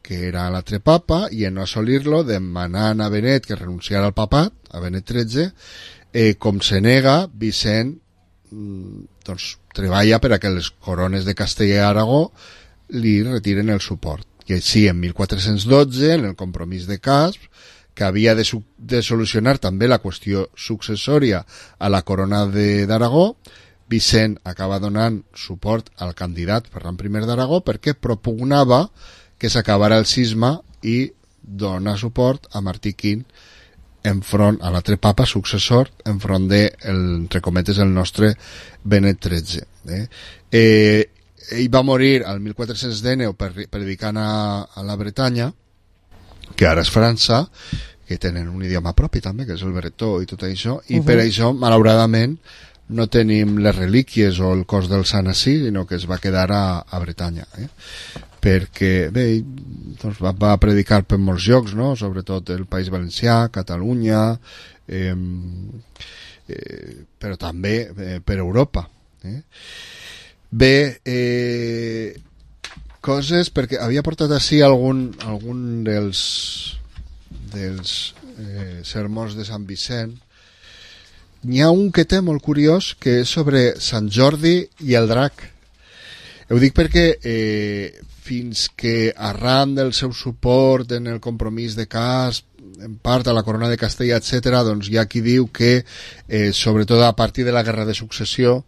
que era l'altre papa, i en no assolir-lo, demanant a Benet que renunciara al papat, a Benet tretze, eh, com se nega, Vicent doncs, treballa per a que les corones de Castella i Aragó li retiren el suport. I així, en mil quatre-cents dotze, en el compromís de Casp, que havia de, de solucionar també la qüestió successòria a la corona d'Aragó, Vicent acaba donant suport al candidat Ferran primer d'Aragó perquè propugnava que s'acabara el cisma i dona suport a Martí quint enfront a l'altre papa successor enfront de, el, entre cometes, el nostre Benet tretze. Eh? Eh, ell va morir al mil quatre-cents dinou predicant a, a la Bretanya, que ara és França, que tenen un idioma propi també, que és el bretó i tot això, i uh -huh. per això, malauradament, no tenim les relíquies o el cos del sant ací, sinó que es va quedar a, a Bretanya. Eh? Perquè, bé, doncs va, va predicar per molts llocs, no? Sobretot el País Valencià, Catalunya, eh, eh, però també eh, per Europa. Eh? Bé, eh, coses, perquè havia portat així algun, algun dels dels eh, sermons de Sant Vicent. N'hi ha un que té molt curiós, que és sobre Sant Jordi i el drac. Ho dic perquè eh, fins que arran del seu suport en el compromís de Casp, en part a la corona de Castella, etcètera, doncs hi ha qui diu que, eh, sobretot a partir de la guerra de successió,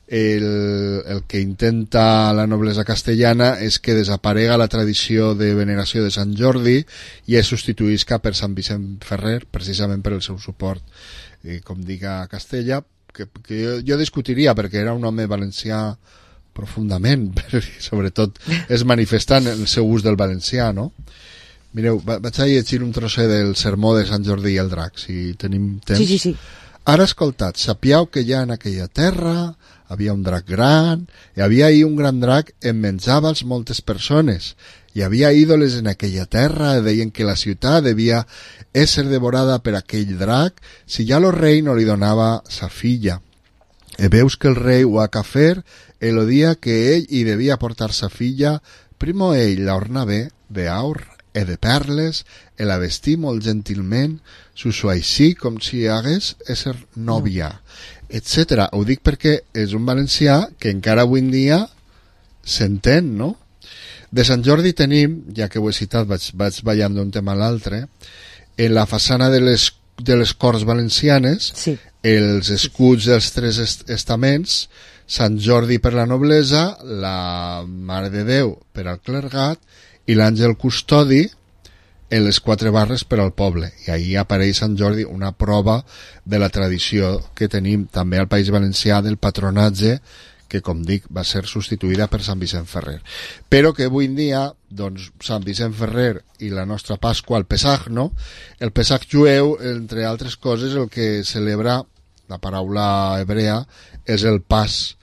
El, el que intenta la noblesa castellana és que desaparega la tradició de veneració de Sant Jordi i es substituïsca per Sant Vicent Ferrer, precisament per el seu suport, eh, com dic, a Castella, que, que jo, jo discutiria, perquè era un home valencià profundament, sobretot es manifestant el seu ús del valencià, no? Mireu, vaig a llegir un trosset del sermó de Sant Jordi i el drac, si tenim temps. Sí, sí, sí. Ara escoltat, sapiau que ja en aquella terra havia un drac gran, i havia ahí un gran drac en menjava els moltes persones, hi havia ídoles en aquella terra, deien que la ciutat devia ésser devorada per aquell drac, si ja lo rei no li donava sa filla. E veus que el rei ho ha que fer, el dia que ell hi devia portar sa filla, primo ell la orna bé de aur e de perles, e la vestí molt gentilment, s'ho així com si hagués ésser nòvia, etcètera. Ho dic perquè és un valencià que encara avui en dia s'entén, no? De Sant Jordi tenim, ja que ho he citat, vaig, vaig ballant d'un tema a l'altre, en la façana de les, de les Corts Valencianes, sí. Els escuts dels tres est estaments, Sant Jordi per la noblesa, la Mare de Déu per al clergat i l'àngel custodi en les quatre barres per al poble. I ahí apareix Sant Jordi, una prova de la tradició que tenim també al País Valencià del patronatge, que, com dic, va ser substituïda per Sant Vicent Ferrer. Però que avui en dia, doncs, Sant Vicent Ferrer i la nostra Pasqua, el Pesach, no? El Pesach jueu, entre altres coses, el que celebra, la paraula hebrea, és el pas,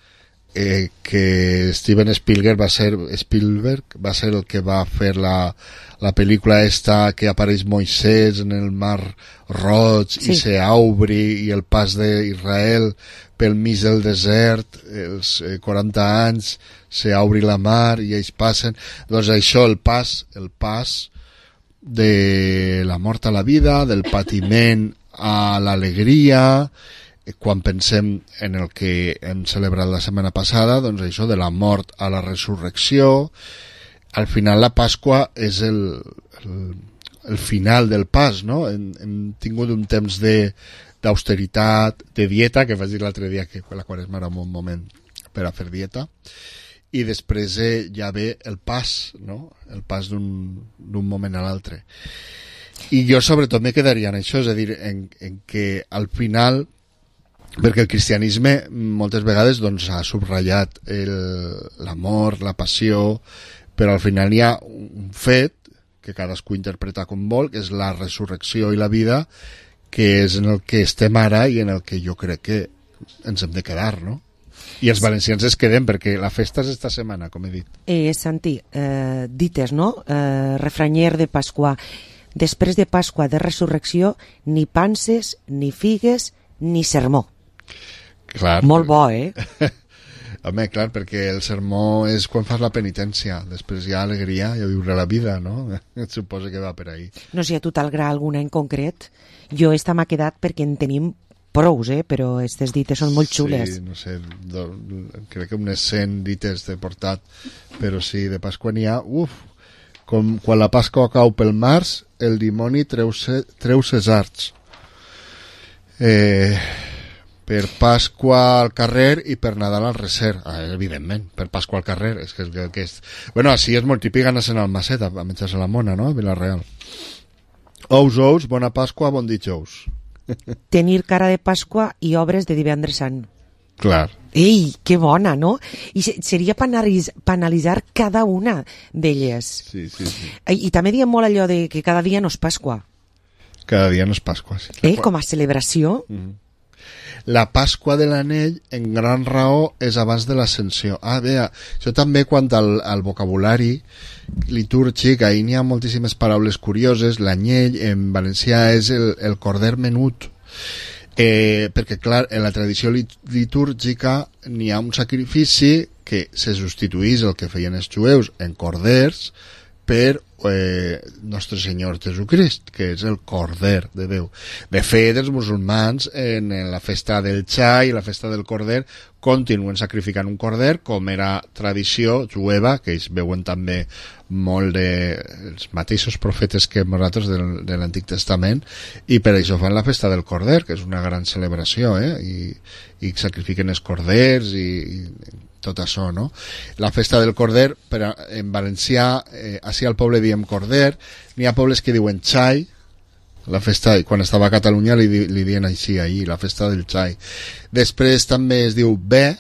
eh, que Steven Spielberg va ser, Spielberg va ser el que va fer la, la pel·lícula esta que apareix Moisès en el mar Roig, sí. I se obri, i el pas d'Israel pel mig del desert, els quaranta anys, se obri la mar i ells passen. Doncs això, el pas, el pas de la mort a la vida, del patiment a l'alegria, quan pensem en el que hem celebrat la setmana passada, doncs això, de la mort a la resurrecció. Al final la Pasqua és el, el, el final del pas, no? Hem, hem tingut un temps de d'austeritat, de dieta, que vaig dir l'altre dia que la Quaresma era un bon moment per a fer dieta, i després eh, ja ve el pas, no? El pas d'un moment a l'altre. I jo sobretot me quedaria en això, és a dir, en, en que al final, perquè el cristianisme moltes vegades doncs, ha subratllat l'amor, la passió, però al final hi ha un fet que cadascú interpreta com vol, que és la resurrecció i la vida, que és en el que estem ara i en el que jo crec que ens hem de quedar, no? I els valencians es quedem, perquè la festa és esta setmana, com he dit. Eh, Santi, eh, dites, no? Eh, refranyer de Pasqua. Després de Pasqua de Resurrecció, ni panses, ni figues, ni sermó. Clar. Molt bo, eh? Home, clar, perquè el sermó és quan fas la penitència, després hi ha alegria i a viure la vida, no? Et suposa que va per ahí. No sé, a tu t'agrada alguna en concret? Jo esta m'ha quedat perquè en tenim prous, eh? Però aquestes dites són molt xules. Sí, no sé, do, crec que unes cent dites t'he portat, però sí, de Pasqua n'hi ha, uf, com quan la Pasqua cau pel març, el dimoni treu, se, treu ses arts. Eh, per Pasqua al carrer i per Nadal al recer, ah, evidentment, per Pasqua al carrer, és que, és que és... Bueno, així és molt típic anar-se'n al Macet a menjar-se la mona, no?, a Vila-real. Ous, ous, bona Pasqua, bon dijous. Tenir cara de Pasqua i obres de divendres sant. Clar. Ei, que bona, no? I seria penalitzar cada una d'elles. Sí, sí, sí. I, i també diem molt allò de que cada dia no és Pasqua. Cada dia no és Pasqua, sí. Eh, com a celebració. Mm-hmm. La Pasqua de l'Anell, en gran raó, és abans de l'Ascensió. Ah, bé, això també quant al, al vocabulari litúrgic, ahir n'hi ha moltíssimes paraules curioses. L'anyell, en valencià, és el, el corder menut. Eh, perquè, clar, en la tradició litúrgica n'hi ha un sacrifici que se substituís el que feien els jueus en corders per eh, Nostre Senyor Jesucrist, que és el Corder de Déu. De fet, els musulmans en, en la festa del Xai i la festa del Corder continuen sacrificant un corder, com era tradició jueva, que ells veuen també molt de els mateixos profetes que nosaltres del, de l'Antic Testament, i per això fan la festa del Corder, que és una gran celebració, eh? I, i sacrifiquen els corders i, i tot això, no? La festa del Corder, per, en valencià, eh, així al poble diem Corder, n'hi ha pobles que diuen Xai, la festa, quan estava a Catalunya li, li diuen així ahir, la festa del Xai. Després també es diu Bé,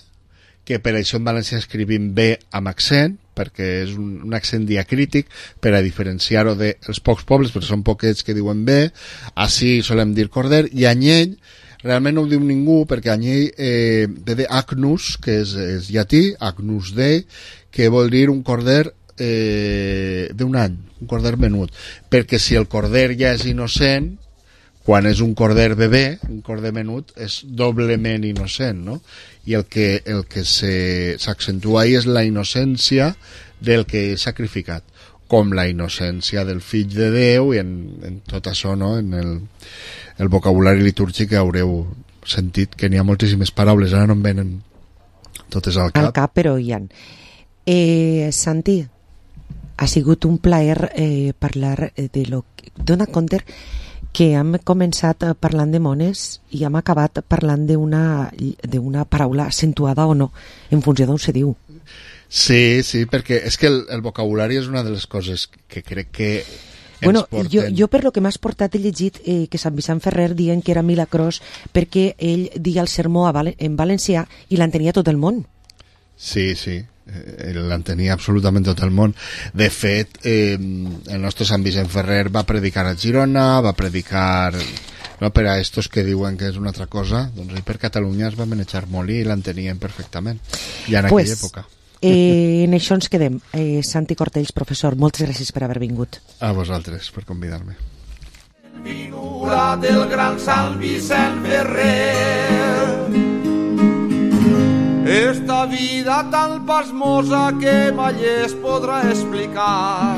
que per això en valencià escrivim B amb accent, perquè és un, un accent diacrític, per a diferenciar-ho dels pocs pobles, perquè són poquets que diuen B, així solem dir Corder, i Anyell, realment no ho diu ningú, perquè Anyell eh, ve de Agnus, que és, és llatí, Agnus Dei, que vol dir un corder eh, d'un any, un corder menut, perquè si el corder ja és innocent, quan és un corder bebè, un corder menut, és doblement innocent, no? I el que, el que s'accentua ahí és la innocència del que és sacrificat, com la innocència del fill de Déu, i en, en tot això, no?, en el, el vocabulari litúrgic haureu sentit que n'hi ha moltíssimes paraules, ara no em venen totes al cap. Al cap, però hi ha. Eh, Santi, ha sigut un plaer eh, parlar de lo que... Dona compte que hem començat parlant de mones i hem acabat parlant d'una d'una paraula accentuada o no, en funció d'on se diu. Sí, sí, perquè és que el, el vocabulari és una de les coses que crec que ens bueno, porten... jo, jo per lo que m'has portat he llegit eh, que Sant Vicent Ferrer dient que era milagrós perquè ell dia el sermó a Val en valencià i l'entenia tot el món. Sí, sí, eh, l'entenia absolutament tot el món. De fet, eh, el nostre Sant Vicent Ferrer va predicar a Girona, va predicar... No, per a estos que diuen que és una altra cosa, doncs per Catalunya es va manejar molt i l'entenien perfectament, ja en pues, aquella època. Eh, en això ens quedem. Eh, Santi Cortells, professor, moltes gràcies per haver vingut. A vosaltres, per convidar-me. Vinura del gran Sant Vicent Ferrer, esta vida tan pasmosa que mai es podrà explicar.